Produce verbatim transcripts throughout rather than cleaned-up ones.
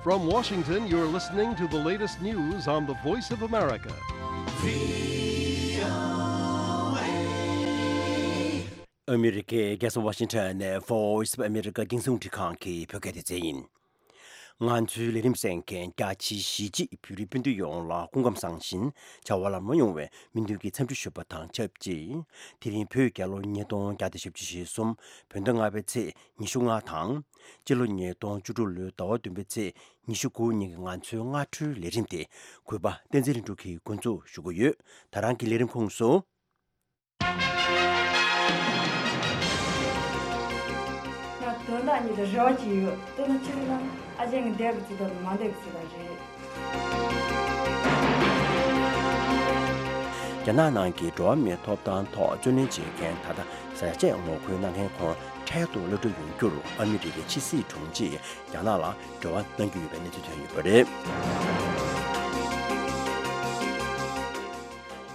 From Washington, you're listening to the latest news on the Voice of America. ཨ་མི་རི་ཀའི་རྒྱལ་ས་ཝ་ཤིང་ཊོན་ནས་Voice of America རྒྱང་སྲིང་རླུང་འཕྲིན་ཁང་གི་བོད་སྐད་སྡེ་ཚན་ཡིན། ང་ཚོའི་ལས་རིམ་གསན་མཁན་རྒྱ་ཆེའི་གཞིས་བྱེས་བོད་རིགས་སྤུན་ཟླ་ཡོངས་ལ་སྐུ་ཁམས་བཟང་ཞིང་བྱ་བ་ལམ་ལྷོང་ཡོང་བའི་སྨོན་འདུན་གྱི་འཚམས་འདྲི་ཞུ་བ་དང་ཆབས་ཅིག་དེ་རིང་བོད་རྒྱལ་ལོ་ཉིས་སྟོང་བརྒྱ་དང་བཞི་བཅུ་ཞེ་གསུམ་བོད་ཟླ་ལྔ་པའི་ཚེས་ཉི་ཤུ་ལྔ་དང་། སྤྱི་ལོ་ཉིས་སྟོང་བཅུ་དྲུག་ལོའི་ཟླ་བ་བདུན་པའི་ཚེས་ཉི་ཤུ་དགུ་ཉིན་གྱི་ང་ཚོའི་སྔ་དྲོའི་ལས་རིམ་དེ་གུས་པ་བསྟན་འཛིན་ལྷུན་གྲུབ་ཀྱིས་འགོ་འཛུགས་ཞུ་གི་ཡོད། ད་རང་གི་ལས་རིམ་ཁོངས་སུ། ང་དོན་དག་གཉིས་དང་རེ་བ་གཅིག་ཡོད། དེ་ནི་ཆི་རེད་ན་ཨ་ཅེ་ངའི་འདས་པའི་ཚེ་དང་མ་འདས་པའི་ཚེ་དང་རེད། རྒྱ་ནག་ནང་གི་འགྲོ་བ་མིའི་ཐོབ་ཐང་ཐོག་རྩོད་ལེན་བྱེད་མཁན་ད་ལྟ་ཟས་བཅད་ངོ་རྒོལ་གནང་མཁན་ཁོང་འཕྲལ་དུ་གློད་གྲོལ་ཡོང་རྒྱུར་ཨ་མི་རི་ཀའི་ཕྱི་སྲིད་དྲུང་ཆེས་རྒྱ་ནག་ལ་འབྲེལ་བ་གནང་རྒྱུ་ཡོད་པའི་གནས་ཚུལ་ཐོན་ཡོད་པ་རེད།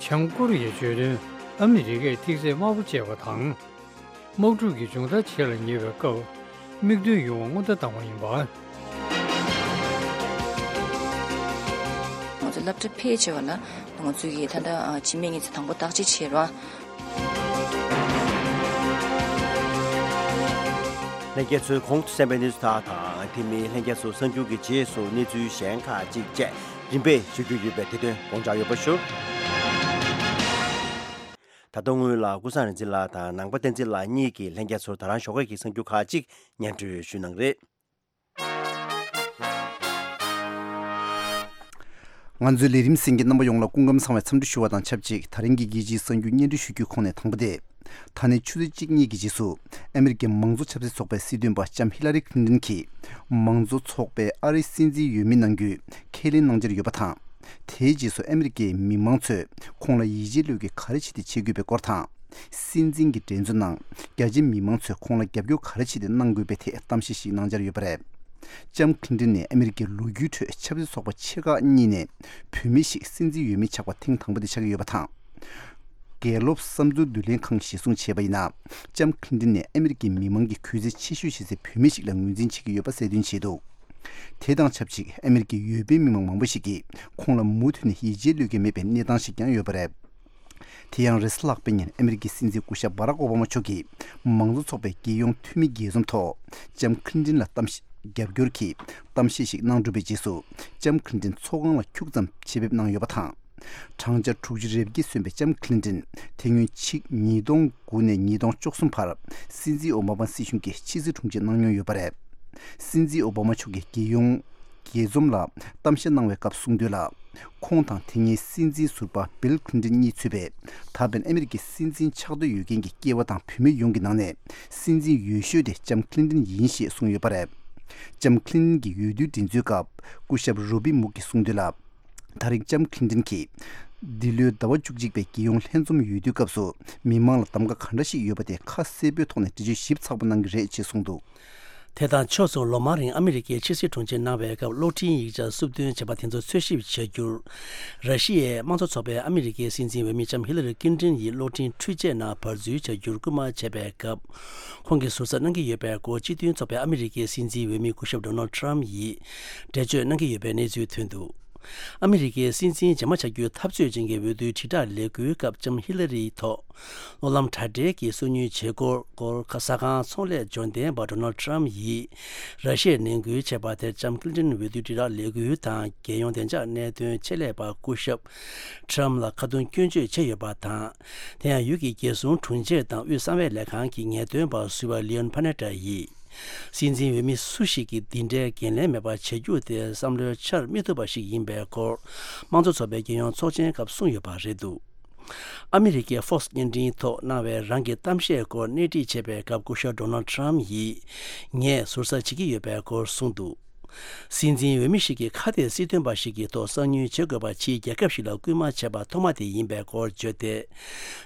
བྱང་ཀོ་རི་ཡའི་བརྗོད་དོན། ཨ་མི་རི་ཀས་ཐིག་ཚད་དམའ་པོ་སྤྱད་པ་དང་། དམག་འཁྲུག་གི་མཇུག་མཐར་བྱེད་ལ་ཉེ་བའི་སྐབས། མིག་མདུན་ཡོང་བ་སྔོན་བརྡ་བཏང་བ་ཡིན་པ། ང་ཚོ་སློབ་གྲྭ་ཕལ་ཆེ་བ་ལ་ང་ཚོ་གིས་ད་ལྟ་ཨ་འཆི་མེད་གཉིད་ཚད་དང་པོ་བརྟག་དཔྱད་བྱས་རོགས། ལྷན་རྒྱས་ཚོས་གོང་དུ་གསན་པའི་གནས་ཚུལ་དག་དང་དེ་མིན་ལྷན་རྒྱས་ཚོ་གསར་འགྱུར་གྱི་རྗེས་སུ་གནས་ཚུལ་གཞན་ཁག་ཅིག་བཅས་རིམ་པས་ཞུ་རྒྱུ་ཡོད་པས་དེ་དོན་དགོངས་འཇགས་ཡོད་པ་ཞུ། ད་དུང་སྔོན་ལ་ཀུན་བཟང་རིག་འཛིན་ལགས་དང་ནང་པ་བསྟན་འཛིན་ལགས་གཉིས་ཀྱིས་ལྷན་རྒྱས་ཚོར་ད་རང་ཞོགས་ཀས་ཀྱི་གསར་འགྱུར་ཁག་ཅིག་སྙན་སྒྲོན་ཞུས་གནང་རེད། ང་ཚོའི་ལས་རིམ་གསན་མཁན་རྣམ་པ་ཡོངས་ལ་སྐུ་ཁམས་བཟང་བའི་འཚམས་འདྲི་ཞུ་བ་དང་ཆབས་ཅིག་ད་རིང་གི་རྒྱལ་སྤྱིའི་གསར་འགྱུར་སྙན་སྒྲོན་ཞུ་རྒྱུའི་ཁོངས་ནས་དང་པོ་དེ། ད་ནས་ཆུ་ཚོད་གཅིག་གཉིས་ཀྱི་རྗེས་སུ་ཨ་མི་རི་ཀའི་མང་གཙོ་ཆབ་སྲིད་ཚོགས་པའི་སྲིད་དོན་པ་ལྕམ་ཧི་ལ་རི་ཁི་ལིན་ཊོན་གྱིས་མང་གཙོ་ཚོགས་པའི་ཨ་རིའི་སྲིད་འཛིན་འོས་མི་གནང་རྒྱུའི་ཁས་ལེན་གནང་འཆར་ཡོད་པ་དང་། དེའི་རྗེས་སུ་ཨ་མི་རི་ཀའི་མི་མང་ཚོས་ཁོང་ལ་ཡིད་ཆེས་བློས་འགེལ་ག་རེ་བྱས་ཏེ་བྱེད་དགོས་པའི་སྐོར་དང་། སྲིད་འཛིན་གྱི་འགྲན་རྩོད་ནང་རྒྱ་ཆེའི་མི་མང་ཚོས་ཁོང་ལ་རྒྱབ་སྐྱོར་ག་རེ་བྱས་ཏེ་གནང་དགོས་པའི་ཐད་གཏམ་བཤད་ཞིག་གནང་འཆར་ཡོད་པ་རེད། ལྕམ་ཁི་ལིན་ཊོན་ནི་ཨ་མི་རི་ཀའི་ལོ་རྒྱུས་ཁྲོད་ཆབ་སྲིད་ཚོགས་པ་ཆེ་ཁག་གཉིས་ནས་བུད་མེད་ཞིག་སྲིད་འཛིན་འོས་མི་ཆགས་པ་ཐེངས་དང་པོ་དེ་ཆགས་ཀྱི་ཡོད་པ་དང་། གལ་ལོབ་བསམ་ཚུལ་བསྡུ་ལེན་ཁང་གིས་གཞིར་བཟུང་བྱས་པ་ཡིན་ན། ལྕམ་ཁི་ལིན་ཊོན་ནི་ཨ་མི་རི་ཀའི་མི་མང་གི་གུས་བརྩི་ཆེ་ཤོས་བྱེད་སའི་བུད་མེད་ཞིག་ལ་ངོས་འཛིན་བྱེད་ཀྱི་ཡོད་པ་གསལ་སྟོན་བྱས་འདུག་དེ་དང་ཆབས་ཅིག་ཨ་མི་རི་ཀའི་འོས་འཕེན་མི་མང་མང་པོ་ཞིག་གིས་ཁོང་ལ་མུ་མཐུད་ནས་ཡིད་ཆེས་བློས་འགེལ་མེད་པའི་གནས་སྟངས་ཤིག་ཀྱང་ཡོད་པ་རེད། དེ་ཡང་རེས་གཟའ་ལྷག་པའི་ཉིན་ཨ་མི་རི་ཀའི་སྲིད་འཛིན་སྐུ་ཞབས་བྷ་རག་ཨོ་བྷ་མ་མཆོག་གིས་མང་གཙོ་ཚོགས་པའི་རྒྱལ་ཡོངས་འཐུས་མི་རྒྱས་འཛོམས་ཐོག་ལྕམ་ཁི་ལིན་ཊོན་ལ་གཏམ་བཤད་རྒྱབ་སྐྱོར་གྱི་གཏམ་བཤད་ཞིག་གནང་གྲུབ་པའི་རྗེས་སུ་ལྕམ་ཁི་ལིན་ཊོན་ཚོགས་ཁང་ལ་འཁྱུག་ཙམ་ཆེད་ཕེབས་གནང་ཡོད་པ་དང་། བགྲང་བྱ་དྲུག་ཅུ་རེ་བརྒྱད་སོན་པའི་ལྕམ་ཁི་ལིན་ཊོན་དེ་སྔོན་ཕྱི་ཉིས་སྟོང་དགུ་ནས་ཉིས་སྟོང་བཅུ་གསུམ་བར་སྲིད་འཛིན་ཨོ་བྷ་མ་སྲིད་གཞུང་གི་ཕྱི་སྲིད་དྲུང་ཆེ་གནང་མྱོང་ཡོད་པ་རེད། སྲིད་འཛིན་ཨོ་བྷ་མ་མཆོག་གིས་རྒྱལ་ཡོངས་རྒྱས་འཛོམས་ལ་གཏམ་བཤད་གནང་བའི་སྐབས་གསུངས་དོན་ལ། ཁོང་དང་དེ་སྔའི་སྲིད་འཛིན་ཟུར་པ་བིལ་ཁི་ལིན་ཊོན་གཉིས་ཚུད་པའི་ད་ཕན་ཨ་མི་རི་ཀའི་སྲིད་འཛིན་ཆགས་འདོད་ཡོད་མཁན་གྱི་སྐྱེས་པ་དང་བུད་མེད་ཡོངས་ཀྱི་ནང་ནས་སྲིད་འཛིན་ཡོད་ཤོས་དེ་ལྕམ་ཁི་ལིན་ཊོན་ཡིན་ཞེས་གསུངས་ཡོད་པ་རེད། ལྕམ་ཁི་ལིན་ཊོན་གྱི་འོས་བསྡུའི་འགྲན་རྩོད་སྐབས་སྐུ་ཞབས་རོ་བྷི་མུག་གིས་གསུངས་དོན་ལ། ད་རེས་ལྕམ་ཁི་ལིན་ཊོན་གྱིས་འདི་ལོའི་ཟླ་བ་བཅུ་གཅིག་པའི་རྒྱལ་ཡོངས་ལྷན་འཛོམས་འོས་བསྡུའི་སྐབས་སུ་མི་མང་ལ་གདམ་ག་ག་འདྲ་ཞིག་ཡོད་པ་དེ་ཁ་གསལ་པོའི་ཐོག་ནས་འགྲེལ་བརྗོད་ཞིབ་ཚགས་པོ་གནང་གི་རེད་ཅེས་གསུངས་འདུག་དེ་དང་ཕྱོགས་མཚུངས་ལོ་མང་རིང་ཨ་མི་རི་ཀའི་ཕྱི་སྲིད་དྲུང་ཆེ་གནང་བའི་སྐབས་གློག་འཕྲིན་ཡིག་ཆ་སུབ་འདོན་བྱས་པ་དེ་ཚོ་འཚོལ་ཞིབ་བྱ་རྒྱུར། ར་ཤི་ཡའི་དམངས་གཙོ་ཚོགས་པའི་ཨ་མི་རི་ཀའི་སྲིད་འཛིན་འོས་མི་ལྕམ་ཧི་ལ་རི་ཀིན་ཏིན་ཡིས་གློག་འཕྲིན་འཕྲུལ་ཆས་ནང་བར་འཛུལ་བྱ་རྒྱུར་སྐུལ་མ་བྱས་པའི་སྐབས། ཁོང་གིས་ཟུར་ཟ་གནང་གི་ཡོད་པའི་སྐོར་སྤྱི་མཐུན་ཚོགས་པའི་ཨ་མི་རི་ཀའི་སྲིད་འཛིན་འོས་མི་སྐུ་ཞབས་ཌོ་ནལ་ཊམ་ཡིས་འགྲེལ་བརྗོད་གནང་གི་ཡོད་པའི་གནས་ཚུལ་ཐོན་འདུག་ཨ་མི་རི་ཀའི་སྲིད་འཛིན་རྗེས་མ་བྱ་རྒྱུའི་འཐབ་རྩོད་ཅན་གྱི་འོས་བསྡུའི་དྲིལ་བསྒྲགས་ལས་འགུལ་སྐབས་ལྕམ་ཧི་ལ་རིའི་ཐོག་གློག་ལམ་དྲ་སྦྲེལ་གྱི་སོ་ཉུལ་བྱེད་སྒོར་སྐོར་ཟ་ཁང་ཚོང་ལས་འབྱོར་ལྡན་པ་ཌོ་ནལ་ཊམ་ཡིས་ར་ཤི་ཡར་ནན་སྐུལ་བྱས་པ་དེར་ལྕམ་ཀི་ལིན་ཏོན་འོས་བསྡུའི་དྲིལ་བསྒྲགས་ལས་འགུལ་དང་རྒྱལ་ཡོངས་བདེ་འཇགས་གནད་དོན་ཆེད་ལས་པ་སྐུ་ཞབས་ཊམ་ལ་ཁ་རྡུང་སྐྱོན་བརྗོད་བྱས་ཡོད་པ་དང་། དེ་ཡང་ཡུལ་གྱི་རྒྱལ་སྲུང་དྲུང་ཆེ་དང་དབུས་གསང་བའི་ལས་ཁང་གི་ངེས་སྟོན་པ་ཟུར་པ་ལི་ཡོན་ཕ་ནེ་ཏྲ་ཡིས། སྲིད་འཛིན་འོས་མི་སུ་ཞིག་གིས་འདི་འདྲའི་འགན་ལེན་མེད་པར་བྱེད་རྒྱུ་དེ་བསམ་བློའི་འཆར་མི་ཐུབ་པ་ཞིག་ཡིན་པའི་སྐོར། དམངས་གཙོ་ཚོགས་པའི་རྒྱལ་ཡོངས་ཚོགས་ཆེན་སྐབས་གསུངས་ཡོད་པ་རེད་འདུག་ཨ་མི་རི་ཀའི་Fox བརྙན་འཕྲིན་ཐོག་གནང་བའི་རང་གི་གཏམ་བཤད་སྐོར་སྣེ་ཁྲིད་བྱས་པའི་སྐབས་སྐུ་ཞབས་ཌོ་ནལ་ཊམ་ཡིས། ངས་ཟུར་ཟ་བྱེད་ཀྱི་ཡོད་པའི་སྐོར་གསུངས་འདུག་སྲིད་འཛིན་འོས་མི་ཞིག་གིས་ཁ་གཏད་སྲིད་དོན་པ་ཞིག་གི་ཐོག་གསང་ཉུལ་བྱེད་དགོས་པ་ཕྱིའི་རྒྱལ་ཁབ་ཞིག་ལ་སྐུལ་མ་བྱས་པ་ཐོག་མ་དེ་ཡིན་པའི་སྐོར་བརྗོད་དེ།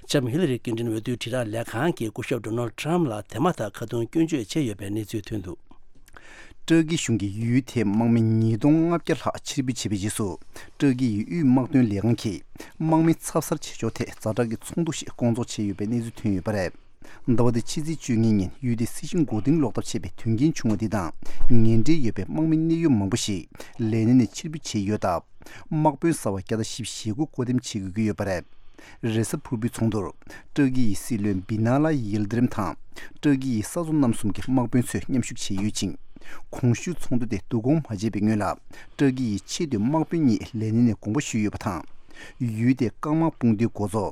ལྕམ་ཧི་ལ་རི་ཀིན་ཏོན་འོས་བསྡུའི་དྲིལ་བསྒྲགས་ལས་ཁང་གིས་སྐུ་ཞབས་ཌོ་ནལ་ཊམ་ལ་དེ་མ་ཐག་ཁ་རྡུང་སྐྱོན་བརྗོད་བྱས་ཡོད་པའི་གནས་ཚུལ་ཐོན་འདུག་ཏུར་ཀི་གཞུང་གིས་ཡུལ་དེའི་དམག་མི་ཉིས་སྟོང་ལྔ་བརྒྱ་ལྷག་ཕྱིར་འབུད་བྱས་པའི་རྗེས་སུ། ཏུར་ཀི་ཡི་དབུས་དམག་དོན་ལས་ཁང་གིས་དམག་མི་འཚབ་སར་བྱེད་ཕྱོགས་ཐད་ཛ་དྲག་གི་ཚོགས་འདུ་ཞིག་བསྐོང་ཚོགས་བྱས་ཡོད་པའི་གནས་ཚུལ་ཐོན་ཡོད་པ་རེད། ཟླ་བ་འདིའི་ཕྱི་ཚེས་བཅོ་ལྔ་ཉིན་ཡུལ་དེའི་སྲིད་གཞུང་མགོ་རྟིང་སློག་ཐབས་བྱས་པའི་དོན་རྐྱེན་བྱུང་བ་འདི་དང་ངན་འབྲེལ་ཡོད་པའི་དམག་མི་གནད་ཡོད་མང་པོ་ཞིག་ལས་གནས་ནས་ཕྱིར་འབུད་བྱས་ཡོད་སྟབས། དམག་དཔོན་གསར་བ་བརྒྱ་དང་བཞི་བཅུ་ཞེ་དགུ་བསྐོ་འདེམས་བྱེད་དགོས་ཀྱི་ཡོད་པ་རེད། རེས་གཟའ་ཕུར་བུའི་ཚོགས་འདུར་ཏུར་ཀི་ཡི་སྲིད་བློན་བི་ན་ལ་ཡིལ་དི་རིམ་དང་ཏུར་ཀི་ཡི་ས་མཚོ་རྣམ་གསུམ་གྱི་དམག་དཔོན་ཚོས་མཉམ་ཞུགས་བྱས་ཡོད་ཅིང་། གོང་ཞུས་ཚོགས་འདུ་དེ་བསྡུ་སྐོང་མ་བྱས་པའི་སྔོན་ལ་ཏུར་ཀི་ཡི་ཆེས་མཐོའི་དམག་དཔོན་གཉིས་ལས་གནས་ནས་དགོངས་པ་ཞུས་ཡོད་པ་དང་། ཡུལ་དེའི་རྐང་དམག་དཔུང་སྡེའི་འགོ་གཙོ་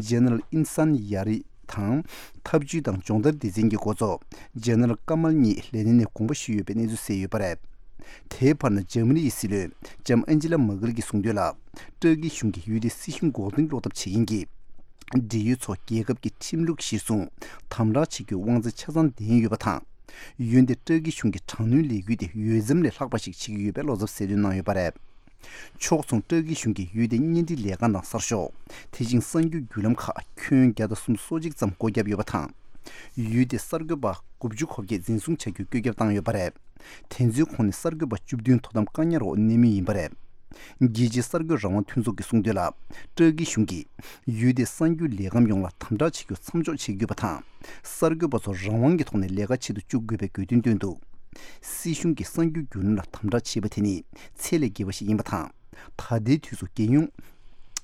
ཇེ་ནེ་རལ་ཨིན་སན་ཡ་རི་དང་། འཐབ་ཇུས་དང་སྦྱོང་བརྡར་སྡེ་ཚན་གྱི་འགོ་གཙོ་ཇེ་ནེ་རལ་ཀ་མལ་གཉིས་ལས་གནས་ནས་དགོངས་པ་ཞུས་ཡོད་པའི་གནས་ཚུལ་གསལ་ཡོད་པ་རེད། དེའི་བར་ན་འཇར་མ་ནི་ཡི་སྲིད་བློན་ལྕམ་ཨན་ཇི་ལ་མར་ཀེལ་གྱིས་གསུངས་དོན་ལ། ཏུར་ཀི་གཞུང་གིས་ཡུལ་དེའི་སྲིད་གཞུང་མགོ་རྟིང་སློག་ཐབས་བྱེད་མཁན་གྱི་འབྲེལ་ཡོད་ཚོ་རྒྱལ་ཁབ་ཀྱི་ཁྲིམས་ལུགས་གཞིར་བཟུང་དམ་དྲག་བྱེད་རྒྱུའི་དབང་ཚད་ཆ་ཚང་ལྡན་ཡོད་པ་དང་། འོན་ཏེ་ཏུར་ཀི་གཞུང་གིས་དྲག་གནོན་ལས་འགུལ་དེ་འོས་འཚམ་ལས་ལྷག་པ་ཞིག་བྱེད་ཀྱི་ཡོད་པའི་བློ་འཚབ་གསལ་སྟོན་གནང་ཡོད་པ་རེད། ཕྱོགས་མཚུངས་ཏུར་ཀི་གཞུང་གིས་ཡུལ་དེའི་གཉེན་སྒྲིག་ལས་ཁང་དང་གསར་ཤོག་དེ་བཞིན་གསར་འགྱུར་བརྒྱུད་ལམ་ཁག་ཁྱོན་བརྒྱ་དང་སུམ་ཅུ་སོ་གཅིག་ཙམ་སྒོ་བརྒྱབ་ཡོད་པ་དང་། ཡུལ་དེའི་གསར་འགོད་པ་དགུ་བཅུ་གོ་བརྒྱད་འཛིན་བཟུང་བྱ་རྒྱུའི་བཀོད་ཁྱབ་བཏང་ཡོད་པ་རེད། དེ་ཚོའི་ཁོངས་ནས་གསར་འགོད་པ་བཅུ་བདུན་དོ་དམ་བཀག་ཉར་འོག་གནས་མུས་ཡིན་པ་རེད། རྒྱལ་སྤྱིའི་གསར་འགོད་རང་དབང་མཐུན་ཚོགས་ཀྱིས་གསུངས་དོན་ལ། ཏུར་ཀི་གཞུང་གིས་ཡུལ་དེའི་གསར་འགྱུར་ལས་ཁང་ཡོངས་ལ་དམ་དྲག་བྱེད་རྒྱུ་མཚམས་འཇོག་བྱེད་དགོས་པ་དང་། གསར་འགོད་པ་ཚོ་རང་དབང་གི་ཐོག་ནས་ལས་ཀ་བྱེད་དུ་བཅུག་དགོས་པའི་དགོས་འདུན་བཏོན་འདུག་སྲིད་གཞུང་གིས་གསར་འགྱུར་བརྒྱུད་ལམ་ལ་དམ་དྲག་བྱེད་པ་དེ་ནི་ཚད་ལས་བརྒལ་བ་ཞིག་ཡིན་པ་དང་། ད་ལྟའི་དུས་སུ་རྒྱལ་ཡོངས།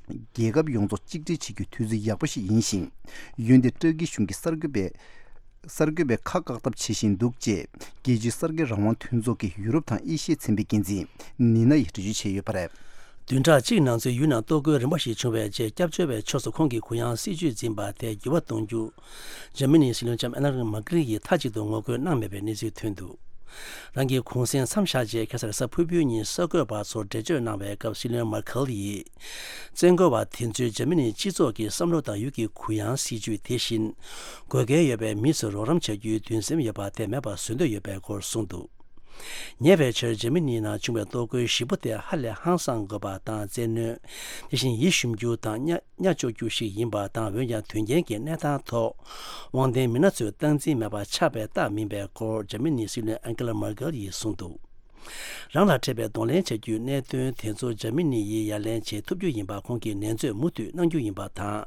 རྒྱལ་ཁབ་ཡོངས་རྫོགས་གཅིག་སྒྲིལ་བྱེད་རྒྱུའི་དུས་ཚོད་ཡག་པོ་ཞིག་ཡིན་ཞིང་། འོན་ཏེ་ཏུར་ཀི་གཞུང་གིས་གསར་འགོད་པའི། གསར་འགོད་པའི་ཁ་བཀག་ཐབས་བྱེད་བཞིན་འདུག་ཅེས་རྒྱལ་སྤྱིའི་གསར་འགོད་རང་དབང་མཐུན་ཚོགས་ཀྱི་ཡུ་རོབ་དང་ཨེ་ཤི་ཡའི་ཚན་པའི་འགན་འཛིན་ནི་ན་ཡིས་འགྲེལ་བརྗོད་བྱས་ཡོད་པ་རེད། བདུན་ཕྲག་གཅིག་ནང་ཚུད་ཡུལ་ནང་གཏོར་རྒོལ་རིམ་པ་ཞིག་བྱུང་བའི་རྗེས་སྐྱབས་བཅོལ་བའི་ཕྱོགས་སུ་ཁོང་གི་གུ་ཡངས་སྲིད་བྱུས་འཛིན་པ་དེ་འགྱུར་བ་གཏོང་རྒྱུ། འཇར་མ་ནིའི་སྲིད་བློན་ལྕམ་ཨན་ན་ལེན་མར་ཀེལ་གྱིས་མཐའ་གཅིག་ཏུ་ངོ་རྒོལ་གནང་མེད་པའི་གནས་ཚུལ་ཐོན་འདུག་རང་གི་གུང་སེང་མཚམས་བཞག་རྗེས་ཁ་སང་རེས་གཟའ་ཕུར་བུའི་ཉིན་གསར་འགོད་པ་ཚོར་འགྲེལ་བརྗོད་གནང་བའི་སྐབས་སྲིད་བློན་མར་ཁེལ་ཡིས། བཙན་རྒོལ་བ་དེ་ཚོས་འཇར་མ་ནིའི་སྤྱི་ཚོགས་ཀྱི་བསམ་བློ་དང་ཡུལ་གྱི་གུ་ཡངས་སྲིད་བྱུས་དེ་བཞིན། དགོས་གལ་ཡོད་པའི་མི་ཚོར་རོགས་རམ་བྱ་རྒྱུའི་འདུན་སེམས་ཡོད་པ་དེ་མེད་པ་བཟོ་འདོད་ཡོད་པའི་སྐོར་གསུངས་འདུག་ཉེ་བའི་ཆར་འཇར་མ་ནིའི་ནང་བྱུང་བའི་གཏོར་རྒོལ་ཞེ་པོ་དེ་ཧ་ལས་ཧང་སངས་དགོས་པ་དང་བཙན་གནོན། དེ་བཞིན་ཡིད་ཞུམ་རྒྱུ་དང་གཉའ་གཉའ་གཅོག་རྒྱུ་ཞིག་ཡིན་པ་དང་། འོན་ཀྱང་དོན་རྐྱེན་གྱི་གནས་སྟངས་ཐོག་དབང་ལྡན་མི་སྣ་ཚོས་སྟངས་འཛིན་མེད་པར་ཆགས་པའི་རྟགས་མིན་པའི་སྐོར་འཇར་མ་ནིའི་སྲིད་བློན་ཨན་ཀེ་ལ་མར་ཀེལ་ཡིས་གསུངས་འདུག་རང་ལ་འཕྲད་པའི་གདོང་ལེན་བྱ་རྒྱུའི་གནད་དོན་དེ་ཚོ་འཇར་མ་ནི་ཡིས་ཡ་ལན་བྱེད་ཐུབ་རྒྱུ་ཡིན་པ་ཁོང་གིས་ནན་བརྗོད་མུ་མཐུད་གནང་རྒྱུ་ཡིན་པ་དང་།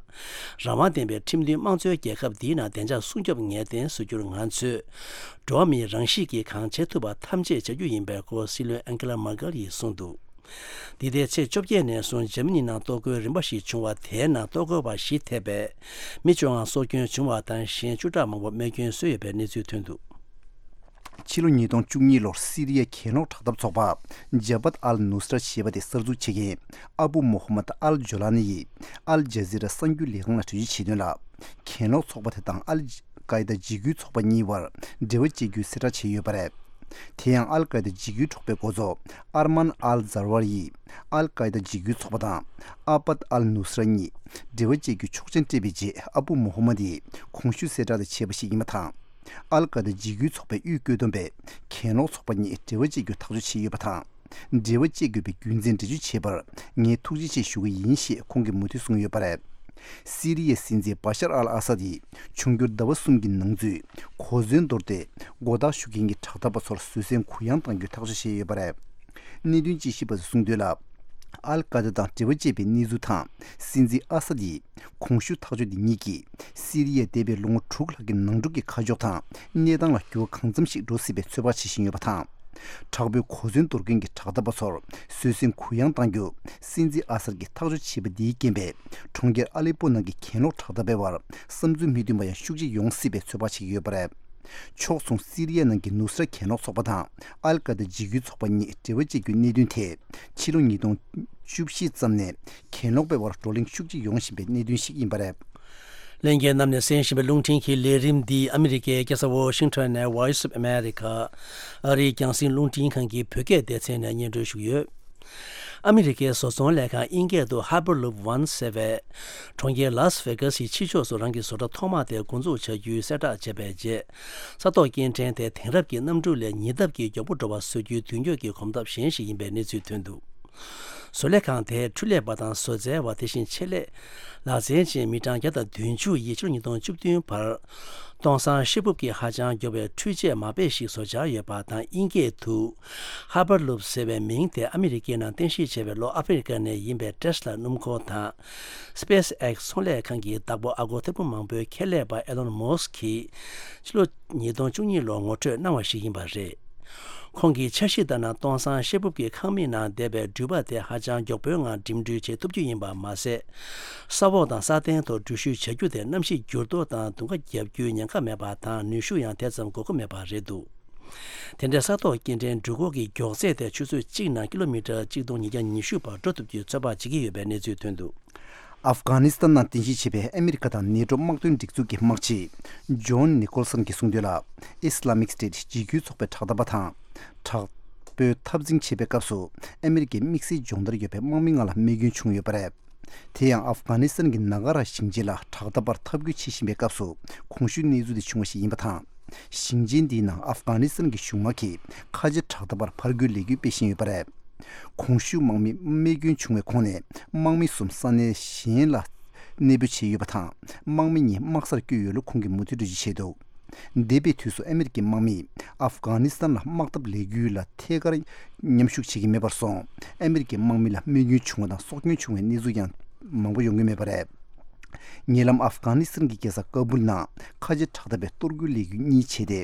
རང་དབང་ལྡན་པའི་ཁྲིམས་མཐུན་དམངས་གཙོའི་རྒྱལ་ཁབ་འདིའི་ནང་བདེ་འཇགས་སྲུང་སྐྱོབ་ངེས་གཏན་བཟོ་རྒྱུར་ང་ཚོས་འགྲོ་བ་མིའི་རང་གཤིས་ཀྱིས་གང་བྱེད་ཐུབ་པ་ཐམས་ཅད་བྱ་རྒྱུ་ཡིན་པའི་སྐོར་སྲིད་བློན་ཨན་ཀེ་ལ་མར་ཀེལ་ཡིས་གསུངས་འདུག་འདི་ཟླའི་ཚེས་བཅོ་བརྒྱད་ནས་བཟུང་འཇར་མ་ནི་ནང་གཏོར་རྒོལ་རིམ་པ་ཞིག་བྱུང་བ་དེའི་ནང་གཏོར་རྒོལ་བ་བཞི་ཐེ་བའི་མི་བཅོ་ལྔ་སྲོག་སྐྱོན་བྱུང་བ་དང་གཞན་བཅུ་ཕྲག་མང་པོ་རྨས་སྐྱོན་བཟོས་ཡོད་པའི་གནས་ཚུལ་ཐོན་འདུག་ཕྱི་ལོ་ཉིས་སྟོང་བཅུ་གཉིས་ལོར་སི་རི་ཡའི་གྱེན་ལོག་དྲག་འཐབ་ཚོགས་པ་ཇ་བྷད་ཨལ་ནུ་སྲ་ཞེས་པ་དེ་གསར་འཛུགས་བྱེད་མཁན་ཨ་བུ་མོ་ཧ་མད་ཨལ་ཇོ་ལ་ནི་ཡིས་ཨལ་ཇ་ཟི་ར་གསར་འགྱུར་ལས་ཁང་ལ་འགྲེལ་བརྗོད་བྱས་དོན་ལ། གྱེན་ལོག་ཚོགས་པ་དེ་དང་ཨལ་ཀའི་ད་འཇིགས་སྐུལ་ཚོགས་པ་གཉིས་བར་འབྲེལ་བ་བཅད་རྒྱུའི་གསལ་བསྒྲགས་བྱས་ཡོད་པ་རེད། དེ་ཡང་ཨལ་ཀའི་ད་འཇིགས་སྐུལ་ཚོགས་པའི་འགོ་གཙོ་ཨར་མན་ཨལ་ཛར་ཝར་ཡིས་ཨལ་ཀའི་ད་འཇིགས་སྐུལ་ཚོགས་པ་དང་ཨ་བྷད་ཨལ་ནུ་སྲ་གཉིས་འབྲེལ་བ་བཅད་རྒྱུའི་ཆོག་མཆན་སྤྲད་པའི་རྗེས་ཨ་བུ་མོ་ཧ་མད་ཡིས་གོང་ཞུས་གསལ་བསྒྲགས་དེ་བྱས་པ་ཞིག་ཡིན་པ་དང་། ཨལ་ཀ་ད་འཇིགས་སྐུལ་ཚོགས་པའི་དབུས་བཀོད་འདོམས་པས་གྱེན་ལོག་ཚོགས་པ་གཉིས་འབྲེལ་བ་བཅད་རྒྱུ་ཐག་གཅོད་བྱས་ཡོད་པ་དང་། འབྲེལ་བ་བཅད་དགོས་པའི་རྒྱུ་མཚན་འགྲེལ་བརྗོད་བྱས་པར་ངས་ཐུགས་རྗེ་ཆེ་ཞུ་གི་ཡིན་ཞེས་ཁོང་གིས་མུ་མཐུད་གསུངས་ཡོད་པ་རེད། སི་རི་ཡའི་སྲིད་འཛིན་བ་ཤར་ཨལ་ཨ་སཱད་ཡིས་འབྱུང་འགྱུར་ཟླ་བ་གསུམ་གྱི་ནང་ཚུད་གོ་མཚོན་འདོར་ཏེ་མགོ་བཏགས་ཞུ་མཁན་གྱི་དྲག་འཐབ་པ་ཚོར་བཟོད་བསྲན་གུ་ཡངས་གཏང་རྒྱུའི་ཐག་གཅོད་བྱས་ཡོད་པ་རེད། གནད་དོན་དཔྱད་ཞིབ་པ་ཚོས་གསུངས་དོན་ལ། ཨལ་ཀ་ད་དང་འབྲེལ་བ་བཅད་པའི་གནས་ཚུལ་དང་། སྲིད་འཛིན་ཨ་སཱད་ཡིས། གོང་ཞུས་ཐག་གཅོད་འདི་ཉིད་ཀྱིས་སི་རི་ཡས་འདས་པའི་ལོ་ངོ་དྲུག་ལྷག་གི་ནང་འཁྲུག་གི་ཁ་ཕྱོགས་དང་གནས་སྟངས་ལ་འགྱུར་བ་གང་འཚམ་ཞིག་འགྲོ་སྲིད་པའི་ཚོད་དཔག་བྱེད་བཞིན་ཡོད་པ་དང་། དྲག་པོའི་གོ་མཚོན་འདོར་མཁན་གྱི་དྲག་འཐབ་པ་ཚོར་བཟོད་བསྲན་གུ་ཡངས་གཏང་རྒྱུ་སྲིད་འཛིན་ཨ་སར་གྱིས་ཐག་གཅོད་བྱས་པ་འདིའི་རྐྱེན་པས་གྲོང་ཁྱེར་ཨ་ལེ་པོ་ནང་གི་གྱེན་ལོག་དྲག་འཐབ་པའི་བར་བསམ་ཚུལ་མི་མཐུན་པ་ཡང་ཤུགས་ཆེ་ཡོང་སྲིད་པའི་ཚོད་དཔག་བྱེད་ཀྱི་ཡོད་པ་རེད། ཕྱོགས་མཚུངས་སི་རི་ཡ་ནང་གི་ནུ་སྲ་གྱེན་ལོག་ཚོགས་པ་དང་ཨལ་ཀ་ད་འཇིགས་སྐུལ་ཚོགས་པ་གཉིས་འབྲེལ་བ་བཅད་རྒྱུའི་གནད་དོན་ཐད་ཕྱི་ལོ་ཉིས་སྟོང་བཅུ་བཞི་ཙམ་ནས་གྱེན་ལོག་པའི་བར་བགྲོ་གླེང་ཤུགས་ཆེ་ཡོང་བཞིན་པའི་གནད་དོན་ཞིག་ཡིན་པ་རེད། ལྷན་རྒྱས་རྣམས་ནས་གསན་བཞིན་པའི་རླུང་འཕྲིན་གྱི་ལས་རིམ་འདི་ཨ་མི་རི་ཀའི་རྒྱལ་ས་ཝོ་ཤིང་ཊོན་ནས་Voice of America ཨ་རིའི་རྒྱང་སྲིང་རླུང་འཕྲིན་ཁང་གི་བོད་སྐད་སྡེ་ཚན་ནས་སྙན་སྒྲོན་ཞུ་གི་ཡོད། ཨ་མི་རི་ཀའི་བཟོ་ཚོང་ལས་ཁང་ཨིན་སྐད་དུ་Hyperloop One ཟེར་བས། གྲོང་ཁྱེར་ལཱས་ཝེ་གཱས་ཡི་ཕྱི་ཕྱོགས་སུ་རང་གི་བཟོ་གྲྭ་ཐོག་མ་དེ་འགོ་འཛུགས་བྱ་རྒྱུའི་གསལ་བསྒྲགས་བྱས་པའི་རྗེས། ས་ཐོག་སྐྱེལ་འདྲེན་དེ་དེང་རབས་ཀྱི་གནམ་གྲུ་ལས་ཉེ་འདབས་ཀྱི་མགྱོགས་པོ་འགྲོ་བ་བཟོ་རྒྱུའི་མདུན་སྐྱོད་ཀྱི་གོམ་སྟབས་གཞན་ཞིག་ཡིན་པའི་གནས་ཚུལ་ཐོན་འདུག་བཟོ་ལས་ཁང་དེའི་འཕྲུལ་ལས་པ་དང་བཟོ་རྩལ་བ། དེ་བཞིན་ཆེད་ལས་ལག་རྩལ་ཅན་མི་གྲངས་བརྒྱ་དང་བདུན་ཅུ་ཡིས་ཕྱི་ལོ་ཉིས་སྟོང་བཅུ་བདུན་བར་སྟོང་སང་ཤེལ་སྦུག་གི་ཧ་ཅང་མགྱོགས་པའི་འཕྲུལ་ཆས་མ་དཔེ་ཞིག་བཟོ་འཆར་ཡོད་པ་དང་། དབྱིན་སྐད་དུ་Hyperloop ཟེར་བའི་མིང་དེ་ཨ་མི་རི་ཀའི་ནང་རྟེན་གཞི་བྱས་པའི་ལྷོ་ཨ་ཧྥེ་རི་ཀ་ནས་ཡིན་པའི་Tesla་སྣུམ་འཁོར་དང་SpaceX་ཚོང་ལས་ཁང་གི་བདག་པོ་ཨ་སྒོར་ཐེར་འབུམ་མང་པོའི་ཁེ་ལས་པ་Elon Musk་གིས་ཕྱི་ལོ་ཉིས་སྟོང་བཅུ་གཉིས་ལོར་ངོ་སྤྲོད་གནང་བ་ཞིག་ཡིན་པ་རེད། ཁོང་གིས་འཆར་གཞི་ལྟར་ན། སྟོང་སང་ཤེལ་སྦུག་གི་ཁང་མིག་ནང་བསྡད་པའི་འགྲུལ་པ་དེ་ཧ་ཅང་མགྱོགས་པོའི་ངང་འགྲིམ་འགྲུལ་བྱེད་ཐུབ་རྒྱུ་ཡིན་པ་མ་ཟད། ས་འོག་དང་ས་སྟེང་དུ་འགྲུལ་བཞུད་བྱ་རྒྱུ་དེ་གནམ་གཤིས་འགྱུར་ལྡོག་དང་དུང་ཁ་བརྒྱབ་རྒྱུའི་ཉེན་ཁ་མེད་པ་དང་། ནུས་ཤུགས་ཡང་དེ་ཙམ་དགོས་མཁོ་མེད་པ་རེད་འདུག་དེ་འདྲའི་ས་ཐོག་སྐྱེལ་འདྲེན་འགྲུལ་འཁོར་གྱི་མགྱོགས་ཚད་དེ་ཆུ་ཚོད་གཅིག་ནང་ཀི་ལོ་མི་ཊར་གཅིག་སྟོང་ཉིས་བརྒྱ་ཉི་ཤུ་བར་འགྲོ་ཐུབ་རྒྱུའི་ཚོད་དཔག་བྱེད་ཀྱི་ཡོད་པའི་གནས་ཚུལ་ཐོན་འདུག་ཨབ་གྷ་ནི་སི་ཐན་ནང་རྟེན་གཞི་བྱས་པའི་ཨ་མི་རི་ཀ་དང་ནེ་ཊོ་དམག་དོན་སྒྲིག་འཛུགས་ཀྱི་དམག་སྤྱི་ཇོན་ནི་ཀོལ་སན་གྱིས་གསུངས་དོན་ལ། Islamic State་འཇིགས་སྐུལ་ཚོགས་པའི་དྲག་འཐབ་པ་དང་དྲག་པོའི་འཐབ་འཛིང་བྱེད་པའི་སྐབས་སུ། ཨ་མི་རི་ཀའི་དམིགས་བསལ་སྦྱོང་བརྡར་ཡོད་པའི་དམག་མི་ལྔ་ལ་རྨས་སྐྱོན་བྱུང་ཡོད་པ་རེད། དེ་ཡང་ཨབ་གྷ་ནི་སི་ཐན་གྱི་ན་ག་ར་ཞིང་ཆེན་ལ་དྲག་འཐབ་པར་འཐབ་རྒོལ་བྱེད་བཞིན་པའི་སྐབས་སུ། གོང་ཞུས་གནས་ཚུལ་དེ་བྱུང་བ་ཞིག་ཡིན་པ་དང་། ཞིང་ཆེན་འདིའི་ནང་ཨབ་གྷ་ནི་སི་ཐན་གྱི་གཞུང་དམག་གིས་ཁ་ཆེ་དྲག་འཐབ་པར་ཕར་རྒོལ་ལས་འགུལ་སྤེལ་བཞིན་ཡོད་པ་རེད། གོང་ཞུས་དམག་མི་རྨས་སྐྱོན་བྱུང་བའི་ཁོངས་ནས་དམག་མི་གསུམ་ས་གནས་གཞན་ལ་གནས་སྤོ་བྱས་ཡོད་པ་དང་། དམག་མི་གཉིས་དམག་སར་བསྐྱོད་ཡོད་ལུགས་ཁོང་གིས་མུ་མཐུད་འགྲེལ་བརྗོད་བྱས་འདུག་འདས་པའི་དུས་སུ་ཨ་མི་རི་ཀའི་དམག་མིས་ཨབ་གྷ་ནི་སི་ཐན་ལ་དམག་འཐབ་ལས་འགུལ་ལ་ཐད་ཀར་མཉམ་ཞུགས་བྱེད་ཀྱི་མེད་པར་སོང་། ཨ་མི་རི་ཀའི་དམག་མི་ལ་རྨས་སྐྱོན་བྱུང་བ་དང་སྲོག་སྐྱོན་བྱུང་བའི་གནས་ཚུལ་ཡང་མང་པོ་ཡོང་གི་མེད་པ་རེད། ཉེ་ལམ་ཨབ་གྷ་ནི་སི་ཐན་གྱི་རྒྱལ་ས་ཀ་བུལ་ནང་ཁ་ཆེ་དྲག་འཐབ་པའི་གཏོར་རྒོལ་ལས་འགུལ་གཉིས་བྱས་ཏེ།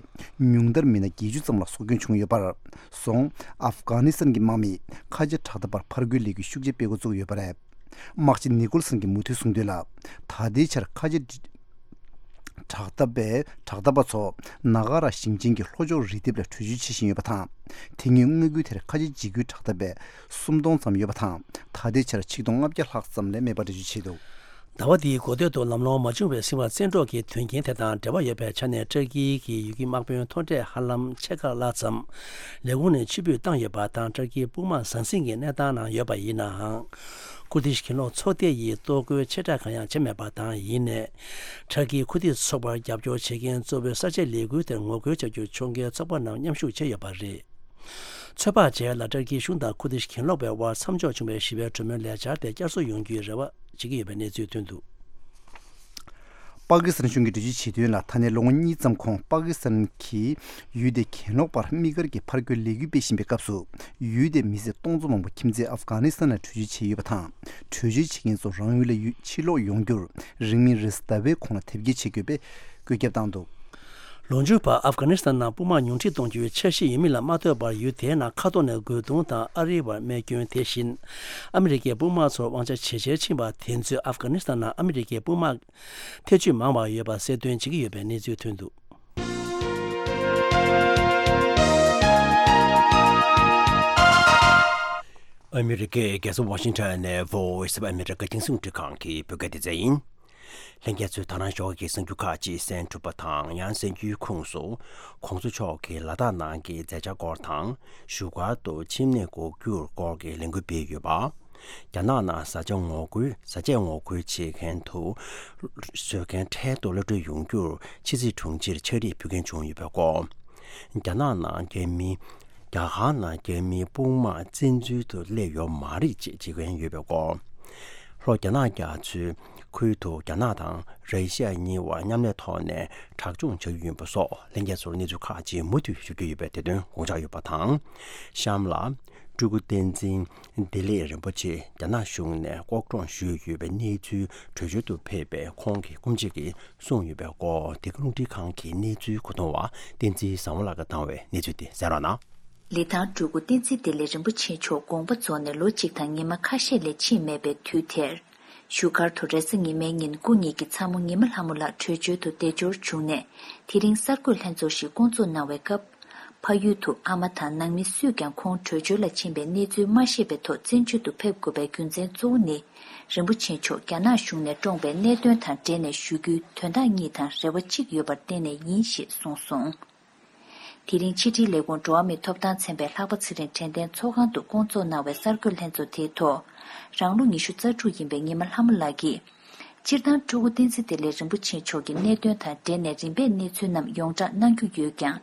ཉུང་མཐར་མི་སྣ་བརྒྱད་ཅུ་ཙམ་ལ་སྲོག་སྐྱོན་བྱུང་ཡོད་པར་སོང་། ཨབ་གྷ་ནི་སི་ཐན་གྱི་དམག་མིས་ཁ་ཆེ་དྲག་འཐབ་པར་ཕར་རྒོལ་ལས་འགུལ་ཤུགས་ཆེ་སྤེལ་འགོ་བཙུགས་ཡོད་པ་རེད། དམག་སྤྱི་ནི་ཀོལ་སན་གྱིས་མུ་མཐུད་གསུངས་དོན་ལ། ད་ལྟའི་ཆར་ཁ་ཆེ་དྲག་འཐབ་པའི་དྲག་འཐབ་པ་ཚོ་ན་ག་ར་ཞིང་ཆེན་གྱི་ལྷོ་ཕྱོགས་རི་ལྡེབས་ལ་བྲོས་བྱོལ་བྱེད་བཞིན་ཡོད་པ་དང་། དེ་སྔོན་མངའ་ཁུལ་དེར་ཁ་ཆེ་འཇིགས་སྐུལ་དྲག་འཐབ་པའི་སུམ་སྟོང་ཙམ་ཡོད་པ་དང་། ད་ལྟའི་ཆར་ཆིག་སྟོང་ལྔ་བརྒྱ་ལྷག་ཙམ་ལས་མེད་པ་འགྲེལ་བརྗོད་བྱས་འདུག་ཟླ་བ་འདིའི་འགོ་སྟོད་དུ་ལམ་ལྷོང་མ་བྱུང་བའི་ཟིན་བྲིས་བཙན་འཕྲོག་གི་དོན་རྐྱེན་དེ་དང་འབྲེལ་བ་ཡོད་པའི་ཆ་ནས། ཏུར་ཀི་གི་ཡུལ་གྱི་དམག་དཔོན་མཐོ་གྲས་ཧ་ལམ་ཕྱེད་ཀ་ལྷག་ཙམ་ལས་ཁུངས་ནས་ཕྱིར་འབུད་བཏང་ཡོད་པ་དང་། ཏུར་ཀིའི་དཔུང་དམག་ཟང་ཟིང་གི་གནས་སྟངས་ནང་ཡོད་པ་ཡིན་ནའང་། ཀུར་དིཤ་གྱེན་ལོག་ཚོགས་སྡེ་ཡིས་གཏོར་རྒོལ་ཆེ་དྲགས་གང་ཡང་བྱས་མེད་པ་དང་། ཡིན་ནའི། ཏུར་ཀིའི་ཁུར་དིཤ་ཚོགས་པར་རྒྱབ་སྐྱོར་བྱེད་མཁན་གཙོ་བོའི་གསར་བརྗེ་ལས་འགུལ་དེར་ངོ་རྒོལ་བྱ་རྒྱུར་ཕྱོགས་འགལ་ཚོགས་པ་རྣམས་མཉམ་ཞུགས་བྱས་ཡོད་པ་རེད། ཚོད་དཔག་བྱས་ལ། ཏུར་ཀིའི་གཞུང་དང་ཁུར་དིཤ་གྱེན་ལོག་པའི་དབར་མཚམས་འཇོག་བྱུང་བའི་ཞི་བའི་གྲོས་མོལ་ལས་འཆར་དེ་བསྐྱར་གསོ་ཡོང་རྒྱུའི་རེ་བ་བྱེད་ཀྱི་ཡོད་པའི་གནས་ཚུལ་ཐོན་འདུག་པ་ཀི་སི་ཐན་གཞུང་གིས་འགྲེལ་བརྗོད་བྱས་དོན་ལ། ད་ནས་ལོ་ངོ་གཉིས་ཙམ་གོང་པ་ཀི་སི་ཐན་གྱིས་ཡུལ་དེ་གྱེན་ལོག་པར་དམིགས་བཀར་གྱིས་ཕར་རྒོལ་ལས་འགུལ་སྤེལ་བཞིན་པའི་སྐབས་སུ། ཡུལ་དེའི་མི་སེར་སྟོང་ཚོ་མང་པོ་ཁྱིམ་མཚེས་ཨབ་གྷ་ནི་སི་ཐན་ལ་བྲོས་བྱོལ་བྱས་ཡོད་པ་དང་། བྲོས་བྱོལ་བྱེད་མཁན་ཚོ་རང་ཡུལ་ལ་ཡུ- ཕྱིར་ལོག་ཡོང་རྒྱུར་རིང་མིན་རེས་གཟའ་ཟླ་བའི་གོང་ལ་དེབ་སྐྱེལ་བྱེད་དགོས་པའི་བཀོད་ཁྱབ་བཏང་འདུག་ལོ་མཇུག་བར་ཨབ་གྷ་ནི་སི་ཐན་ནང་དཔུང་དམག་ཉུང་འཕྲི་གཏོང་རྒྱུའི་འཆར་གཞི་ཡོད་མིན་ལ་མ་ལྟོས་པར། ཡུལ་དེའི་ནང་ཁ་ཐོར་ནས་རྒོལ་རྡུང་དང་ཨ་རིའི་བར་རྨས་སྐྱོན། དེ་བཞིན་ཨ་མི་རི་ཀའི་དཔུང་དམག་ཚོར་དབང་ཆ་ཇེ་ཆེར་ཕྱིན་པ་དེ་ཚོས་ཨབ་གྷ་ནི་སི་ཐན་ནང་ཨ་མི་རི་ཀའི་དཔུང་དམག་ཐེ་བྱུས་མང་བ་ཡོད་པ་གསལ་སྟོན་བྱེད་ཀྱི་ཡོད་པའི་གནས་ཚུལ་ཐོན་འདུག་ཨ་མི་རི་ཀའི་རྒྱལ་ས་ཝ་ཤིང་ཊོན་ནས་Voice of America་རྒྱང་སྲིང་རླུང་འཕྲིན་ཁང་གི་བོད་སྐད་སྡེ་ཚན་ཡིན། ལྷན་རྒྱས་ཚོས་ད་རང་ཞོགས་ཀྱི་གསར་འགྱུར་ཁག་ཅིག་གསན་ཐུབ་པ་དང་། ཡང་གསར་འགྱུར་ཁུངས་སུ་༸གོང་ས་མཆོག་གིས་ལ་དྭགས་ནང་གི་མཛད་འཆར་སྐོར་དང་། བཞུགས་སྒར་དུ་ཆེད་མངགས་སྒོ་བསྒྱུར་སྐོར་གྱི་ལས་འགུལ་སྤེལ་ཡོད་པ། རྒྱ་ནག་ནང་བཟའ་བཅའ་ངོ་རྒོལ་བཟའ་བཅའ་ངོ་རྒོལ་བྱེད་མཁན་དུ་བཟོ་མཁན་འཕྲལ་དུ་གློད་གྲོལ་ཡོང་རྒྱུར་ཕྱི་སྲིད་དྲུང་ཆེར་ཕྱག་བྲིས་ཕུལ་མཁན་བྱུང་ཡོད་པའི་སྐོར། རྒྱ་ནག་ནང་རྒྱ་མི། རྒྱ་གར་ནང་རྒྱ་མིའི་དཔུང་དམག་བཙན་འཛུལ་དུ་སླེབས་ཡོད་མ་རེད་ཅེས་བརྗོད་མཁན་ཡོད་པའི་སྐོར། ལྷོ་རྒྱ་ནག་རྒྱ་མཚོའི་ཁུལ་དུ་རྒྱ་ནག་དང་ར་ཤི་ཡ་གཉིས་བར་མཉམ་ལས་ཐོག་ནས་དྲག་སྦྱོང་བྱ་རྒྱུ་ཡིན་པ་སོགས། ལྷན་རྒྱས་ཚོར་གནས་ཚུལ་ཁག་ཅིག་མུ་མཐུད་ཞུ་རྒྱུ་ཡོད་པའི་དེ་དོན་དགོངས་འཇགས་ཡོད་པ་དང་། གཤམ་ལ། སྤྲུལ་སྐུ་བསྟན་འཛིན་བདེ་ལེགས་རིན་པོ་ཆེ་རྒྱ་ནག་གཞུང་ནས་ལྐོག་གྲོངས་ཞུས་ཡོད་པའི་གནས་ཚུལ་བྲོས་བྱོལ་དུ་ཕེབས་པའི་ཁོང་གི་སྐུ་མཆེད་ཀྱིས་གསུངས་ཡོད་པའི་སྐོར། འདི་ག་རླུང་འཕྲིན་ཁང་གི་གནས་ཚུལ་མཁོ་གཏོང་བ་བསྟན་འཛིན་བཟང་པོ་ལགས་ཀྱིས་བཏང་བའི་གནས་ཚུལ་དེ་གསན་རོགས་གནང་། ལི་ཐང་སྤྲུལ་སྐུ་བསྟན་འཛིན་བདེ་ལེགས་རིན་པོ་ཆེ་མཆོག་དགོངས་པ་རྫོགས་ནས་ལོ་གཅིག་དང་ཉི་མ་ཁ་ཤས་ལས་ཕྱིན་མེད་པའི་དུས་དེར། བཞུགས་སྒར་དུ་རེས་གཟའ་ཉི་མའི་ཉིན་སྐུ་ཉིད་ཀྱིས་ཚ་མོ་ཉི་མ་ལྷ་མོ་ལགས་བྲོས་བྱོལ་དུ་བདེ་འབྱོར་བྱུང་ནས། དེ་རིང་གསར་འགོད་ལྷན་ཚོགས་ཤིག་བསྐོང་ཚོགས་གནང་བའི་སྐབས། ཕ་ཡུལ་དུ་ཨ་མ་དང་ནང་མི་སུས་ཀྱང་ཁོང་བྲོས་བྱོལ་ལ་ཕྱིན་པའི་གནས་ཚུལ་མ་ཤེས་པའི་ཐོག་བཙན་བྱོལ་དུ་ཕེབས་དགོས་པའི་རྒྱུ་མཚན་གཙོ་བོ་ནི། རིན་པོ་ཆེ་མཆོག་རྒྱ་ནག་གཞུང་ནས་བཀྲོངས་པའི་གནད་དོན་དང་འབྲེལ་ནས་ཞུ་རྒྱུའི་དོན་དག་གཉིས་དང་རེ་བ་གཅིག་ཡོད་པར་བརྟེན་ནས་ཡིན་ཞེས་གསུངས་སོང་། དེ་རིང་ཕྱི་དྲིལ་ལས་ཁུངས་འགྲོ་བ་མིའི་ཐོབ་ཐང་ཚན་པའི་ལྷག་པ་ཚེ་རིང་དྲན་རྟེན་ཚོགས་ཁང་དུ་བསྐོང་ཚོགས་གནང་བའི་གསར་འགོད་ལྷན་ཚོགས་དེའི་ཐོག་རང་ལོ་ཉི་ཤུ་རྩ་དྲུག་ཡིན་པའི་ཉི་མ་ལྷ་མོ་ལགས་ཀྱིས། སྤྱིར་བཏང་སྤྲུལ་སྐུ་བསྟན་འཛིན་བདེ་ལེགས་རིན་པོ་ཆེ་མཆོག་གི་གནད་དོན་དང་འབྲེལ་ནས་རིམ་པས་གནས་ཚུལ་རྣམས་ཡོངས་བསྒྲགས་གནང་རྒྱུ་ཡོད་ཀྱང་།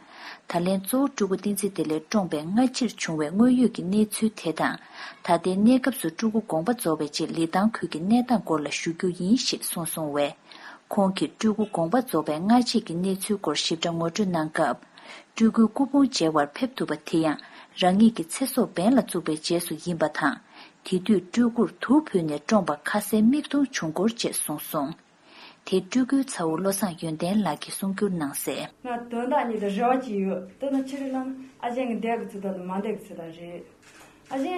ད་ལན་གཙོ་བོ་སྤྲུལ་སྐུ་བསྟན་འཛིན་བདེ་ལེགས་བཀྲོངས་པའི་སྔ་ཕྱིར་བྱུང་བའི་དངོས་ཡོད་ཀྱི་གནས་ཚུལ་དེ་དང་། ད་ལྟའི་གནས་སྐབས་སུ་སྤྲུལ་སྐུ་དགོངས་པ་རྫོགས་པའི་རྗེས་ལི་ཐང་ཁུལ་གྱི་གནས་སྟངས་སྐོར་ལ་ཞུ་རྒྱུ་ཡིན་ཞེས་གསུངས་སོང་བས། ཁོང་གིས་སྤྲུལ་སྐུ་དགོངས་པ་རྫོགས་པའི་སྔ་རྗེས་ཀྱི་གནས་ཚུལ་སྐོར་ཞིབ་ཕྲ་ངོ་སྤྲོད་གནང་སྐབས། སྤྲུལ་སྐུའི་སྐུ་ཕུང་མཇལ་བར་ཕེབས་ཐུབ་པ་དེ་ཡང་རང་ཉིད་ཀྱི་ཚེ་སྲོག་འབེན་ལ་བཙུགས་པའི་རྗེས་སུ་ཡིན་པ་དང་། དེ་དུས་སྤྲུལ་སྐུར་དུག་ཕུལ་ནས་བཀྲོངས་པ་ཁ་གསལ་མིག་མཐོང་བྱུང་སྐོར་བཅས་གསུངས་སོང་། དེ་སྤྲུལ་སྐུའི་ཚ་བོ་བློ་བཟང་ཡོན་ཏན་ལགས་ཀྱིས་གསུང་སྒྱུར་གནང་གསལ། ང་དོན་དག་གཉིས་དང་རེ་བ་གཅིག་ཡོད། དེ་ནི་ཆི་རེད་ལབ་ན། ཨ་ཅེ་གི་འདས་གི་ཚུལ་དང་མ་འདས་གི་ཚུལ་དང་རེད། ཨ་ཅེ་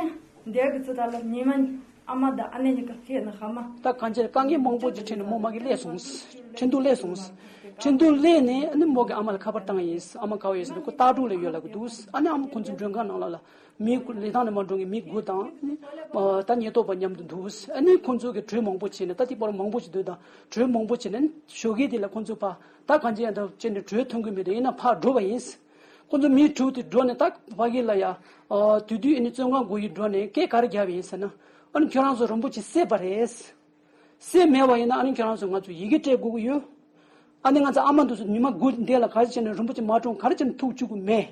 འདས་གི་ཚུལ་དང་ལ་ཉི་མ་ཨ་མ་དང་ཨ་ནེ་གཉིས་ཀ་ལྷས་ནི་ཧ་མ། ད་གང་ཅིར་དཀའ་ངལ་མང་པོ་ཅིག་འཕྲད་ནས་མོ་མ་གི་སླེབས་སོང་། ཁྲིན་ཏུ་སླེབས་སོང་། ཁྲིན་ཏུ་སླེབས་ནས་ཨ་ནི་མོ་གི་ཨ་མ་ལ་ཁ་པར་བཏང་ཡིན། ཨ་མ་ག་བ་ཡོད་ཟེར་ནས་ཁོ་སྟག་གྲོང་ལ་ཡོད་ལབ་གི་འདུག་ཨ་ནི་ཨ་མ་ཁོ་ཚོའི་མགྲོན་ཁང་ནང་ལ་ལ། མི་དགུ། ལི་ཐང་ནས་མར་འགྲོ་མཁན་མི་དགུ་དང་། ཨ་ནི་ད་ཉེན་རྟོག་པ་མཉམ་དུ་འདུག་ཨ་ནི་ཁོང་ཚོ་གིས་གྲོས་མང་པོ་བྱས་ནས། ད་དེ་བར་མང་པོ་ཞིག་འདུག་ད་གྲོས་མང་པོ་བྱས་ནས་ཞོགས་ཀས་དེ་ལ་ཁོང་ཚོ་ཕར་ད་གང་ཅི་ཡང་ད་བྱས་ནས་གྲོས་མཐུན་གྱི་མི་འདུག་ཡིན་ན་ཕར་འགྲོ་བ་ཡིན། ཁོང་ཚོ་མི་དྲུག་དེ་འགྲོ་ནས་ད་ཕ་གི་ལ་ཡ། ཨ། དེ་དུས་ཨ་ནི་བཙོན་ཁང་སྒོ་ཡི་འགྲོ་ནས་སྐད་ག་རེ་བརྒྱབ་ཡིན་ཟེར་ན། ཨ་ནི་ཁྱོད་རང་ཚོ་རིན་པོ་ཆེ་བསད་པ་རེད། སྲས་མེད་པ་ཡིན་ན་ཨ་ནི་ཁྱོད་རང་ཚོས་ང་ཚོ་ཡི་གེ་སྤྲད་དགོས་ཀྱི་ཡོད། ཨ་ནི་ང་ཚོ་ཨ་མ་འདི་ཚོ་ཉི་མ་དགུ་འདས་ལ་ག་རེ་བྱས་ནས་རིན་པོ་ཆེ་མ་བཀྲོངས། ག་རེ་བྱས་ནས་ཐུག་བཅུག་གི་མེད།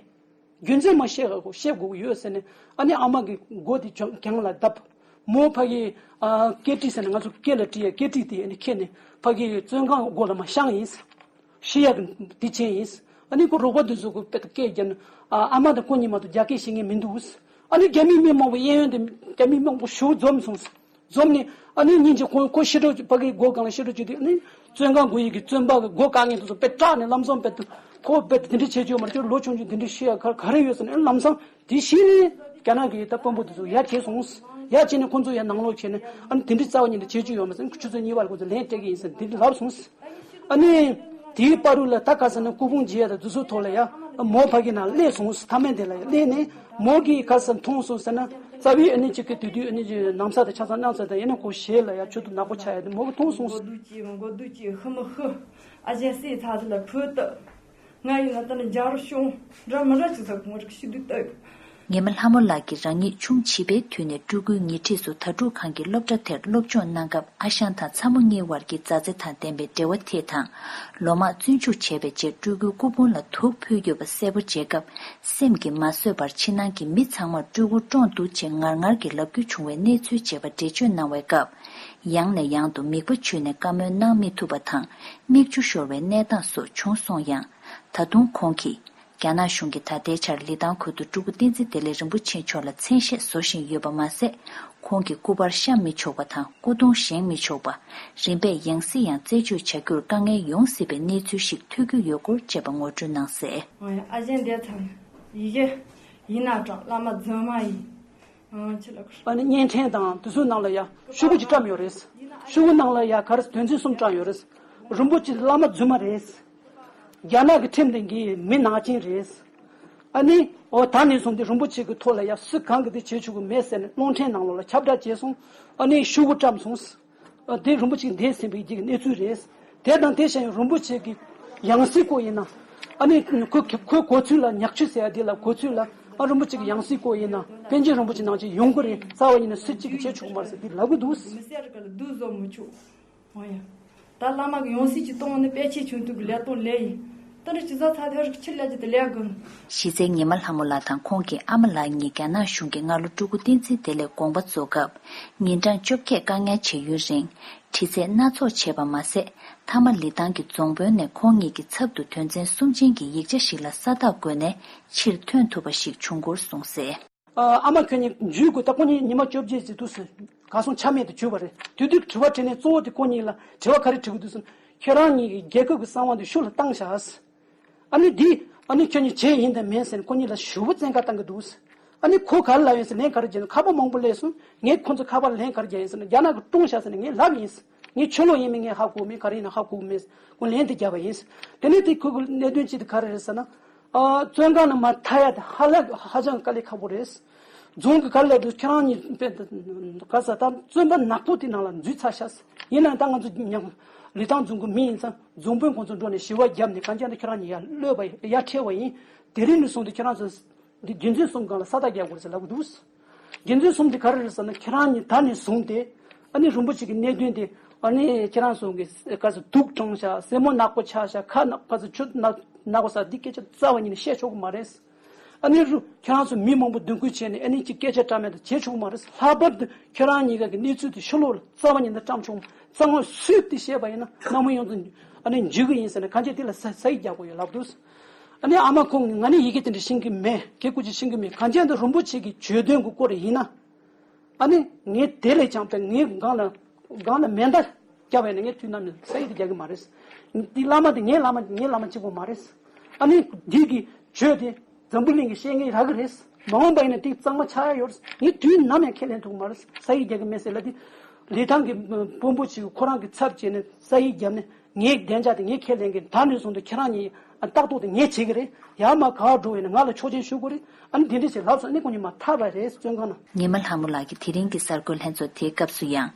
རྒྱུ་མཚན་མ་བཤད་ག་གོ་བཤད་དགོས་ཀྱི་ཡོད་ཟེར་ནས། ཨ་ནི་ཨ་མ་གི་མགོ་དེ་གྱང་གྱང་ལ་བརྡབས། མོ་ཕ་གི། ཨ། སྐེ་དཀྲིས་ཟེར་ནས་ང་ཚོ་སྐེ་ལ་དཀྲིས་ཡ་སྐེ་དཀྲིས་དེ་ཨ་ནི་ཁྱེར་ནས་ཕ་གི་བཙོན་ཁང་སྒོ་ལ་མར་བཤམས་ཡིན། ཤི་ཡག་གི་དེ་བྱས་ཡིན། ཨ་ནི་ཁོ་རོགས་པ་དེ་ཚོ་གི་དཔེ་སྐད་རྒྱབ་ནས། ཨ། ཨ་མ་དང་ཁོ་གཉིས་མ་གཏོགས་རྒྱ་སྐད་ཤེས་མཁན་མི་འདུག་ཨ་ནི་རྒྱ་མི་མི་མང་པོ། གཡས་གཡོན་དེ་རྒྱ་མི་མང་པོ་ཞེ་པོ་འཛོམས་སོང་། འཛོམས་ནས་ཨ་ནི་སྙིང་རྗེ། ཁོ་ཁོ་ཤི་འགྲོ། ཕ་གི་སྒོ་སྒང་ལ་ཤི་འགྲོ་བྱེད་དུས། ཨ་ནི་བཙོན་ཁང་སྒོ་ཡི་གི་བཙོན་པ་གི་སྒོ་བཀག་མཁན་དེ་ཚོ་དཔེ་སྐྲག་ནས་ལམ་སང་དཔེ་ཁོ་དཔེ་དེ་འདྲ་བྱེད་རྒྱུ་ཡོད་མ་རེད། ཁྱོད་ལོ་ཆུང་ཆུང་དེ་འདྲ་ཤི་ཡ་ག་ག་རེ་ཡོད་ཟེར་ནས། ཨ་ནི་ལམ་སང་དེ་ཤི་ནས་རྒྱ་ནག་གི་ད་དཔོན་པོ་དེ་ཚོ་ཡར་བྱས་སོང་། ཡར་བྱས་ནས་ཁོ་ཚོ་ཡར་ནང་ལོགས་བྱས་ནས། ཨ་ནི་དེ་འདྲ་རྩ་བ་ཉིད་ནས་བྱེད་རྒྱུ་ཡོད་མ་རེད་ཟེར་ནས། ཁོ་ཆུ་ཚོད་གཉིས་པ་ལ་ཁོ་ཚོ་ལན་སྤྲད་ཀྱི་ཡིན་ཟེར་དེ་འདྲ་ལབ་སོང་། ཨ་ནི་དེའི་བར་དུ་ལ་ད་ག་ཟེར་ན། སྐུ་ཕུང་མཇལ་ཡ་དང་དེ་ཚོའི་ཐོག་ལ་ཡ། མོ་ཕ་གི་ནང་སླེབས་སོང་། མཐའ་མ་དེ་ལ་ཡ་སླེབས་ནས་མོ་གིས་ག་ཟེར་མཐོང་སོང་ཟེར་ན། རྩ་བའི་ཨ་ནི་ཅིག་གི་དེ་དུས་ཨ་ནི་ཅིག་ནམ་ཟླ་དང་ཆ་ཚང་གནངས་ཚེ་དང་། ཡིན་ན་ཁོ་ཞལ་ལ་ཡ་ཆུ་དུ་ནག་པོ་ཆགས་ཡ་དེ་མོ་གིས་མཐོང་སོང་། མགོ་སྡུག་ཅིག་མགོ་སྡུག་ཅིག་ཧི་མི་ཧི། ཨ་ཅེ་སྲས་ཚ་ཚ་ལ་བུ་ཏི། ང་ཡིན་ན་ད་ནི་འཇའ་རུ་ཤོང་འདྲ་མི་འདྲ་ཅིག་ཟེར། ངོ་རིག་ཤི་དུས་ལྟ། ངེད་མ་ལྷ་མོ་ལགས་ཀྱིས་རང་ཉིད་ཆུང་བྱིས་པའི་དུས་ནས་སྤྲུལ་སྐུའི་ཉེ་འཁྲིས་སུ་དྭ་ཕྲུག་ཁང་གི་སློབ་གྲྭ་དེར་སློབ་སྦྱོང་གནང་སྐབས། ཨ་ཞང་དང་ཚ་མོ་གཉིས་བར་གྱི་མཛའ་བརྩེ་དང་ལྡན་པའི་འབྲེལ་བ་དེ་དང་། ལོ་མང་བཙོན་འཇུག་བྱས་པའི་རྗེས་སྤྲུལ་སྐུའི་སྐུ་ཕུང་ལ་དུག་ཕུལ་ཡོད་པ་གསལ་པོ་མཇལ་སྐབས། སེམས་ཀྱིས་མ་བཟོད་པར་ཕྱི་ནང་གི་མི་ཚང་མར་སྤྲུལ་སྐུ་བཀྲོངས་འདུག་ཅེས་ངར་ངར་གྱིས་ལབ་རྒྱུ་བྱུང་བའི་གནས་ཚུལ་བཅས་པ་འགྲེལ་བརྗོད་གནང་བའི་སྐབས། ཡང་ནས་ཡང་དུ་མིད་པ་བྱུགས་ནས་བཀའ་མོལ་གནང་མི་ཐུབ་པ་དང་། མིག་ཆུ་ཤོར་བའི་གནས་སྟངས་སོགས་བྱུང་སོང་ཡང་། ད་དུང་ཁོང་གིས། རྒྱ་ནག་གཞུང་གིས་ད་ལྟའི་ཆར་ལི་ཐང་ཁུལ་དུ་སྤྲུལ་སྐུ་བསྟན་འཛིན་བདེ་ལེགས་རིན་པོ་ཆེ་མཆོག་ལ་མཚན་ཤས་བཟོ་བཞིན་ཡོད་པ་མ་ཟད། ཁོང་གི་སྐུ་པར་བཤམས་མི་ཆོག་པ་དང་། སྐུ་གདུང་བཞེངས་མི་ཆོག་པ། རིམ་པས་ཡང་སྲིད་ཡང་རྩད་གཅོད་བྱ་རྒྱུར་དཀའ་ངལ་ཡོང་སྲིད་པའི་གནས་ཚུལ་ཞིག་ཐོས་རྒྱུ་ཡོད་སྐོར་བཅས་པ་ངོ་སྤྲོད་གནང་གསལ། ཨ་ཅེ་འདས་ཚར། ཡི་གེ་ཡིན་ན་གྲགས། བླ་མ་རྫུན་མ་ཡིན། ཨ་ནི་བརྙན་འཕྲིན་དང་དེ་ཚོའི་ནང་ལ་ཡ་ཤོག་བུ་ཅིག་བཀྲམ་ཡོད་རེད། ཤོག་བུ་ནང་ལ་ཡ་ག་རེ་དོན་ཚན་གསུམ་བཀྲམ་ཡོད་རེད། རིན་པོ་ཆེ་བླ་མ་རྫུན་མ་རེད། རྒྱ་ནག་གི་ཁྲིམས་དེ་གི་མི་ནག་ཅན་རེད། ཨ་ནི་འོ་ད་ནས་བཟུང་སྟེ་རིན་པོ་ཆེ་གི་ཐོག་ལ་ཡ་སུ་གང་གིས་དེ་བྱེད་ཆོག་གི་མེད་ཟེར་ནས་རླུང་འཕྲིན་ནང་ལོགས་ལ་ཁྱབ་བསྒྲགས་བྱས་སོང་། ཨ་ནི་ཤོག་བུ་བཀྲམ་སོང་། ཨ། དེ་རིན་པོ་ཆེ་འདས་ཟིན་པའི་རྗེས་ཀྱི་གནས་ཚུལ་རེད། དེ་དང་དེ་བཞིན་རིན་པོ་ཆེ་གི་ཡང་སྲིད་སྐོར་ཡིན་ན། ཨ་ནི་ཁོ་ཁོའི་གོ་ཚུལ་ལ། ཉག་ཆུ་ཟེར་ཡ་དེ་ལ་གོ་ཚུལ་ལ། ཨ། རིན་པོ་ཆེ་གི་ཡང་སྲིད་སྐོར་ཡིན་ན་པཎ་ཆེན་རིན་པོ་ཆེ་ནང་བཞིན་ཡོང་གི་རེད། རྩ་བ་ཉིད་ནས་སུ་གཅིག་གིས་བྱེད་ཆོག་གི་མ་རེད་ཟེར་དེ་ལབ་གི་འདུག་མི་སེར་ག་ལ་སྡུག་བཟོ་མི་ཆོག་འོ་ཡ། ད་བླ་མ་གི་ཡང་སྲིད་ཅིག་གཏོང་ནི་པཎ་ཆེན་ཆུང་དུས་ཀྱི་ལས་གཏོང་ལས་ཡིན། དེ་འདྲ་ཅི་ཟ་ཚ་དེར་ཕྱིར་ལས་ཀྱི་དེ་ལས་དགོས། གཞི་རྩའི་ངེད་མ་ལྷ་མོ་ལགས་དང་ཁོང་གི་ཨ་མ་ལགས་གཉིས་རྒྱ་ནག་གཞུང་གིས་སྔ་ལོ་སྤྲུལ་སྐུ་བསྟན་འཛིན་བདེ་ལེགས་དགོངས་པ་རྫོགས་སྐབས། ཉིན་གྲངས་བཅོ་བརྒྱད་བཀག་ཉར་བྱས་ཡུན་རིང་། དྲི་རྩད་སྣ་ཚོགས་བྱས་པ་མ་ཟད། མཐའ་མ་ལི་ཐང་གི་རྫོང་དཔོན་ནས་ཁོང་ཉིད་ཀྱི་ཚབ་ཏུ་དོན་ཚན་གསུམ་ཅན་གྱི་ཡིག་ཆ་ཞིག་ལ་ས་རྟགས་བཀོད་ནས་ཕྱིར་ཐོན་ཐུབ་པ་ཞིག་བྱུང་སྐོར་གསུངས་གསལ། ཨ། ཨ་མ་ཁྱོད་གཉིས་འཇུས་དགོས། ད་ཁོ་གཉིས་ཉི་མ་བཅོ་བརྒྱད་ཙམ་དུས་སུ་གར་སོང་ཆ་མེད་དུ་གྱུར་པ་རེད། དེ་དུས་དྲི་བ་དྲིས་ནས་གཙོ་བོ་དེ་ཁོ་གཉིས་ལ་དྲི་བ་ག་རེ་དྲི་གི་འདུག་ཟེར་ན། ཁྱེད་རང་གཉིས་ཀྱིས་རྒྱལ་ཁབ་ཀྱི་གསང་བ་འདི་ཤུགས་ལ་བཏང་བཞག་ཨ་ནི་འདི་ཨ་ནི་ཁྱོད་གཉིས་བྱས་ཡིན་དང་མིན་ཟེར་ནས་ཁོ་གཉིས་ལ་ཞུ་བོ་བཙན་བཀའ་བཏང་གི་འདུག་ཨ་ནི་ཁོ་ག་རེ་ལབ་ཡིན་ཟེར། ལན་ག་རེ་བརྒྱབ་ན། ཁ་པར་མང་པོ་སླེབས་སོང་། ངས་ཁོ་ཚོ་ཁ་པར་ལན་ག་རེ་བརྒྱབ་ཡིན་ཟེར་ན། རྒྱ་ནག་གིས་བཀྲོངས་བཞག་ཟེར་ནས་ངས་ལབ་ཡིན། ངས་ཆོས་ལུགས་ཡིན་མིན་ངས་ཧ་གོ་མེད། ག་རེ་ཡིན་ན་ཧ་གོ་མེད། ཁོ་ལན་དེ་བརྒྱབ་པ་ཡིན། དེ་ནས་དེ་ཁོ་གི་གནད་དོན་གཅིག་དེ་ག་རེ་རེད་ཟེར་ན། ཨ། བཙོན་ཁང་ནས་མར་ཐར་ཡ་དེ་ཧ་ལས་ཧ་ཅང་དཀའ་ལས་ཁག་པོ་རེད། རྫོང་གི་ག་རེ་ལབ་དུས། ཁྱེད་རང་གཉིས་དཔེ་ག་ས་ད་བཙོན་པ་ནག་པོ་དེ་ནང་ལ་འཛུལ་ཚར་ཤག་ཡིན་ནའང་ད་ང་ཚོ་ཉམས་ལི་ཐང་རྫོང་གི་མི་ཡིན་ཙང་། རྫོང་དཔོན་ཁོང་ཚོ་འགྲོ་ནས་ཞི་བ་བརྒྱབ་ནས་གང་ཅི་ཡང་ད་ཁྱེད་རང་གཉིས་ཡར་གློད་པ་ཡར་ཁྲིད་པ་ཡིན། དེ་རིང་ནས་བཟུང་སྟེ་ཁྱེད་རང་ཚོ་འདི་རྒྱུ་མཚན་གསུམ་སྒང་ལ་ས་རྟགས་རྒྱག་དགོས་ཟེར་ལབ་གི་འདུག་རྒྱུ་མཚན་གསུམ་དེ་ག་རེ་རེད་ཟེར་ན། ཁྱེད་རང་གཉིས་ད་ནས་བཟུང་སྟེ་ཨ་ནི་རིན་པོ་ཆེ་གི་གནད་དོན་དེ་ ཨ་ནི་ཁྱེད་རང་ཚོ་གི་ག་ཚོད་དུག་གྲང་ཤག་སེན་མོ་ནག་པོ་ཆགས་ཤག་ཁ་ནག་ག་ཚོད་ཆུ་ནག་ནག་པོ་ཟ་འདི་སྐད་ཆ་རྩ་བ་ཉིད་ནས་བཤད་ཆོག་གི་མ་རེད། ཨ་ནི་རུ་ཁྱེད་རང་ཚོ་མི་མང་པོ་མདུན་སྐུལ་བྱས་ནས་ཨ་ནི་ཅིག་སྐད་ཆ་བཀྲམ་མེད་དུ་བྱེད་ཆོག་གི་མ་རེད། ལྷག་པར་དུ་ཁྱེད་རང་གཉིས་ཀ་གི་གནས་ཚུལ་དེ་ཕྱི་ལོགས་ལ་རྩ་བ་ཉིད་ནས་བཀྲམ་ཆོག་མ་རྩ་ངོ་སུས་དེ་བཤད་པ་ཡིན་ན་གནམ་མེད་ཡོངས་རྫོགས་ཨ་ནི་འཇིགས་གི་ཡིན་ཟེར་ནས་གང་ཅི་དེ་ལ་ས་ས་ཡིག་རྒྱག་དགོས་ཡོད་ལབ་འདུག་ཨ་ནི་ཨ་མ་ཁོང་གིས་ང་ནི་ཡི་གེ་དེ་འདྲ་ཤེས་ཀྱི་མེད། གེ་ཀུ་ཅི་ཤེས་ཀྱི་མེད། གང་ཅི་འདི་རིན་པོ་ཆེ་གི་བརྗོད་དོན་གྱི་སྐོར་ཡིན་ན། ཨ་ནི་ངས་དེ་ལས་ཀྱང་པའི་ངའི་སྒང་ལ་སྒང་ལ་མེ་མདའ་བརྒྱབ་པ་ཡིན་ན་ངས་དུས་ནམ་ཡང་ས་ཡིག་དེ་རྒྱག་གི་མ་རེད། འདི་བླ་མ་དེ་ངའི་བླ་མ་ངའི་བླ་མ་གཅིག་པོ་མ་རེད། ཨ་ནི་འདི་གི་བརྗོད་དེ་འཛམ་བུ་གླིང་གི་བཤད་མཁན་རག་གི་རེད། མ་འོངས་པ་ཡིན་ན་དེ་གཙང་མ་ཆགས་ཡ་ཡོད་རེད། ངས་དུས་ནམ་ཡང་ཁས་ལེན་ཐུབ་ཀྱི་མ་རེད། ས་ཡིག་རྒྱག་གི་མེད་ཟེར་ལབ་དེ། ལི་ཐང་གི་དཔོན་པོ་ཅིག་ཁོ་རང་གི་ཚབ་བྱས་ནས་ས་ཡིག་བརྒྱབ་ནས། ངའི་བདེ་འཇགས་དེ་ངས་ཁས་ལེན་གྱི། ད་ནས་བཟུང་སྟེ་ཁྱེད་རང་གཉིས་ཨ་ལྟ་རྟོག་དེ་ངས་བྱེད་ཀྱི་རེད། ཡར་མར་ག་པར་འགྲོ་བས་ན་ང་ལ་ཆོག་མཆན་ཞུ་དགོས་རེད། ཨ་ནི་དེ་འདྲ་ཞིག་ལབ་སོང་། ཨ་ནི་ཁོང་གཉིས་མར་ཐར་པ་རེད། བཙོན་ཁང་ནང་། ཉི་མ་ལྷ་མོ་ལགས་ཀྱིས་དེ་རིང་གི་གསར་འགོད་ལྷན་ཚོགས་དེའི་སྐབས་སུ་ཡང་།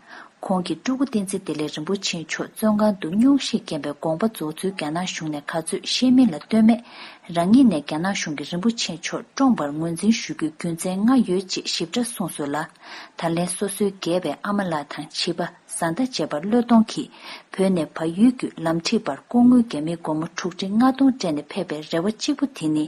ཁོང་གིས་སྤྲུལ་སྐུ་བསྟན་འཛིན་བདེ་ལེགས་རིན་པོ་ཆེ་མཆོག་བཙོན་ཁང་དུ་སྙུང་གཞིས་རྐྱེན་པས་དགོངས་པ་རྫོགས་ཚུལ་རྒྱ་ནག་གཞུང་ནས་ག་ཚོད་ཤེས་མིན་ལ་ལྟོས་མེད། རང་ཉིད་ནས་རྒྱ་ནག་གཞུང་གིས་རིན་པོ་ཆེ་མཆོག་བཀྲོངས་པར་ངོས་འཛིན་ཞུ་རྒྱུའི་རྒྱུ་མཚན་ལྔ་ཡོད་ཅེས་ཞིབ་ཕྲ་གསུངས་སོང་ལ། ད་ལན་སོ་སོའི་རྒས་པའི་ཨ་མ་ལགས་དང་བྱིས་པ། བཟའ་ཟླ་བཅས་པ་བློས་གཏོང་གིས་བོད་ནས་བལ་ཡུལ་བརྒྱུད་ལམ་ཁྲིད་པར་སྐུ་ངོའི་རྒྱ་མིའི་སྒོར་མོ་དྲུག་ཁྲི་ལྔ་སྟོང་སྤྲད་ནས་ཕེབས་པའི་རེ་བ་གཅིག་པུ་དེ་ནི།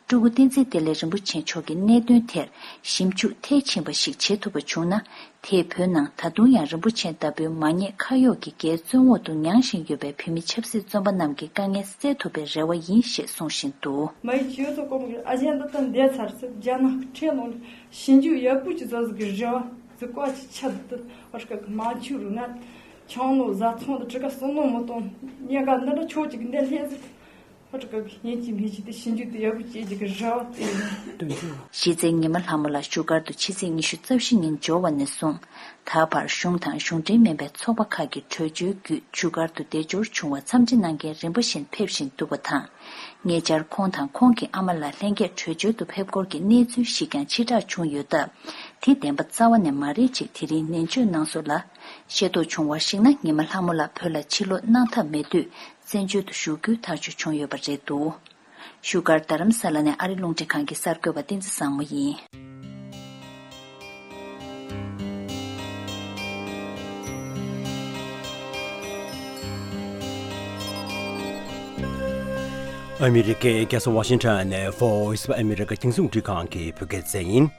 སྤྲུལ་སྐུ་བསྟན་འཛིན་བདེ་ལེགས་རིན་པོ་ཆེ་མཆོག་གི་གནད་དོན་དེར་ཞིབ་འཇུག་མཐིལ་ཕྱིན་པ་ཞིག་བྱེད་ཐུབ་པ་བྱུང་ན། དེས་བོད་ནང་ད་དུང་ཡང་རིན་པོ་ཆེ་ལྟ་བུའི་མ་ཉེས་ཁ་གཡོགས་ཀྱི་འགལ་བཙོན་འོག་ཏུ་མྱངས་བཞིན་ཡོད་པའི་བོད་མི་ཆབ་སྲིད་བཙོན་པ་རྣམས་ཀྱི་དཀའ་ངལ་སེལ་ཐུབ་པའི་རེ་བ་ཡིན་ཞེས་གསུང་བཞིན་འདུག་མ་ཡི་ཁྱེད་ཚོ་ཀོ་མོ་གི་ཨ་ཞང་འདི་ལྟར་འདས་ཚར་ཚེ་རྒྱ་ནག་ཁྲེ་ལོ་ནི་ཞིབ་འཇུག་ཡག་པོ་ཅིག་བཟོ་ཟིག་གི་རེ་བ་ཟིག་བཀའ་ཅིག་ཆད་འདུག་ཨ་ཁ་གི་མ་ཆུ་རུ་ང་ཆང་ལོ་བཟའ་ཚོང་དུ་ཁྲི་ཀ་སོང་ལོ་མོ་གཏོང་ཉེ་ག་འདི་འདྲ་ཆོག་ཅིག་འདི་ལྷན་ཟིག་ཨ་ཁ་གི་ཡིན་གཅིག་མིན་གཅིག་དེ་ཞིབ་འཇུག་དེ་ཡག་པོ་ཅིག་གི་རེ་བ་དེ་ཡིན། གཞི་རྩའི་ཉི་མ་ལྷ་མོ་ལགས་བཞུགས་སྒར་དུ་ཕྱི་ཚེས་ཉི་ཤུ་རྩ་བཞི་ཉིན་འབྱོར་བ་ནས་བཟུང་། ད་བར་གཞུང་དང་གཞུང་འབྲེལ་མིན་པའི་ཚོགས་པ་ཁག་གི་གྲོས་ཆོད་བརྒྱུད་བཞུགས་སྒར་དུ་བདེ་འབྱོར་བྱུང་བར་འཚམས་འདྲི་གནང་མཁན་རིམ་པ་བཞིན་ཕེབས་བཞིན་འདུག་པ་དང་། ཉེ་ཆར་ཁོང་དང་ཁོང་གི་ཨ་མ་ལགས་ལྷན་རྒྱས་བྲོས་བྱོལ་དུ་ཕེབས་སྐོར་གྱི་གནས་ཚུལ་ཞིག་ཀྱང་ཕྱིར་བསྒྲགས་བྱུང་ཡོད་སྟབས། དེ་བདེན་པ་རྩ་བ་ནས་མ་རེད་ཅེས་དེ་རིང་ནན་བརྗོད་གནང་སོང་ལ། ཤེས་རྟོགས་བྱུང་བར་གཞིགས་ན། ཉི་མ་ལྷ་མོ་ལགས་བོད་ལ་ཕྱིར་ལོག་གནང་ཐབས་མེད་དུས། བཙན་བྱོལ་དུ་བཞུགས་རྒྱུའི་ཐག་གཅོད་བྱུང་ཡོད་པ་རེད་འདུག་བཞུགས་སྒར་རྡ་རམ་ས་ལ་ནས་ཨ་རི་རླུང་འཕྲིན་ཁང་གི་གསར་འགོད་པ་བསྟན་འཛིན་བཟང་མོ་ཡིན། ཨ་མི་རི་ཀའི་རྒྱལ་ས་ཝ་ཤིང་ཊོན་ནས་Voice of America་རྒྱང་སྲིང་རླུང་འཕྲིན་ཁང་གི་བོད་སྐད་སྡེ་ཚན་ཡིན།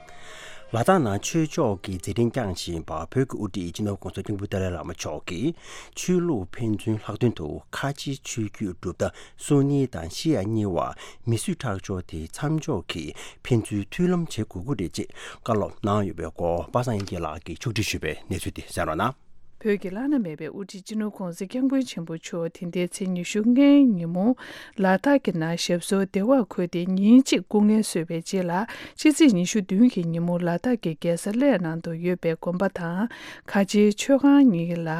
ལ་དྭགས་ནང་ཆོས་ཕྱོགས་ཀྱི་མཛད་འཕྲིན་བསྐྱངས་བཞིན་པ་བོད་ཀྱི་དབུ་ཁྲིད་སྤྱི་ནོར་ྋགོང་ས་ྋསྐྱབས་མགོན་ཏཱ་ལའི་བླ་མ་མཆོག་གིས་ཆོས་ལུགས་ཕན་ཚུན་ལྷག་དོན་དུ་ཁ་ཆེའི་ཆོས་བརྒྱུད་གྲུབ་མཐའ་སུ་ནི་དང་ཤི་ཡ་གཉིས་བར་མི་གསོད་ཁྲག་སྦྱོར་དེ་མཚམས་འཇོག་གིས་ཕན་ཚུན་མཐུན་ལམ་བྱེད་དགོས་ཀྱི་རེད་ཅེས་བཀའ་སློབ་གནང་ཡོད་པའི་སྐོར་པ་སངས་དབྱངས་སྐྱིད་ལགས་ཀྱིས་ཕྱོགས་སྒྲིག་ཞུས་པའི་གནས་ཚུལ་དེ་གསན་རོགས་གནང་། བོད་ཀྱི་བླ་ན་མེད་པའི་དབུ་ཁྲིད་སྤྱི་ནོར་ྋགོང་ས་ྋསྐྱབས་མགོན་ཆེན་པོ་མཆོག་དེ་ཟླའི་ཚེས་ཉི་ཤུ་ལྔའི་ཉིན་མོ་ལ་དྭགས་ཀྱི་ནང་ཞབས་སོར་བདེ་བར་འཁོད་དེ་ཉིན་གཅིག་སྐུ་ངལ་གསོས་པའི་རྗེས་ལ། ཕྱི་ཚེས་ཉི་ཤུ་བདུན་གྱི་ཉིན་མོ་ལ་དྭགས་ཀྱི་རྒྱལ་ས་གླེ་ནང་དུ་ཡོད་པའི་དགོན་པ་དང་ཁ་ཆེའི་མཆོད་ཁང་གཉིས་ལ་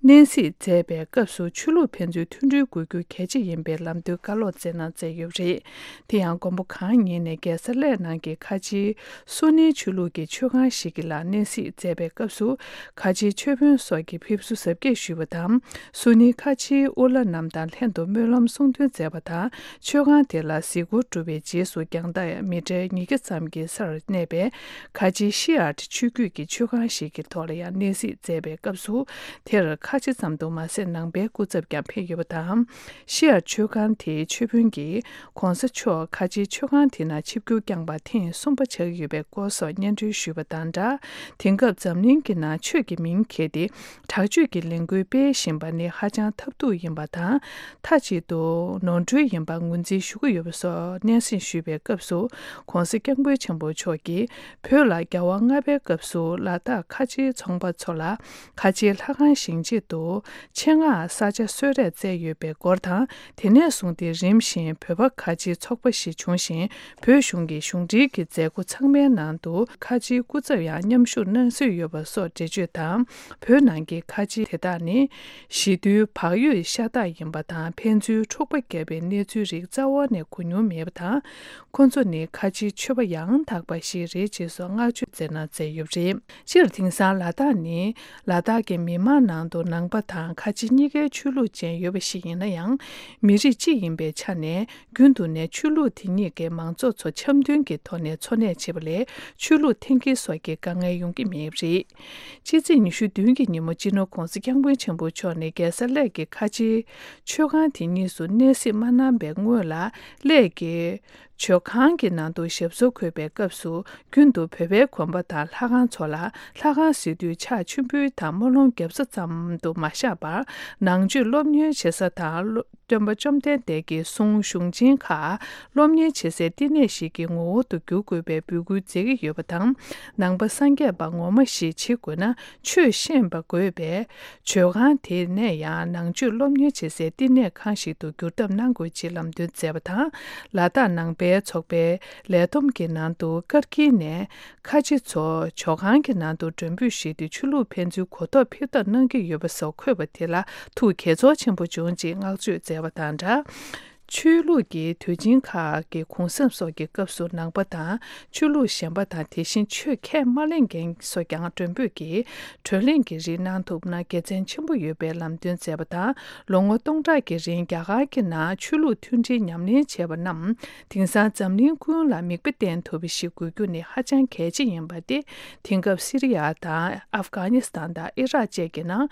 གནས་གཟིགས་མཛད་པའི་སྐབས་སུ་ཆོས་ལུགས་ཕན་ཚུན་མཐུན་སྒྲིལ་དགོས་རྒྱུ་གལ་ཆེ་ཡིན་པའི་ལམ་སྟོན་བཀའ་སློབ་སྩལ་གནང་མཛད་ཡོད་པ་རེད། དེ་ཡང་དགོན་པ་གང་ཉིད་ནས་རྒྱལ་ས་གླེ་ནང་གི་ཁ་ཆེའི་སུ་ནིའི་ཆོས་ལུགས་ཀྱི་མཆོད་ཁང་ཞིག་གི་ལ་གནས་གཟིགས་མཛད་པའི་སྐབས་སུ། ཁ་ཆེའི་ཆོས་དཔོན་སོགས་ཀྱིས་ཕེབས་བསུ་གཟབ་རྒྱས་ཞུས་པ་དང་། སུ་ནིའི་ཁ་ཆེའི་དབུ་བླ་རྣམས་དང་ལྷན་དུ་སྨོན་ལམ་གསུང་འདོན་མཛད་པ་དང་། མཆོད་ཁང་དེ་ལ་གཟིགས་སྐོར་གྲུབ་པའི་རྗེས་སུ་རྒྱང་ཐག་མི་ཊར་ཉིས་བརྒྱ་ཙམ་གྱི་སར་གནས་པའི་ཁ་ཆེའི་ཤི་ཨར་ཆོས་བརྒྱུད་ཀྱི་མཆོད་ཁང་ཞིག་གི་ཐོག་ལ་ཡང་གནས་གཟིགས་མཛད་པའི་སྐབས་སུ། དེར་ཁ་ཆེ་ཙམ་དུ་མ་ཟད་ནང་པའི་སྐུ་ཚབ་ཀྱང་ཕེབས་ཡོད་པ་དང་། ཤི་ཨར་མཆོད་ཁང་དེའི་ཆོས་དཔོན་གྱིས། ྋགོང་ས་མཆོག་ཁ་ཆེའི་མཆོད་ཁང་དེ་ནང་ཆིབས་བསྒྱུར་བསྐྱངས་པ་ཐེངས་གསུམ་པ་ཆགས་ཀྱི་ཡོད་པའི་སྐོར་སོགས་སྙན་སྒྲོན་ཞུས་པ་དང་སྦྲགས། དེང་སྐབས་འཛམ་གླིང་གི་ནང་ཆོས་ཀྱི་མིང་འཁྱེར་ཏེ་དྲག་སྤྱོད་ཀྱི་ལས་འགུལ་སྤེལ་བཞིན་པ་ནི་ཧ་ཅང་ཐབས་སྡུག་ཡིན་པ་དང་། མཐའ་གཅིག་ཏུ་ནོར་འཁྲུལ་ཡིན་པ་ངོས་འཛིན་ཞུ་གི་ཡོད་པ་སོགས་སྙན་སེང་ཞུས་པའི་སྐབས་སུ། ྋགོང་ས་ྋསྐྱབས་མགོན་ཆེན་པོ་མཆོག་གིས་བོད་ལ་རྒྱལ་བ་ལྔ་པའི་སྐབས་སུ་ལ་དྭགས་ཁ་ཆེའི་ཚོང་པ་ཚོ་ལ་ཁ་ཆེའི་ལྷ་ཁང་བཞེངས་ཆེད་དུ། ཆེད་མངགས་ས་ཆ་གསོལ་རས་བསྩལ་ཡོད་པའི་སྐོར་དང་། དེ་ནས་བཟུང་སྟེ་རིམ་བཞིན་བོད་པ་ཁ་ཆེའི་ཚོགས་པ་ཞིག་བྱུང་ཞིང་། བོད་གཞུང་གི་གཞུང་འབྲེལ་གྱི་མཛད་སྒོ་ཚང་མའི་ནང་དུ་ཁ་ཆེའི་སྐུ་ཚབ་ཡང་མཉམ་ཞུགས་གནང་སྲོལ་ཡོད་པ་སོགས་འགྲེལ་བརྗོད་དང་། བོད་ནང་གི་ཁ་ཆེ་དེ་དག་ནི་ཞི་དུལ་བག་ཡོད་ཤ་སྟག་ཡིན་པ་དང་། ཕན་ཚུན་འཁྲུག་པ་བརྒྱབ་པའི་གནས་ཚུལ་རིགས་རྩ་བ་ནས་གོ་མྱོང་མེད་པ་དང་། ཁོ་ཚོ་ནི་ཁ་ཆེའི་ཆོས་པ་ཡང་དག་པ་ཞིག་རེད་ཅེས་སོགས་བསྔགས་བརྗོད་མཛད་གནང་མཛད་ཡོད་པ་རེད། སྤྱིར་དེང་སང་ལ་དྭགས་ནི་ལ་དྭགས་ཀྱི་མི་དམངས་ནང་དུ་ནང་པ་དང་ཁ་ཆེ་གཉིས་ཀའི་ཆོས་ལུགས་ཅན་ཡོད་པ་ཞིག་ཡིན་ན་ཡང་། མི་རིགས་གཅིག་ཡིན་པའི་ཆ་ནས་རྒྱུན་དུ་ནས་ཆོས་ལུགས་དེ་གཉིས་ཀའི་མང་ཚོགས་ཚོ་འཆམ་མཐུན་གྱི་ཐོག་ནས་འཚོ་གནས་བྱེད་པ་ལས་ཆོས་ལུགས་འཐེན་འཁྱེར་སོགས་ཀྱི་དཀའ་ངལ་ཡོང་གི་མེད་པ་རེད། ཕྱི་ཚེས་ཉི་ཤུ་བདུན་གྱི་ཉིན་མོ། སྤྱི་ནོར་༧གོང་ས་༧སྐྱབས་མགོན་ཆེན་པོ་མཆོག་ནས་རྒྱལ་ས་གླེ་གི་ཁ་ཆེའི་མཆོད་ཁང་དེ་གཉིས་སུ་གནས་གཟིགས་མ་གནང་བའི་སྔོན་ལ། གླེ་གི་མཆོད་ཁང་གི་ནང་དུ་ཞབས་སོར་འཁོད་པའི་སྐབས་སུ། རྒྱུན་དུ་བོད་པའི་དགོན་པ་དང་ལྷ་ཁང་ཚོ་ལ་ལྷ་ཁང་གཟིགས་དུས་ཕྱག་མཆོད་འབུལ་དང་སྨོན་ལམ་བརྒྱབ་ས་ཙམ་དུ་མ་བཞག་པར། ནང་ཆོས་སློབ་གཉེར་བྱེད་ས་དང་། སྟོན་པ་བཅོམ་ལྡན་འདས་ཀྱི་གསུང་གཞུང་ཆེན་ཁག་སློབ་གཉེར་བྱེད་སའི་བསྟི་གནས་ཤིག་གི་ངོ་བོ་དུ་འགྱུར་དགོས་པའི་འབོད་སྐུལ་མཛད་ཀྱི་ཡོད་པ་དང་། ནང་པ་སངས་རྒྱས་པ་ངོ་མ་ཞིག་བྱེད་དགོས་ན། ཆོས་ཤེས་པ་དགོས་པས། མཆོད་ཁང་དེ་ནས་ཡང་ནང་ཆོས་སློབ་གཉེར་བྱེད་སའི་བསྟི་གནས་ཁང་ཞིག་ཏུ་འགྱུར་ཐབས་གནང་དགོས་ཅེས་ལམ་སྟོན་མཛད་པ་དང་། ལ་དྭགས་ནང་པའི་ཚོགས་པའི་ལས་བསྡོམས་ཀྱི་ནང་དུ་ཀིར་ཀི་ནས་ཁ་ཆེ་ཚོ་མཆོད་ཁང་གི་ནང་དུ་མགྲོན་འབོད་ཞུས་ཏེ། ཆོས་ལུགས་ཕན་ཚུན་གོ་རྟོགས་འཕེལ་ཐབས་གནང་གི་ཡོད་པ་སོགས་འཁོད་པ་དེ་ལ་ཐུགས་དགྱེས་ཚོར་ཆེན་པོ་བྱུང་ཅེས་བསྔགས་བརྗོད་མཛད་པ་དང་སྦྲགས། ཆོས་ལུགས་ཀྱི་དུས་ཆེན་ཁག་གི་གུང་གསེང་སོགས་ཀྱི་སྐབས་སུ་ནང་པ་དང་ཆོས་ལུགས་གཞན་པ་དང་། དེ་བཞིན་ཆོས་ཁས་མ་ལེན་མཁན་སོགས་ཀྱང་མགྲོན་འབོད་ཀྱིས་བགྲོ་གླེང་གི་རིགས་གནང་ཐུབ་ན་དགེ་མཚན་ཆེན་པོ་ཡོད་པའི་ལམ་སྟོན་མཛད་པ་དང་། ལོ་ངོ་སྟོང་ཕྲག་གི་རིང་རྒྱ་གར་གྱི་ནང་ཆོས་ལུགས་མཐུན་སྒྲིལ་ཉམས་ལེན་བྱས་པ་རྣམས་དེང་སང་འཛམ་གླིང་ཀུན་ལ་མིག་དཔེ་བསྟན་ཐུབ་པ་ཞིག་དགོས་རྒྱུ་ནི་ཧ་ཅང་གལ་ཆེ་ཡིན་པ་སྟེ། དེང་སྐབས་སི་རི་ཡ་དང་ཨབ་གྷ་ནི་སི་ཐན་དང་ཨི་རག་བཅས་ཀྱི་ནང་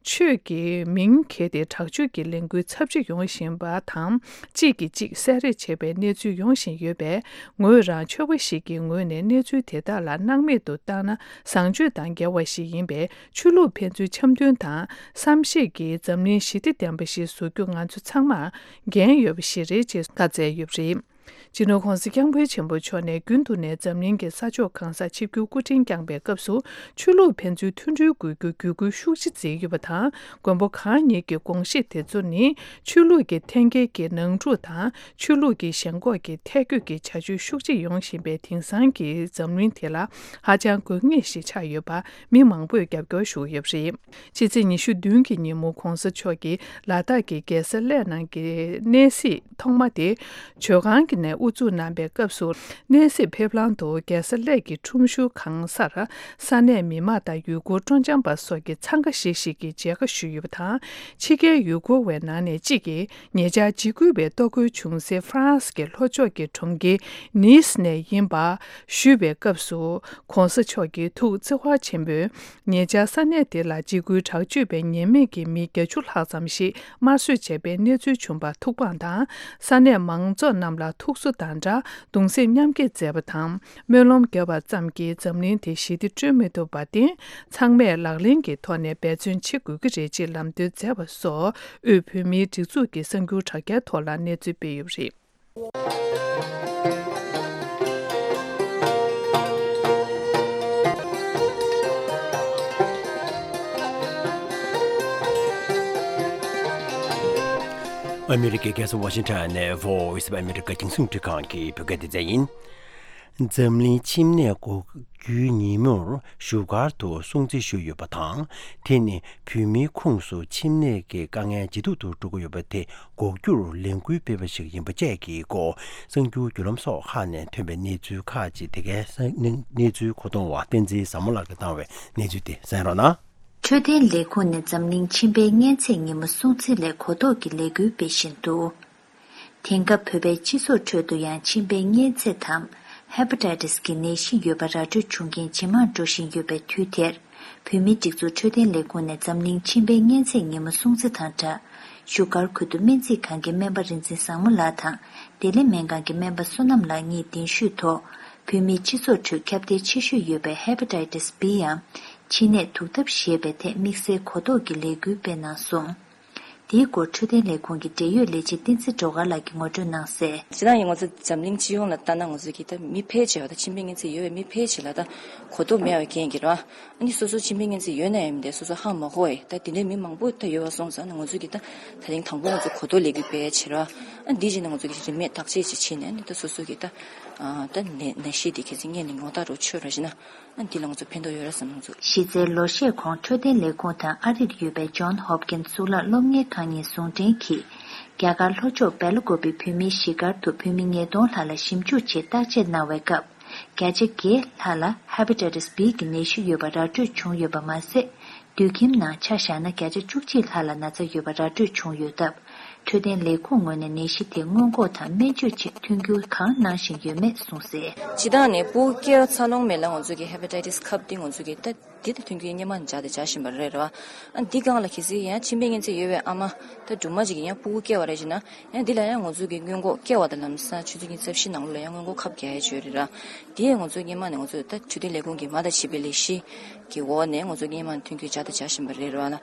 ཆོས་ཀྱི་མིང་འཁྱེར་ཏེ་དྲག་སྤྱོད་ཀྱི་ལས་འགུལ་ཚབས་ཆེ་ཡོང་བཞིན་པ་དང་། གཅིག་གིས་གཅིག་བསད་རེས་བྱེད་པའི་གནས་ཚུལ་ཡོང་བཞིན་ཡོད་པས། ངོས་རང་ཆོས་པ་ཞིག་གི་ངོས་ནས་གནས་ཚུལ་དེ་དག་ལ་སྣང་མེད་དུ་བཏང་ན་བཟང་སྤྱོད་དང་འགལ་བ་ཞིག་ཡིན་པས། ཆོས་ལུགས་ཕན་ཚུན་འཆམ་མཐུན་དང་བསམ་ཤེས་ཀྱི་འཛམ་གླིང་ཞི་བདེ་ལྡན་པ་ཞིག་བཟོ་རྒྱུ་ང་ཚོ་ཚང་མར་འགན་ཡོད་པ་ཞིག་རེད་ཅེས་བཀའ་སྩལ་ཡོད་པ་རེད། སྤྱི་ནོར་༧གོང་ས་༧སྐྱབས་མགོན་ཆེན་པོ་མཆོག་ནས་རྒྱུན་དུ་ནས་འཛམ་གླིང་གི་ས་ཕྱོགས་གང་སར་ཆིབས་བསྒྱུར་སྐུ་ཕྲེང་བསྐྱངས་པའི་སྐབས་སུ། ཆོས་ལུགས་ཕན་ཚུན་མཐུན་སྒྲིལ་དགོས་རྒྱུ་བརྒྱུད་སྐུལ་ཤུགས་ཆེ་མཛད་ཡོད་པ་དང་། མགོན་པོ་གང་ཉིད་ཀྱི་དགོངས་གཞི་དེ་ཚོ་ནི། ཆོས་ལུགས་ཀྱི་འཐེན་འཁྱེར་གྱི་ནང་འཁྲུག་དང་། ཆོས་ལུགས་ཀྱི་ཞེན་ཁོག་གི་ཐད་བསྐྱོད་ཀྱི་བྱ་སྤྱོད་ཤུགས་ཆེ་ཡོང་བཞིན་པའི་དེང་སང་གི་འཛམ་གླིང་དེ་ལ་ཧ་ཅང་དགོས་ངེས་ཤིག་ཆགས་ཡོད་པ་མི་མང་པོས་རྒྱབ་སྐྱོར་ཞུ་གི་ཡོད་པ་རེད། ཕྱི་ཚེས་ཉི་ཤུ་བདུན་གྱི་ཉིན་མོ་༧གོང་ས་མཆོག་གིས་ལ་དྭགས་ཀྱི་རྒྱལ་ས་གླེ་ནང་གི་གནས་གཟིགས་ཐོག་མ་དེ་མཆོད་ཁང་གི་ནས་དབུ་འཛུགས་གནང་པའི་སྐབས་སུ། གནས་གཟིགས་ཕེབས་ལམ་དུ་རྒྱལ་ས་གླེ་གི་ཁྲོམ་གཞུང་གང་སར་ས་གནས་མི་མང་དང་ཡུལ་སྐོར་སྤྲོ་འཆམ་པ་སོགས་ཀྱིས་འཚང་ཁ་ཤིག་ཤིག་གིས་མཇལ་ཁ་ཞུས་ཡོད་པ་དང་། ཕྱི་རྒྱལ་ཡུལ་སྐོར་བའི་ནང་ནས་གཅིག་གིས་ཉེ་ཆར་འཇིགས་སྐུལ་བའི་གཏོར་རྒོལ་བྱུང་སའི་ཧྥ་རན་སི་གི་ལྷོ་ཕྱོགས་ཀྱི་གྲོང་ཁྱེར་ནིས་ནས་ཡིན་པ་ཞུས་པའི་སྐབས་སུ། ༸གོང་ས་མཆོག་གིས་ཐུགས་བརྩེ་བ་ཆེན་པོས། ཉེ་ཆར་ས་གནས་དེ་ལ་འཇིགས་སྐུལ་དྲག་སྤྱོད་པའི་ཉེས་མེད་ཀྱི་མི་བརྒྱད་ཅུ་ལྷག་ཙམ་ཞིག་དམར་གསོད་བྱས་པའི་གནས་ཚུལ་བྱུང་བར་ཐུགས་ཕངས་དང་། ས་གནས་མང་ཚོགས་རྣམས་ལ་ཐུགས་གསོ་དང་སྦྲགས་གདུང་སེམས་མཉམ་སྐྱེད་མཛད་པ་དང་། སྨོན་ལམ་བརྒྱབ་པ་ཙམ་གྱིས་འཛམ་གླིང་དེ་ཞི་བདེ་སྐྲུན་མི་ཐུབ་པར་བརྟེན། ཚང་མས་ལག་ལེན་གྱི་ཐོག་ནས་འབད་བརྩོན་བྱེད་དགོས་ཀྱི་རེད་ཅེས་ལམ་སྟོན་མཛད་པ་སོགས། དབུས་བོད་མིའི་སྒྲིག་འཛུགས་ཀྱི་གསར་འགྱུར་དྲ་རྒྱའི་ཐོག་ལ་གནས་ཚུལ་སྤེལ་ཡོད་པ་རེད། ཨ་མི་རི་ཀའི་རྒྱལ་ས་ཝ་ཤིང་ཊོན་ནས་Voice of America རྒྱང་སྲིང་འཕྲིན་ཁང་གི་བོད་སྐད་སྡེ་ཚན་ཡིན། འཛམ་གླིང་ཁྱིམ་ནད་འགོག་རྒྱུའི་ཉིན་མོར་བཞུགས་སྒར་དུ་སྲུང་བརྩི་ཞུས་ཡོད་པ་དང་། དེ་ནི་བོད་མིའི་ཁོངས་སུ་ཁྱིམ་ནད་ཀྱི་དཀའ་ངལ་ཇེ་སྡུག་ཏུ་འགྲོ་གི་ཡོད་པ་དེ་འགོག་རྒྱུར་ལས་འགུལ་སྤེལ་བ་ཞིག་ཡིན་པ་བཅས་ཀྱི་སྐོར། གསར་འགྱུར་བརྒྱུད་ལམ་སོགས་ཁག་ནས་ཐོན་པའི་གནས་ཚུལ་ཁག་ཅིག་དེ་གའི་གནས་ཚུལ་མཁོ་གཏོང་བ་བསྟན་འཛིན་བཟང་མོ་ལགས་ཀྱིས་བཏང་བའི་གནས་ཚུལ་དེ་གསན་རོགས་གནང་། འཕྲོད་བསྟེན་ལས་ཁུངས་ནས་འཛམ་གླིང་མཆིན་པའི་གཉན་ཚད་ཉིན་མོ་སྲུང་བརྩི་སླད་གོ་རྟོགས་ཀྱི་ལས་འགུལ་སྤེལ་བཞིན་འདུག་དེང་སྐབས་བོད་པའི་སྤྱི་ཚོགས་ཁྲོད་དུ་ཡང་མཆིན་པའི་གཉན་ཚད་དམ། Hepatitis གྱི་ནད་གཞི་ཡོད་པ་ར་སྤྲོད་བྱུང་མཁན་ཇེ་མང་འགྲོ་བཞིན་ཡོད་པའི་དུས་དེར། བོད་མིའི་སྒྲིག་འཛུགས་འཕྲོད་བསྟེན་ལས་ཁུངས་ནས་འཛམ་གླིང་མཆིན་པའི་གཉན་ཚད་ཉིན་མོ་སྲུང་བརྩི་དང་སྦྲགས། བཞུགས་སྒར་ཁུལ་དུ་སྨན་རྩིས་ཁང་གི་སྨན་པ་རིག་འཛིན་བཟང་མོ་ལགས་དང་། བདེ་ལེགས་སྨན་ཁང་གི་སྨན་པ་བསོད་ནམས་ལགས་གཉིས་གདན་ཞུས་ཐོག་བོད་མིའི་སྤྱི་ཚོགས་ཁྲོད་ཁྱབ་གདལ་ཆེ་ཤོས་ཡོད་པའི་Hepatitis B ཡང་མཆིན་ནད་དུག་ཐབས་ཞེས་པའི་ཐད་དམིགས་བསལ་གོ་རྟོགས་ཀྱི་ལས་འགུལ་སྤེལ་གནང་སོང་། དེའི་སྐོར་འཕྲོད་བསྟེན་ལས་ཁུངས་ཀྱི་འབྲེལ་ཡོད་ལས་བྱེད་བསྟན་འཛིན་སྒྲོལ་དཀར་ལགས་ཀྱིས་ངོ་སྤྲོད་གནང་གསལ། སྤྱིར་བཏང་ཡིན་ང་ཚོ་འཛམ་གླིང་སྤྱི་ཡོངས་ལ་ལྟ་ན་ང་ཚོ་གི་ད་མི་ཕལ་ཆེ་བ་ད་མཆིན་པའི་གཉན་ཚད་ཡོད་པའི་མི་ཕལ་ཆེ་ལ་ད་གོ་རྟོགས་མེད་པའི་རྐྱེན་གྱིས་ར། ཨ་ནི་སོ་སོ་མཆིན་པའི་གཉན་ཚད་ཡོད་ན་ཡང་མི་འདྲ་སོ་སོ་ཧ་མ་གོ་བས་ད་དེ་འདྲའི་མི་མང་པོ་ད་ཡོད་པ་སོང་ཙང་ན་ང་ཚོ་གི་ད་ད་རིང་དང་པོ་ང་ཚོ་གོ་རྟོགས་ལས་འགུལ་སྤེལ་ཡ་བྱེད་ར། ཨ་འདི་བྱས་ན་ང་ཚོ་གི་རིན་མེད་བརྟག་དཔྱད་ཅིག་བྱས་ནས་ཨ་ནི་ད་སོ་སོ་གི་ད་ད་ནད་ནད་གཞི་འདི་གལ་སྲིད་རྙེད་ནས་ངོ་རྟགས་རུ་ཆོད་ར་བྱས་ན། ཨ་འདི་ལ་ང་ཚོ་ཕན་ཐོགས་ཡོད་རེད་བསམ་ང་ཚོ། གཞི་རྩའི་ལོ་ཤས་གོང་འཕྲོད་བསྟེན་ལས་ཁུངས་དང་ཨ་རིར་ཡོད་པའི་John Hopkins གཙུག་ལག་སློབ་གཉེར་ཁང་གཉིས་ཟུང་འབྲེལ་གྱིས། རྒྱ་གར་ལྷོ་ཕྱོགས་སྦེལ་ཀོབ་པི་བོད་མིའི་གཞིས་སྒར་དུ་བོད་མི་ཉིས་སྟོང་ལྷག་ལ་ཞིབ་འཇུག་ཆེད་བརྟག་དཔྱད་གནང་བའི་སྐབས། བརྒྱ་ཆ་བརྒྱད་ལྷག་ལ་Hepatitis B གི་ནད་གཞི་ཡོད་པ་ར་སྤྲོད་བྱུང་ཡོད་པ་མ་ཟད། དུད་ཁྱིམ་ནང་ཆ་བཞག་ན་བརྒྱ་ཆ་བཅུ་གཅིག་ལྷག་ལ་ན་ཚ་ཡོད་པ་ར་སྤྲོད་བྱུང་ཡོད་སྟབས། འཕྲོད་བསྟེན་ལས་ཁུངས་ངོས་ནས་ནད་གཞི་དེ་སྔོན་འགོག་དང་སྨན་བཅོས་ཆེད་མཐུན་འགྱུར་གང་གནང་བཞིན་ཡོད་མེད་གསུངས་གསལ། སྤྱིར་བཏང་ནས་སྤུ་གུ་སྐྱེས་པ་འཚར་ལོངས་མེད་ལ་ང་ཚོ་གི་Hepatitis ཁབ་འདི་ང་ཚོ་གི་ད་ འདི་ད་མཐུན་རྐྱེན་སྔོན་མ་ནས་སྦྱར་དང་སྦྱར་བཞིན་པ་རེད་ར། ཨ་འདི་སྒང་ལ་གལ་སྲིད་ཡང་མཆིན་པའི་གཉན་ཚད་ཡོད་པའི་ཨ་མ་ད་སྦྲུམ་མ་ཅིག་གིས་ཡང་ཕྲུ་གུ་སྐྱེ་བ་རེད་ཅེ་ན། ཡང་འདི་ལ་ཡང་ང་ཚོ་གི་སྔོན་འགོག་སྐྱེ་བ་དང་ལམ་སང་ཆུ་ཚོད་ཉི་ཤུ་རྩ་བཞི་ནང་ལོགས་ལ་ཡང་སྔོན་འགོག་ཁབ་རྒྱག་ཡ་ཅིག་ཡོད་རེད་ར། དེ་ཡང་ང་ཚོ་སྔོན་མ་ནས་ང་ཚོ་ད་འཕྲོད་བསྟེན་ལས་ཁུངས་ཀྱི་མ་དང་བྱིས་པའི་ལས་གཞི་གི་འོག་ནས་ང་ཚོ་སྔོན་མ་ནས་མཐུན་རྐྱེན་སྦྱར་དང་སྦྱར་བཞིན་པ་རེད་ར་ལ།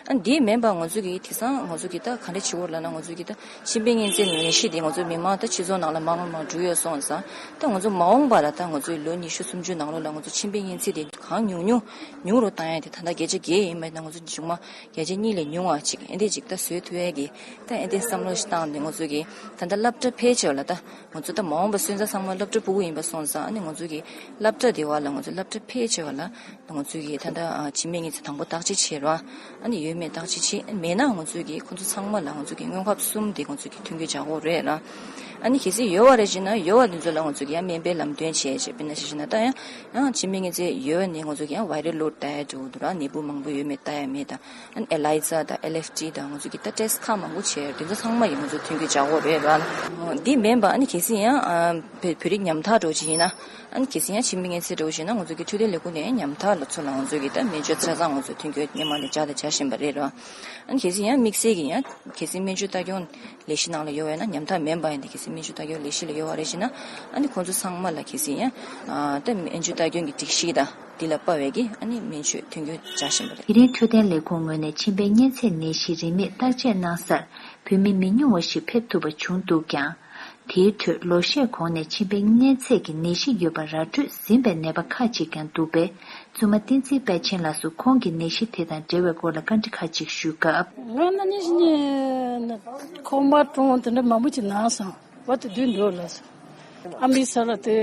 ཨ་འདི་མིན་པ་ང་ཚོ་གི་དེང་སང་ང་ཚོ་གི་ད་ག་འདྲ་བྱེད་དགོས་ལབ་ན། ང་ཚོ་གི་ད་མཆིན་པའི་གཉན་ཚད་ནད་གཞི་དེ་ང་ཚོ་མི་མང་ད་སྤྱི་ཚོགས་ནང་ལ་མང་མང་མང་འགྲོ་ཡོད་སོང་ཙང་། ད་ང་ཚོ་མ་འོངས་པ་ལ་ད་ང་ཚོའི་ལོ་ཉི་ཤུ་སུམ་ཅུ་ནང་ལོགས་ལ་ང་ཚོ་མཆིན་པའི་གཉན་ཚད་དེ་གང་ཉུང་ཉུང་ཉུང་རུ་བཏང་ཡ་དེ་ད་ལྟ་བརྒྱ་ཆ་བརྒྱད་ཡིན་པ་ཡིན་ན་ང་ཚོ་གཞུག་མ་བརྒྱ་ཆ་གཉིས་ལས་ཉུང་བ་ཅིག་ཨེ་འདྲས་ཅིག་ད་བཟོ་ཐུབ་ཡ་གི་ད་ཨེ་འདྲས་བསམ་བློ་ཞིག་བཏང་སྟེ། ང་ཚོ་གི་ད་ལྟ་སློབ་གྲྭ་ཕལ་ཆེ་བ་ལ་ད་ང་ཚོ་ད་མ་འོངས་པ་སོན་རྩ་ཚང་མ་སློབ་གྲྭ་ཕྲུ་གུ་ཡིན་པ་སོང་ཙང་། ཨ་ནི་ང་ཚོ་གི་སློབ་གྲྭ་དེ་བ་ལ་ང་ཚོ་སློབ་གྲྭ་ཕལ་ཆེ་བ་ལ་ང་ཚོ་གི་ད་ལྟ་ཨ་མཆིན་པའི་གཉན་ཚད་དང་པོ་བརྟག་དཔྱད་བྱེད་རོགས། ཨ་ནི་ཡོད་མེད་བརྟག་དཔྱད་བྱེད། མེད་ན་ང་ཚོ་གི་ཁོ་ཚོ་ཚང་མ་ལ་ང་ཚོ་གི་སྔོན་ཁབ་གསུམ་དེ་ང་ཚོ་གི་མཐུན་རྐྱེན་སྦྱར་དགོས་རེད་ར། ཨ་ནི་གལ་སྲིད་ཡོད་པ་རེད་ཅེ་ན། ཡོད་པ་དེ་ཚོ་ལ་ང་ཚོ་གི་ཡང་སྨན་པའི་ལམ་སྟོན་བྱས་བྱས། དཔེར་ན་ཆ་བཞག་ན་ད་ཡང་ཡང་མཆིན་པའི་གཉན་ཚད་ཡོད་ནི་ང་ཚོ་གི་ཡང་ཝའི་རལ་ལོཌ་ལྟ་ཡ་འགྲོ་འདུག་ར། ནད་འབུ་མང་པོ་ཡོད་མེད་ལྟ་ཡ་མེད་དང་། ཨ་ནི་ཨེ་ལའི་ཛ་དང་ཨེལ་ཨེཕ་ཊི་དང་ང་ཚོ་གི་ད་ཊེ་སི་ཊི་ཁག་མང་པོ་བྱས། དེ་ཚོ་ཚང་མ་ཡི་ང་ཚོ་མཐུན་རྐྱེན་སྦྱར་དགོས་རེད་ར། འདི་མིན་པ་ཨ་ནི་གལ་སྲིད་ཡང་ཨ་བོད་བོད་རིགས་ཉམ་ཐག་འདྲ་བོ་ཅིག་ཡིན་ན། ཨ་ནི་གལ་སྲིད་ཡང་མཆིན་པའི་གཉན་ཚད་འདྲ་བོ་ཞིག་ན། ང་ཚོ་གི་འཕྲོད་བསྟེན་ལས་ཁུངས་ནས་ཉམ་ཐག་ལ་ཚོ་ལ་ང་ཚོ་གི་ད་སྨན་བཅོས་ཆ་ཚང་ང་ཚོ་མཐུན་རྐྱེན་སྔོན་མ་ནས་སྦྱར་དང་སྦྱར་བཞིན་པ་རེད་ར། ཨ་ནི་གལ་སྲིད་ཡང་དམིགས་བསལ་གྱི་ཡང་གལ་སྲིད་སྨན་བཅོས་ལྟ་སྐྱོང་ལས་གཞི་ནང་ལ་ཡོད་པ་ཡིན་ན། ཉམ་ཐག་མིན་པ་ཡིན་ཏེ་གལ་སྲིད་སྨན་བཅོས་ལྟ་སྐྱོང་ལས་གཞི་ལ་ཡོད་པ་རེད་ཅེ་ན། ཨ་ནི་ཁོང་ཚོ་ཚང་མ་ལ་གལ་སྲིད་ཡང་ཨ་ད་སྨན་བཅོས་ལྟ་སྐྱོང་གི་སྒྲིག་གཞི་དང་དེ་ལ་དཔག་པའི་གི་ཨ་ནི་སྨན་བཅོས་མཐུན་རྐྱེན་སྦྱར་བཞིན་པ་རེད། དེ་རིང་འཕྲོད་བསྟེན་ལས་ཁུངས་ངོས་ནས་མཆིན་པའི་གཉན་ཚད་ནད་གཞི་རིན་མེད་བརྟག་དཔྱད་གནང་སར་བོད་མི་མི་ཉུང་བ་ཞིག་ཕེབས་ཐུབ་པ་བྱུང་འདུག་ཀྱང་། དེའི་ཁྲོད་ལོ་ཤས་གོང་ནས་མཆིན་པའི་གཉན་ཚད་ཀྱི་ནད་གཞི་ཡོད་པ་ར་སྤྲོད་ཟིན་པའི་ནད་པ་ཁག་ཅིག་ཀྱང་འདུག་པས། བཙུན་མ་བསྟན་འཛིན་དཔལ་ཆེན་ལགས་སུ་ཁོང་གི་ནད་གཞི་དེ་དང་འབྲེལ་བའི་སྐོར་ལ་བཀའ་འདྲི་ཁག་ཅིག་ཞུས་སྐབས། ང་ན་ནི་ཞི་ནི་ཁོང་པ་ཀྲོང་དེ་འདྲ་མང་པོ་ཅིག་ན་སོང་། བ་དེ་དུས་འདུག་ལ་སོང་། ཨ་མི་ས་ལ་དེ་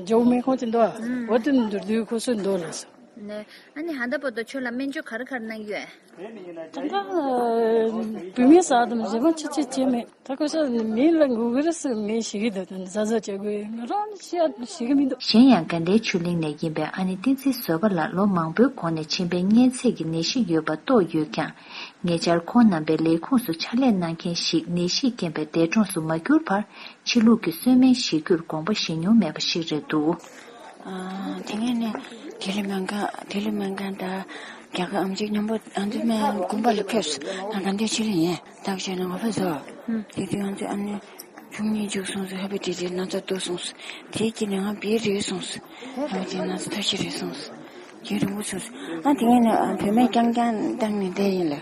ཇོ་མི་ཁོང་ཅིག་འདུག་ཨ། བ་དེ་འདུག་དུས་ཁོ་སོ་འདུག་ལ་སོང་། ནས་ཨ་ནི་ཧ་ད་པོ་ཏོ་ཁྱོད་ལ་སྨན་བཅོས་ག་རེ་ག་རེ་གནང་གི་ཡོད། ད་ལྟ་བུད་མེད་ཟ་དང་རྗེས་མ་ཆེ་ཆེ་བྱས་མེད། ད་ཁོ་ཤ་མི་ལ་ངུ་གི་རེད་ཟེར། མི་ཞིག་གི་འདུག་ད་ཟ་ཟ་བྱ་དགོས། ང་རང་ཤ་ཞིག་གི་མི་འདུག་གཞན་ཡང་དགའ་ལྡན་ཆོས་གླིང་ནས་ཡིན་པའི་ཨ་ནེ་བསྟན་འཛིན་བཟོད་པ་ལགས་ལོ་མང་པོའི་གོང་ནས་མཆིན་པའི་གཉན་ཚད་ཀྱི་ནད་གཞི་ཡོད་པ་རྟོགས་ཡོད་ཀྱང་། ཉེ་ཆར་ཁོང་རྣམ་པའི་ལས་ཁུངས་སུ་ཕྱག་ལས་གནང་མཁན་ཞིག་ནད་གཞིས་རྐྱེན་པས་འདས་གྲོངས་སུ་མ་གྱུར་བར། ཕྱི་ལུགས་ཀྱི་གསོལ་སྨན་བཞེས་རྒྱུར་དགོངས་པ་བཞེས་མྱོང་མེད་པ་ཞིག་རེད་འདུག་ཨ། དེ་སྔོན་ནས་ལྡི་ལི་སྨན་ཁང་། ལྡི་ལི་སྨན་ཁང་དང་རྒྱ་གར་ཨེམ་ཆི་མཉམ་པོ་ཨ་ནེ་དུ་སྨན་དགོན་པ་ལ་ཕེབས་སོང་། ང་དགའ་ལྡན་ཆོས་གླིང་ཡིན། བརྟག་དཔྱད་གནང་བ་ཕེབས་སོང་། དེ་དུས་ང་ཚོས་ཨ་ནེ་ཆུང་ཉིད་བཅུག་སོང་ཟེར། ཧ་པ་ཏི་ཏི་ན་ཚ་འདུག་སོང་ཟེར། དེའི་དཀྱིལ་ནས་ང་བེད་རེད་སོང་ཟེར། ཧ་པ་ཏི་ཏི་ན་ཚ་ཐབས་ཤེས་རེད་སོང་ཟེར། དེ་རིང་པོ་བྱུང་ཟེར། ཨ་དེ་སྔོན་ནས་ཨ་བོད་སྨན་རྐྱང་རྐྱང་བཏང་ནས་བསྡད་ཡིན་ལ།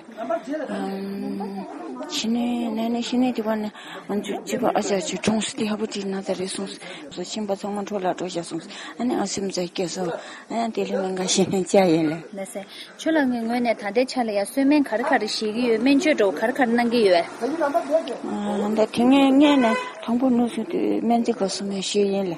ཨམ། ཕྱི་ནས་ནས་ནས་ཕྱི་ནས་དེ་བ་ནས་ང་ཚོའི་སྤྱི་པ་ཨ་ཅག་ཅིག་གྲོངས་སོང་། དེ་ཧ་པ་ཏི་ཏི་ན་ཚ་རེད་སོང་ཟེར། མཆིན་པ་ཚང་མ་འཕྲོ་བརླག་འགྲོ་བཞག་སོང་ཟེར། ཨ་ནི་ང་སེམས་ཚ་སྐྱེས་སོང་། ཨ་ནི་ལྡི་ལི་སྨན་ཁང་ཞིག་ནས་བཅར་ཡིན་ལ། ལགས་སེ། ཁྱོད་ལ་ངའི་ངོས་ནས་ད་ལྟའི་ཆ་ལ་ཡ་གསོལ་སྨན་ག་རེ་ག་རེ་བཞེས་ཀྱི་ཡོད། སྨན་བཅོས་འདྲ་བོ་ག་རེ་ག་རེ་གནང་གི་ཡོད། ཨ་ད་དེ་སྔོན་སྔོན་ནས་དང་པོ་ནུབ་སོང་དུས་སྨན་རྩིས་ཁང་གསུམ་ཡས་ཞུས་ཡིན་ལ།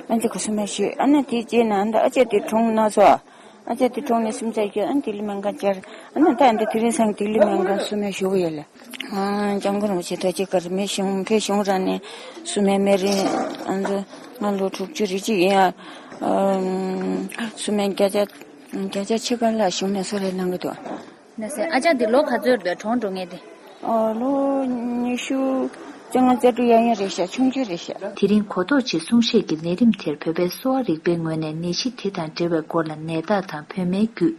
སྨན་རྩིས་ཁང་གསུམ་ཡས་ཞུས། ཨ་ནི་དེ་རྗེས་ན་ཨ་ད་ཨ་ཅག་དེ་གྲོངས་ན་སོང་། ཨ་ཅག་དེ་གྲོངས་ནས་སེམས་ཚ་སྐྱེས། ཨ་ནི་ལྡི་ལི་སྨན་ཁང་བཅར། ཨ་ནི་ད་ཨ་ད་དེ་རིང་སང་ལྡི་ལི་སྨན་ཁང་གསུམ་ཡས་ཞུ་གི་ཡོད་ལ། ཨ་སྐྱབས་མགོན་རིན་པོ་ཆེ་ཐུགས་རྗེ་ཆེ། མི་གཞུང་ཕེབས་གཞུང་ར་ནས་གསོལ་སྨན་སྨན་རིན་ཨ་ད་ང་ལོ་དྲུག་ཅུ་རེ་གཅིག་ཡིན་ཡ། ཨ་གསོལ་སྨན་བརྒྱ་ཆ་བརྒྱ་ཆ་ཕྱེད་ཀ་ལ་གཞུང་ནས་གསོལ་རས་གནང་གི་འདུག་ལགས་སེ། ཨ་ཅག་འདི་ལོ་ག་ཚོད་རེད་པས་གྲོངས་འགྲོ་མཁན་དེ། ཨ་ལོ་ཉི་ཤུ་རྩ་ལྔ་རྩ་དྲུག་ཡན་ཡན་རེད་ཤག་ཆུང་ཆུང་རེད་ཤག་དེ་རིང་གོ་རྟོགས་ཆེད་གསུང་བཤད་ཀྱི་ལས་རིམ་དེར་བོད་པའི་གསོ་བ་རིག་པའི་ངོས་ནས་ནད་གཞི་དེ་དང་འབྲེལ་བའི་སྐོར་ལ་ནད་རྟགས་དང་བོད་སྨན་བརྒྱུད་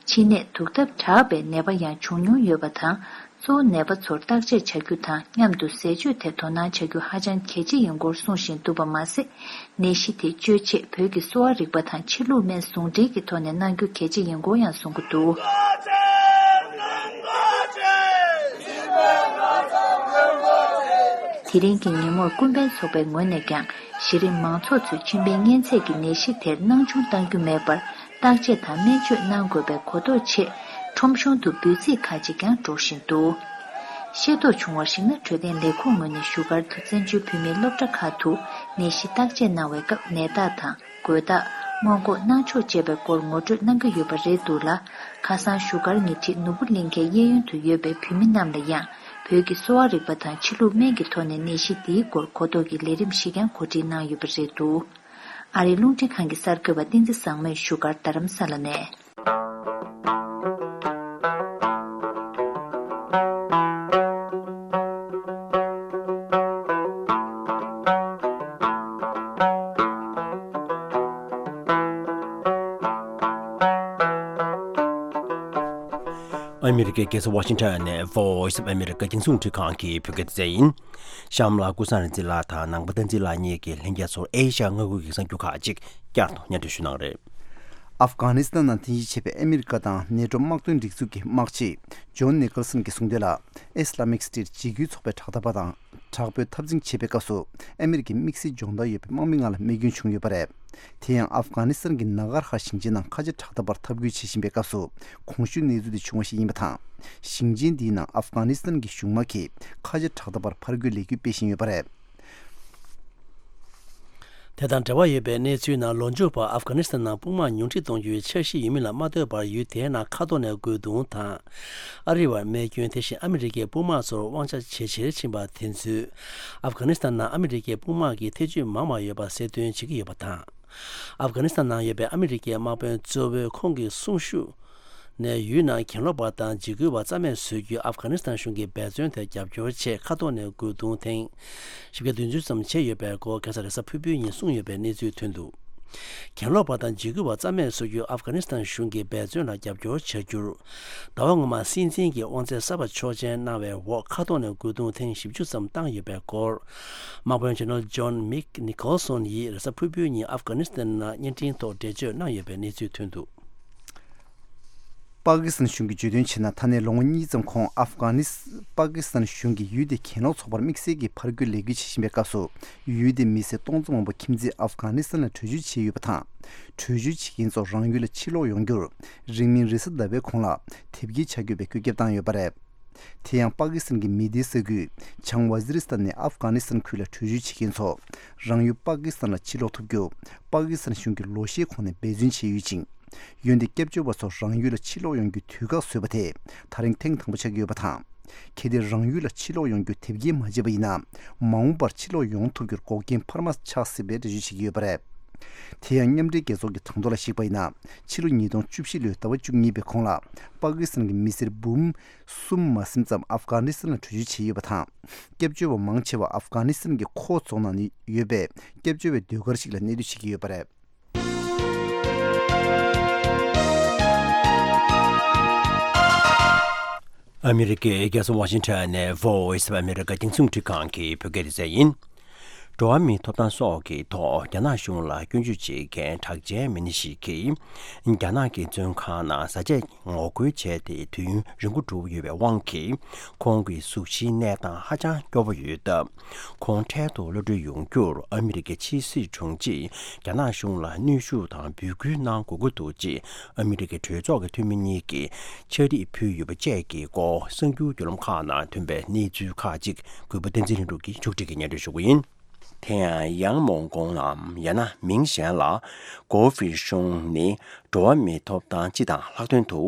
མཆིན་ནད་དུག་ཐབས་དྲག་པའི་ནད་པ་ཡང་བྱུང་མྱོང་ཡོད་པ་དང་། གཙོ་བོ་ནད་པ་ཚོར་བརྟག་དཔྱད་བྱ་རྒྱུ་དང་མཉམ་དུ་ཟས་སྤྱོད་ཐད་དོ་སྣང་བྱ་རྒྱུ་ཧ་ཅང་གལ་ཆེ་ཡིན་སྐོར་གསུང་བཞིན་འདུག་པ་མ་ཟད། ནད་གཞི་དེ་བཅོས་ཆེད་བོད་ཀྱི་གསོ་བ་རིག་པ་དང་ཕྱི་ལུགས་སྨན་ཟུང་འབྲེལ་གྱི་ཐོག་ནས་གནང་རྒྱུ་གལ་ཆེ་ཡིན་སྐོར་ཡང་གསུང་གི་འདུག་དེ་རིང་གི་ཉིན་མོར་ཀུན་ཕན་ཚོགས་པའི་ངོས་ནས་ཀྱང་གཞི་རིམ་མང་ཚོགས་ཚོས་མཆིན་པའི་གཉན་ཚད་ཀྱི་ནད་གཞི་དེར་སྣང་ཆུང་གཏང་རྒྱུ་མེད་པར། བརྟག་དཔྱད་དང་སྨན་བཅོས་གནང་དགོས་པའི་གོ་རྟོགས་ཆེད། ཁྲོམ་གཞུང་དུ་འབོད་ཚིག་ཁག་ཅིག་ཀྱང་སྒྲོག་བཞིན་འདུག་ཤེས་རྟོགས་བྱུང་བར་གཞིགས་ན། འཕྲོད་བསྟེན་ལས་ཁུངས་ངོས་ནས་བཞུགས་སྒར་དུ་བཙན་བྱོལ་བོད་མིའི་སློབ་གྲྭ་ཁག་ཏུ་ནད་གཞི་བརྟག་དཔྱད་གནང་བའི་སྐབས་ནད་རྟགས་དང་། འགོས་རྟགས། སྔོན་འགོག་གནང་ཕྱོགས་བཅས་པའི་སྐོར་ངོ་སྤྲོད་གནང་གི་ཡོད་པ་རེད་འདུག་ལ། ཁ་སང་བཞུགས་སྒར་ཉེ་འཁྲིས་ནོར་བུ་གླིང་ཁའི་གཡས་གཡོན་དུ་ཡོད་པའི་བོད་མི་རྣམས་ལ་ཡང་བོད་ཀྱི་གསོ་བ་རིག་པ་དང་ཕྱི་ལུགས་སྨན་གྱི་ཐོག་ནས་ནད་གཞི་འདིའི་སྐོར་གོ་རྟོགས་ཀྱི་ལས་རིམ་ཞིག་ཀྱང་གོ་སྒྲིག་གནང་ཡོད་པ་རེད་འདུག་ཨ་རིའི་རླུང་འཕྲིན་ཁང་གི་གསར་འགོད་པ་བསྟན་འཛིན་བཟང་མོས་བཞུགས་སྒར་རྡ་རམ་ས་ལ་ནས། ཨ་མི་རི་ཀའི་རྒྱལ་ས་ཝ་ཤིང་ཊོན་ནས་Voice of America་རྒྱང་སྲིང་རླུང་འཕྲིན་ཁང་གི་བོད་སྐད་སྡེ་ཚན་ཡིན། གཤམ་ལ་ཀུན་བཟང་རིག་འཛིན་ལགས་དང་ནང་པ་བསྟན་འཛིན་ལགས་གཉིས་ཀྱིས་ལྷན་རྒྱས་ཚོར་ཨེ་ཤ་ཡ་མངའ་ཁུལ་གྱི་གསར་འགྱུར་ཁག་ཅིག་བསྐྱར་དུ་སྙན་སྒྲོན་ཞུ་གནང་རེད། ཨབ་གྷ་ནི་སི་ཐན་ནང་རྟེན་གཞི་བྱས་པའི་ཨ་མི་རི་ཀ་དང་ནེ་ཊོ་དམག་དོན་སྒྲིག་འཛུགས་ཀྱི་དམག་སྤྱི་ཇོན་ནི་ཀལ་སན་གྱིས་གསུངས་དོན་ལ། ཨི་སི་ལ་མིག་སི་ཊེཊ་འཇིགས་སྐུལ་ཚོགས་པའི་དྲག་མཐའ་བ་དང་དྲག་པོས་འཐབ་འཛིང་བྱེད་པའི་སྐབས་སུ་ཨ་མི་རི་ཀའི་དམིགས་བསལ་སྦྱོང་བརྡར་ཡོད་པའི་དམག་མི་ལྔ་ལ་རྨས་སྐྱོན་བྱུང་ཡོད་པ་རེད། དེ་ཡང་ཨབ་གྷ་ནི་སི་ཐན་གྱི་ན་གར་ཧ་ཞིང་ཆེན་ནང་ཁ་ཆེ་དྲག་མཐའ་བར་འཐབ་རྒོལ་བྱེད་བཞིན་པའི་སྐབས་སུ་གོང་ཞུས་གནས་ཚུལ་དེ་བྱུང་བ་ཞིག་ཡིན་པ་དང་། ཞིང་ཆེན་འདིའི་ནང་ཨབ་གྷ་ནི་སི་ཐན་གྱི་གཞུང་དམག་གིས་ཁ་ཆེ་དྲག་མཐའ་བར་ཕར་རྒོལ་ལས་འགུལ་སྤེལ་བཞིན་ཡོད་པ་རེད། དེ་དང་འབྲེལ་བ་ཡོད་པའི་གནས་ཚུལ་ནང་ལོ་མཇུག་བར་ཨབ་གྷ་ནི་སི་ཐན་ནང་དཔུང་དམག་ཉུང་འཕྲི་གཏོང་རྒྱུའི་འཆར་གཞི་ཡོད་མིན་ལ་མ་ལྟོས་པར་ཡུལ་དེའི་ནང་མཁའ་ཐོག་ནས་རྒོལ་རྡུང་དང་། ཨ་རི་བར་རྨས་སྐྱོན། དེ་བཞིན་ཨ་མི་རི་ཀའི་དཔུང་དམག་ཚོར་དབང་ཆ་ཇེ་ཆེར་ཕྱིན་པ་དེ་ཚོས་ཨབ་གྷ་ནི་སི་ཐན་ནང་ཨ་མི་རི་ཀའི་དཔུང་དམག་གི་ཐེ་ཇུས་མང་བ་ཡོད་པ་གསལ་སྟོན་བྱེད་ཀྱི་ཡོད་པ་དང་། ཨབ་གྷ་ནི་སི་ཐན་ནང་ཡོད་པའི་ཨ་མི་རི་ཀའི་དམག་དཔོན་གཙོ་བོས་ཁོང་གི་གསུང་ཞུ་ནས་ཡུལ་ནང་གྱེན་ལོག་པ་དང་འཇིགས་སྐུལ་བ་རྩ་མེད་བཟོ་རྒྱུའི་ཨབ་གྷ་ནི་སི་ཐན་གཞུང་གི་འབད་བརྩོན་དེར་རྒྱབ་སྐྱོར་ཆེད་མཁའ་ཐོག་ནས་རྒོལ་རྡུང་ཐེངས་བཞི་བརྒྱ་བདུན་ཅུ་ཙམ་བྱས་ཡོད་པའི་སྐོར་ཁ་སང་རེས་གཟའ་ཕུར་བུའི་ཉིན་གསུངས་ཡོད་པའི་གནས་ཚུལ་ཐོན་འདུག། གྱེན་ལོག་པ་དང་འཇིགས་སྐུལ་བ་རྩ་མེད་བཟོ་རྒྱུའི་ཨབ་གྷ་ནི་སི་ཐན་གཞུང་གི་འབད་བརྩོན་ལ་རྒྱབ་སྐྱོར་བྱ་རྒྱུར། ཟླ་བ་སྔོན་མ་སྲིད་འཛིན་གྱི་དབང་ཚད་གསར་པ་ཆོག་མཆན་གནང་བའི་འོག་མཁའ་ཐོག་ནས་རྒོལ་རྡུང་ཐེངས་བཞི་བཅུ་ཙམ་བཏང་ཡོད་པའི་སྐོར། དམག་དཔོན་ཇེ་ནེ་རལ་ཇོན་མིག་ནི་ཀོལ་སོན་ཡིས་རེས་གཟའ་ཕུར་བུའི་ཉིན་ཨབ་གྷ་ནི་སི་ཐན་ནང་བརྙན་འཕྲིན་ཐོག་འགྲེལ་བརྗོད་གནང་ཡོད་པའི་གནས་ཚུལ་ཐོན་འདུག། པ་ཀི་སི་ཐན་གཞུང་གིས་བརྗོད་དོན་བྱས་ན། ད་ནས་ལོ་ངོ་གཉིས་ཙམ་གོང་ཨབ་གྷ་ནི་སི། པ་ཀི་སི་ཐན་གཞུང་གིས་ཡུལ་དེའི་གྱེན་ལོག་ཚོགས་པར་དམིགས་བསལ་གྱི་ཕར་རྒོལ་ལས་འགུལ་བྱེད་བཞིན་པའི་སྐབས་སུ། ཡུལ་དེའི་མི་སེར་སྟོང་ཙམ་མང་པོ་ཁྱིམ་མཚེས་ཨབ་གྷ་ནི་སི་ཐན་ལ་བྲོས་བྱོལ་བྱས་ཡོད་པ་དང་། བྲོས་བྱོལ་བྱེད་མཁན་ཚོ་རང་ཡུལ་ལ་ཕྱིར་ལོག་ཡོང་རྒྱུར། རིང་མིན་རེས་གཟའ་ཟླ་བའི་གོང་ལ་དེབ་སྐྱེལ་བྱ་དགོས་པའི་བཀོད་ཁྱབ་བཏང་ཡོད་པ་རེད། དེ་ཡང་པ་ཀི་སི་ཐན་གྱི་མི་སྡེའི་ས་ཁུལ་བྱང་ཝ་ཛི་རི་སི་ཐན་ནས་ཨབ་གྷ་ནི་སི་ཐན་ཁུལ་ལ་བྲོས་བྱོལ་བྱེད་མཁན་ཚོ་རང་ཡུལ་པ་ཀི་སི་ཐན་ལ་ཕྱིར་ལོག་ཐུབ་རྒྱུ། པ་ཀི་སི་ཐན་གཞུང་གིས་ལོ་ཤས་གོང་ནས་འབད་བརྩོན་བྱས་ཡོད་ཅིང་། འོན་ཏེ་སྐྱབས་བཅོལ་བ་ཚོ་རང་ཡུལ་ལ་ཕྱིར་ལོག་ཡོང་རྒྱུའི་དུས་བཀག་བཟོས་པ་དེ་ད་རིང་ཐེངས་དང་པོ་ཆགས་ཀྱི་ཡོད་པ་དང་། གལ་ཏེ་རང་ཡུལ་ལ་ཕྱིར་ལོག་ཡོང་རྒྱུ་དེབ་སྐྱེལ་མ་བྱས་པ་ཡིན་ན། མ་འོངས་པར་ཕྱིར་ལོག་ཡོང་ཐུབ་རྒྱུར་འགོག་རྐྱེན་འཕར་མ་ཆགས་སྲིད་པའི་འགྲེལ་བརྗོད་བྱེད་ཀྱི་ཡོད་པ་རེད། དེ་ཡང་མཉམ་འབྲེལ་རྒྱལ་ཚོགས་ཀྱི་གྲངས་ཐོ་ལ་གཞིགས་པ་ཡིན་ན། ཕྱི་ལོ་ཉིས་སྟོང་བཅུ་བཞི་ལོའི་ཟླ་བ་བཅུ་གཉིས་པའི་གོང་ལ། པ་ཀི་སི་ཐན་གྱི་མི་སེར་འབུམ་གསུམ་མ་ཟིན་ཙམ་ཨབ་གྷ་ནི་སི་ཐན་ལ་བྲོས་བྱོལ་བྱས་ཡོད་པ་དང་། སྐྱབས་བཅོལ་བ་མང་ཆེ་བ་ཨབ་གྷ་ནི་སི་ཐན་གྱི་ཁོ་རྫོང་ནང་ནས་ཡོད་པའི་སྐྱབས་བཅོལ་བའི་སྡོད་སྒར་ཞིག་ལ་གནས་སྡོད་བྱེད་ཀྱི་ཡོད་པ་རེད། ཨ་མི་རི་ཀའི་རྒྱལ་ས་ཝ་ཤིང་ཊོན་ནས་Voice of America་རྒྱང་སྲིང་རླུང་འཕྲིན་ཁང་གི་བོད་སྐད་སྡེ་ཚན་ཡིན། འགྲོ་བ་མིའི་ཐོབ་ཐང་སོགས་ཀྱི་ཐོག་རྒྱ་ནག་གཞུང་ལ་སྐྱོན་བརྗོད་བྱེད་མཁན་གྲགས་ཅན་མི་སྣ་ཞིག་གིས། རྒྱ་ནག་གི་བཙོན་ཁང་ནང་བཟའ་བཅའ་ངོ་རྒོལ་བྱས་ཏེ་དུས་ཡུན་རིང་པོ་འགྲོ་གི་ཡོད་པའི་དབང་གིས། ཁོང་གི་གཟུགས་གཞིའི་གནས་སྟངས་ཧ་ཅང་སྐྱོ་པོ་ཡོད་སྟབས། ཁོང་འཕྲལ་དུ་གློད་གྲོལ་ཡོང་རྒྱུར་ཨ་མི་རི་ཀའི་ཕྱི་སྲིད་དྲུང་ཆེས་རྒྱ་ནག་གཞུང་ལ་གནོན་ཤུགས་དང་འབོད་སྐུལ་གནང་དགོས་ཀྱི་འདུག་ཅེས་ཨ་མི་རི་ཀའི་གྲོས་ཚོགས་ཀྱི་འཐུས་མི་གཉིས་ཀྱིས་ཕྱག་བྲིས་ཕུལ་ཡོད་པ་བཅས་ཀྱི་སྐོར་གསར་འགྱུར་བརྒྱུད་ལམ་ཁག་ནང་ཐོན་པའི་གནས་ཚུལ་ཁག་ཅིག་གུས་པ་བསྟན་འཛིན་ལྷུན་གྲུབ་ཀྱིས་ཕྱོགས་སྒྲིག་གིས་སྙན་སྒྲོན་ཞུ་གི་ཡིན། དེ་ཡང་ཡང་མོང་ཀོང་ནམ་ཡང་ན་མིང་གཞན་ལ་གོ་ཧྥི་ཧྲུང་ནི་འགྲོ་བ་མིའི་ཐོབ་ཐང་སྤྱི་དང་ལྷག་དོན་དུ་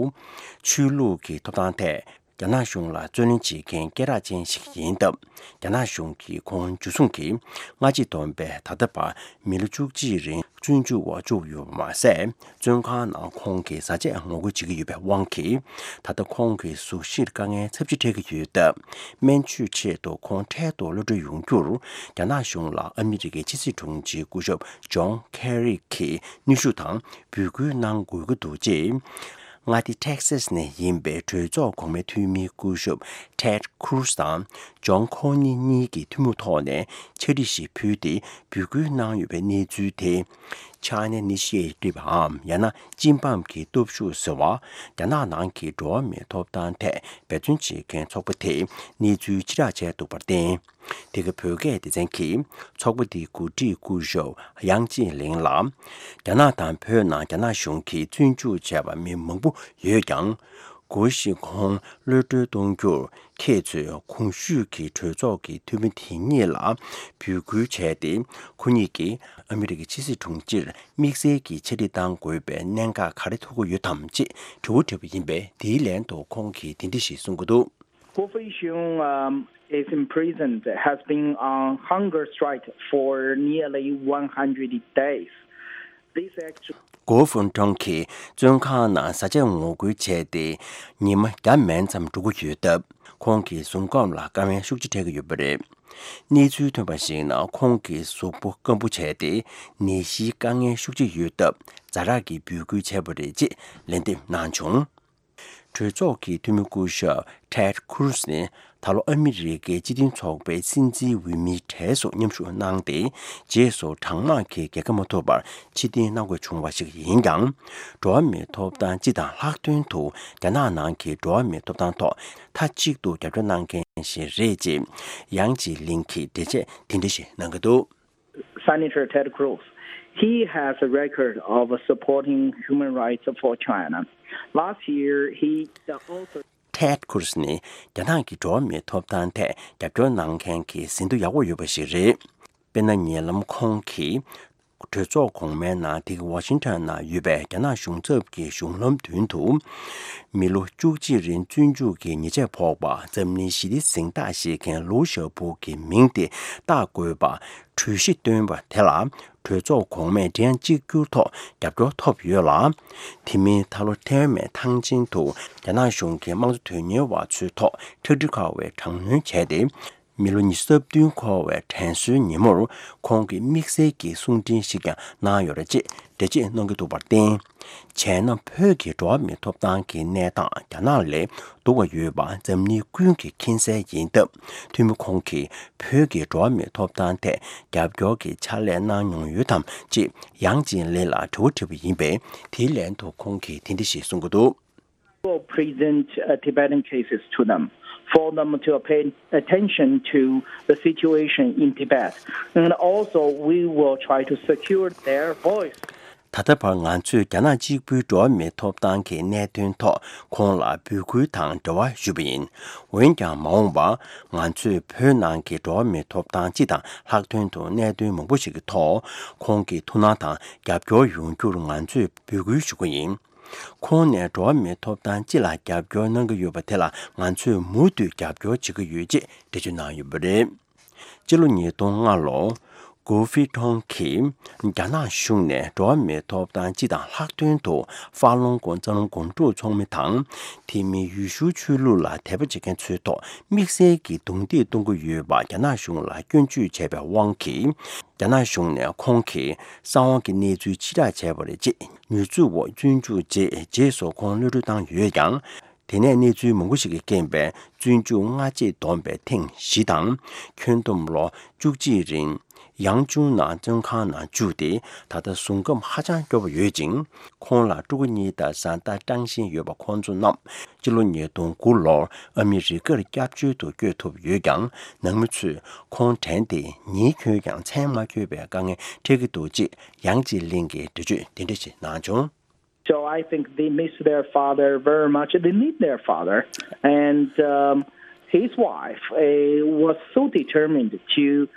ཆོས་ལུགས་ཀྱི་ཐོབ་ཐང་ཐད་རྒྱ་ནག་གཞུང་ལ་རྩོད་ལེན་བྱེད་མཁན་སྐད་གྲགས་ཅན་ཞིག་ཡིན་སྟབས། རྒྱ་ནག་གཞུང་གིས་ཁོང་འཇུ་བཟུང་གིས་སྔ་ཕྱི་བསྡོམས་པའི་ད་ལྟ་བར་མི་ལོ་བཅུ་གཅིག་རིང་བཙོན་འཇུག་པ་བཅུག་ཡོད་པ་མ་ཟད། བཙོན་ཁང་ནང་ཁོང་གི་བཟའ་ཆས་ངོ་རྒོལ་བྱེད་ཀྱི་ཡོད་པའི་དབང་གིས། ད་ལྟ་ཁོང་གི་གཟུགས་གཞིར་དཀའ་ངལ་ཚབས་ཆེ་འཕྲད་ཀྱི་ཡོད་སྟབས། སྨན་བཅོས་ཆེད་དུ་ཁོང་འཕྲལ་དུ་གློད་གྲོལ་ཡོང་རྒྱུར། རྒྱ་ནག་གཞུང་ལ་ཨ་མི་རི་ཀའི་ཕྱི་སྲིད་དྲུང་ཆེ་སྐུ་ཞབས་ཇོན་ཁེ་རི་གིས་གནོན་ཤུགས་དང་འབོད་སྐུལ་གནང་དགོས་ཀྱི་འདུག་ཅེས། མངའ་སྡེ་ཊེག་སཱས་ནས་ཡིན་པའི་གྲོས་ཚོགས་གོང་མའི་འཐུས་མི་སྐུ་ཞབས་ཊེཌ་ཁུ་རུ་སི་དང་ཇོན་ཁོ་ནི་གཉིས་ཀྱི་ཐུན་མོང་ཐོག་ནས་ཕྱག་བྲིས་ཤིག་ཕུལ་ཏེ་འབོད་སྐུལ་གནང་ཡོད་པའི་གནས་ཚུལ་དེ། China Initiative་འམ་ཡང་ན་ཅིན་པམ་གྱི་སྟོབས་ཤུགས་ཟེར་བ། རྒྱ་ནག་ནང་གི་འགྲོ་བ་མིའི་ཐོབ་ཐང་ཐད་འབད་བརྩོན་བྱེད་མཁན་ཚོགས་པ་དེས་གནས་ཚུལ་ཕྱིར་བསྒྲགས་བྱས་འདུག་པར་བརྟེན། དེ་ག་བོད་སྐད་སྡེ་ཚན་གྱིས་ཚོགས་པ་འདིའི་འགོ་ཁྲིད་སྐུ་ཞབས་ཡང་ཅིན་ལིང་ལ། རྒྱ་ནག་དང་བོད་ནང་རྒྱ་ནག་གཞུང་གིས་བཙོན་འཇུག་བྱས་པ་མི་མང་པོ་ཡོད་ཀྱང་། གོ་ཤིག་ཁོང་གློད་གྲོལ་གཏོང་རྒྱུར་ཁྱེད་ཚོས་གོང་ཞུས་ཀྱི་གྲོས་ཚོགས་ཀྱི་འཐུས་མི་དེ་གཉིས་ལ་འབོད་སྐུལ་བྱས་ཏེ། ཁོ་གཉིས་ཀྱིས་ཨ་མི་རི་ཀའི་ཕྱི་སྲིད་དྲུང་ཆེར་དམིགས་བསལ་གྱི་ཕྱག་བྲིས་གཏང་དགོས་པའི་གནད་འགག་ག་རེ་ཐུག་གི་ཡོད་དམ་ཅེས་དྲི་བ་དྲིས་པ་ཡིན་པས། དེའི་ལན་དུ་ཁོང་གིས་འདི་འདྲ་ཞིག་གསུང་གི་འདུག། Guo Feixiong, um, is imprisoned, has been on hunger strike for nearly one hundred days. This actually གོ་ཧྥུན་ཀྲང་གིས་བཙོན་ཁང་ནང་བཟའ་ཆས་ངོ་རྒོལ་བྱས་ཏེ་ཉི་མ་བརྒྱ་མན་ཙམ་འགྲོ་གི་ཡོད་སྟབས། ཁོང་གི་གཟུགས་ཁམས་ལ་དཀའ་ངལ་ཤུགས་ཆེ་འཕྲད་ཀྱི་ཡོད་པ་རེད། གནས་ཚུལ་ཐོན་པར་གཞིགས་ན། ཁོང་གི་གཟུགས་པོ་སྐམ་པོ་བྱས་ཏེ་ནད་གཞིའི་དཀའ་ངལ་ཤུགས་ཆེ་ཡོད་སྟབས། ཛ་དྲག་གི་འབོད་སྐུལ་བྱས་པ་རེད་ཅེས་ལན་འདེབས་གནང་བྱུང་། གྲོས་ཚོགས་ཀྱི་འཐུས་མི་སྐུ་ཞབས་Ted Cruz་ནི་ད་ལོ་ཨ་མི་རི་ཀའི་སྤྱི་མཐུན་ཚོགས་པའི་སྲིད་འཛིན་འོས་མིའི་གྲས་སུ་མཉམ་ཞུགས་གནང་སྟེ། རྗེས་སུ་གྲངས་མང་གིས་རྒྱལ་ཁ་མ་ཐོབ་པར་ཕྱིར་འཐེན་གནང་དགོས་བྱུང་བ་ཞིག་ཡིན་ཀྱང་། འགྲོ་བ་མིའི་ཐོབ་ཐང་སྤྱི་དང་ལྷག་དོན་དུ་རྒྱ་ནག་ནང་གི་འགྲོ་བ་མིའི་ཐོབ་ཐང་ཐོག་མཐའ་གཅིག་ཏུ་རྒྱབ་སྐྱོར་གནང་མཁན་ཞིག་རེད་ཅེས་ཡང་ཅི་ལིན་གྱིས་འགྲེལ་བཤད་དེ་འདྲ་ཞིག་གནང་གི་འདུག། Senator Ted Cruz, he has a record of supporting human rights for China. Last year, he also Ted Cruz་ནི་རྒྱ་ནག་གི་འགྲོ་བ་མིའི་ཐོབ་ཐང་ཐད་རྒྱབ་སྐྱོར་གནང་མཁན་གྱི་ཟིན་ཐོ་ཡག་པོ་ཡོད་པ་ཞིག་རེད། དཔེར་ན། ཉེ་ལམ་ཁོང་གིས་གྲོས་ཚོགས་གོང་མའི་ནང་དེ་ག་ཝ་ཤིང་ཊོན་ནང་ཡོད་པའི་རྒྱ་ནག་གཞུང་ཚབ་ཀྱི་གཞུང་ལམ་མདུན་དུ། མི་ལོ་བཅུ་གཅིག་རིང་བཙོན་འཇུག་གི་ཉེས་ཆད་ཕོག་པ་འཛམ་གླིང་ཞི་བདེ་གཟེངས་རྟགས་བཞེས་མཁན་ལུའུ་ཞའོ་པོ་གི་མིང་དེ་བཏགས་དགོས་པ་གྲོས་གཞི་བཏོན་པ་དེ་ལ། གྲོས་ཚོགས་གོང་མས་སྒྲ་དབྱངས་གཅིག་གྱུར་ཐོག་རྒྱབ་སྐྱོར་ཐོབ་ཡོད་ལ། དེ་མིན་ད་ལོ་ཐའེ་ཝན་ཐང་ཆེན་དུ་རྒྱ་ནག་གཞུང་གི་དམངས་གཙོ་དོན་གཉེར་བ་ཚོའི་ཐོག་ཁྲག་དྲི་ཁ་བའི་དྲག་གནོན་བྱས་ཏེ། མི་ལོ་ཉི་ཤུ་རྩ་བདུན་འཁོར་བའི་དྲན་གསོའི་ཉིན་མོར་ཁོང་གིས་དམིགས་བསལ་གྱི་གསུང་འཕྲིན་ཞིག་ཀྱང་གནང་ཡོད་རེད་ཅེས་འགྲེལ་བརྗོད་གནང་གི་འདུག་པར་བརྟེན། བྱས་ན། བོད་ཀྱི་འགྲོ་བ་མིའི་ཐོབ་ཐང་གི་གནས་སྟངས་རྒྱ་ནག་ལས་སྡུག་པ་ཡོད་པ་འཛམ་གླིང་ཀུན་གྱིས་མཁྱེན་གསལ་ཡིན་སྟབས། འཐུས་མི་ཁོང་གིས་བོད་ཀྱི་འགྲོ་བ་མིའི་ཐོབ་ཐང་ཐད་རྒྱབ་སྐྱོར་གྱི་ཕྱག་ལས་གནང་མྱོང་ཡོད་དམ་ཅེས་ཡང་ཅི་ལིན་ལ་དྲི་བ་དྲིས་པ་ཡིན་པས། དེའི་ལན་དུ་ཁོང་གིས་དེ་འདྲ་ཞིག་གསུང་གི་འདུག། Will present uh, Tibetan cases to them for them to pay attention to the situation in Tibet. And also, we will try to secure their voice. ད་ལྟ་བར་ང་ཚོས་རྒྱ་ནག་གཅིག་པུའི་འགྲོ་བ་མིའི་ཐོབ་ཐང་གི་གནད་དོན་ཐོག་ཁོང་ལ་འབོད་སྐུལ་དང་འབྲེལ་བ་ཞུས་པ་ཡིན། འོན་ཀྱང་། མ་འོངས་པར་ང་ཚོས་བོད་ནང་གི་འགྲོ་བ་མིའི་ཐོབ་ཐང་སྤྱི་དང་ལྷག་དོན་དུ་གནད་དོན་མང་པོ་ཞིག་གི་ཐོག་ཁོང་གི་ཐུགས་སྣང་དང་རྒྱབ་སྐྱོར་ཡོང་རྒྱུར་ང་ཚོས་འབོད་སྐུལ་ཞུ་གི་ཡིན། ཁོང་ནས་འགྲོ་བ་མིའི་ཐོབ་ཐང་སྤྱི་ལ་རྒྱབ་སྐྱོར་གནང་གི་ཡོད་པ་དེ་ལ་ང་ཚོས་མུ་མཐུད་རྒྱབ་སྐྱོར་བྱེད་ཀྱི་ཡོད་ཅེས་འགྲེལ་བརྗོད་གནང་ཡོད་པ་རེད། སྤྱི་ལོ་ཉིས་སྟོང་ལྔ་ལོར། གོ་ཧྥི་ཁྲོང་གིས་རྒྱ་ནག་གཞུང་ནས་འགྲོ་བ་མིའི་ཐོབ་ཐང་སྤྱི་དང་ལྷག་དོན་དུ་ཧྥ་ལུང་གོ་རྩ་རླུང་སྒོམ་སྒྲུབ་ཚོགས་མི་དང་། དེ་མིན་ཡུལ་ཤུལ་ཆོས་ལུགས་ལ་དད་པ་བྱེད་མཁན་ཚོའི་ཐོག་དམིགས་བསལ་གྱི་རྡུང་རྡེག་གཏོང་གི་ཡོད་པ་རྒྱ་ནག་གཞུང་ལ་སྐྱོན་བརྗོད་བྱས་པའི་དབང་གིས། རྒྱ་ནག་གཞུང་ནས་ཁོང་གི་གསང་བ་གི་གནས་ཚུལ་ཕྱིར་བསྒྲགས་བྱས་པ་རེད་ཅེས་ཉེས་འཛུགས་འོག་བཙོན་འཇུག་རྗེས། རྗེས་སུ་ཁོང་གློད་གྲོལ་བཏང་ཡོད་ཀྱང་། དེ་ནས་གནས་ཚུལ་མང་པོ་ཞིག་གིས་རྐྱེན་པས་བཙོན་འཇུག་སྔ་རྗེས་བསྡོམས་པའི་ཐེངས་བཞི་དང་། ཁྱོན་བསྡོམས་ལོ་བཅུ་གཅིག་རིང་ཡང་ཅུང་ནང་བཙོན་ཁང་ནང་བཅུག་སྟེ། ད་ལྟ་བཟུང་སྐམ་ཧ་ཅང་སྐྱོ་པོ་ཡོད་ཅིང་། ཁོང་ལ་ཕྲུ་གུ་གཉིས་དང་བཟའ་ཟླ་སྤྲང་ཞིང་ཡོད་པ་ཁོང་ཚོ་རྣམས་སྤྱི་ལོ་ཉིས་སྟོང་དགུ་ལོར་ཨ་མི་རི་ཀར་སྐྱབས་བཅོལ་དུ་བསྐྱོད་ཐུབ་ཡོད་ཀྱང་། ནང་མི་ཚོས་ཁོང་དྲན་ཏེ་ཉིན་འཁྱོལ་ཀྱང་མཚན་མ་འཁྱོལ་བའི་དཀའ་ངལ་འཕྲད་ཀྱི་འདུག་ཅེས་ཡང་ཅི་ལིན་གྱིས་འགྲེལ་བརྗོད་འདི་འདྲ་ཞིག་གནང་བྱུང་། So I think they miss their father very much. They need their father. And um, his wife uh, was so determined to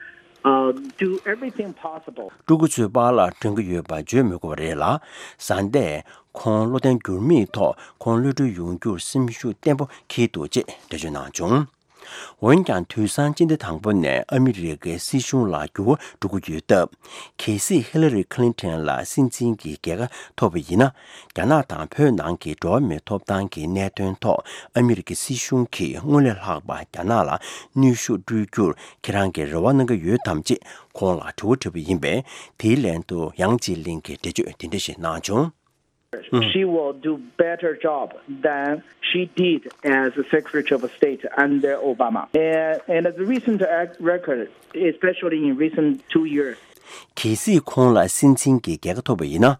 uh, do everything possible. ཕྲུ་གུ་ཚོའི་པཱ་ལགས་དྲན་གྱི་ཡོད་པ་བརྗོད་མི་དགོས་པ་རེད་ལ། བཟའ་ཟླས་ཁོང་བློ་བརྟན་འགྱུར་མེད་ཐོག་ཁོང་གློད་གྲོལ་ཡོང་རྒྱུར་སེམས་ཤུགས་བརྟན་པོ་འཁྱེར་འདུག་ཅེས་འགྲེལ་བརྗོད་གནང་བྱུང་། འོན་ཀྱང་། དུས་སང་སྤྱི་ཟླ་དང་པོ་ནས་ཨ་མི་རི་ཀའི་སྲིད་གཞུང་ལ་འགྱུར་བ་འགྲོ་གི་ཡོད་སྟབས། གལ་སྲིད་ཧི་ལ་རི་ཁི་ལིན་ཐན་ལ་སྲིད་འཛིན་གྱི་རྒྱལ་ཁ་ཐོབ་པ་ཡིན་ན། རྒྱ་ནག་དང་བོད་ནང་གི་འགྲོ་བ་མིའི་ཐོབ་ཐང་གི་གནད་དོན་ཐོག་ཨ་མི་རི་ཀའི་སྲིད་གཞུང་གིས་སྔོན་ལས་ལྷག་པ་རྒྱ་ནག་ལ་གནོན་ཤུགས་སྤྲོད་རྒྱུར་ཁྱེད་རང་གིས་རེ་བ་གནང་གི་ཡོད་དམ་ཅེས་ཁོང་ལ་དྲི་བ་དྲིས་པ་ཡིན་པས། དེའི་ལན་དུ་ཡང་ཅི་ལིན་གྱིས་འགྲེལ་བརྗོད་འདི་འདྲ་ཞིག་གནང་བྱུང་། She will do better job than she did as Secretary of State under Obama. And, and as a recent ac- record, especially in recent two years, གལ་སྲིད་ཁོང་ལ་སྲིད་འཛིན་གྱི་རྒྱལ་ཁ་ཐོབ་པ་ཡིན་ན།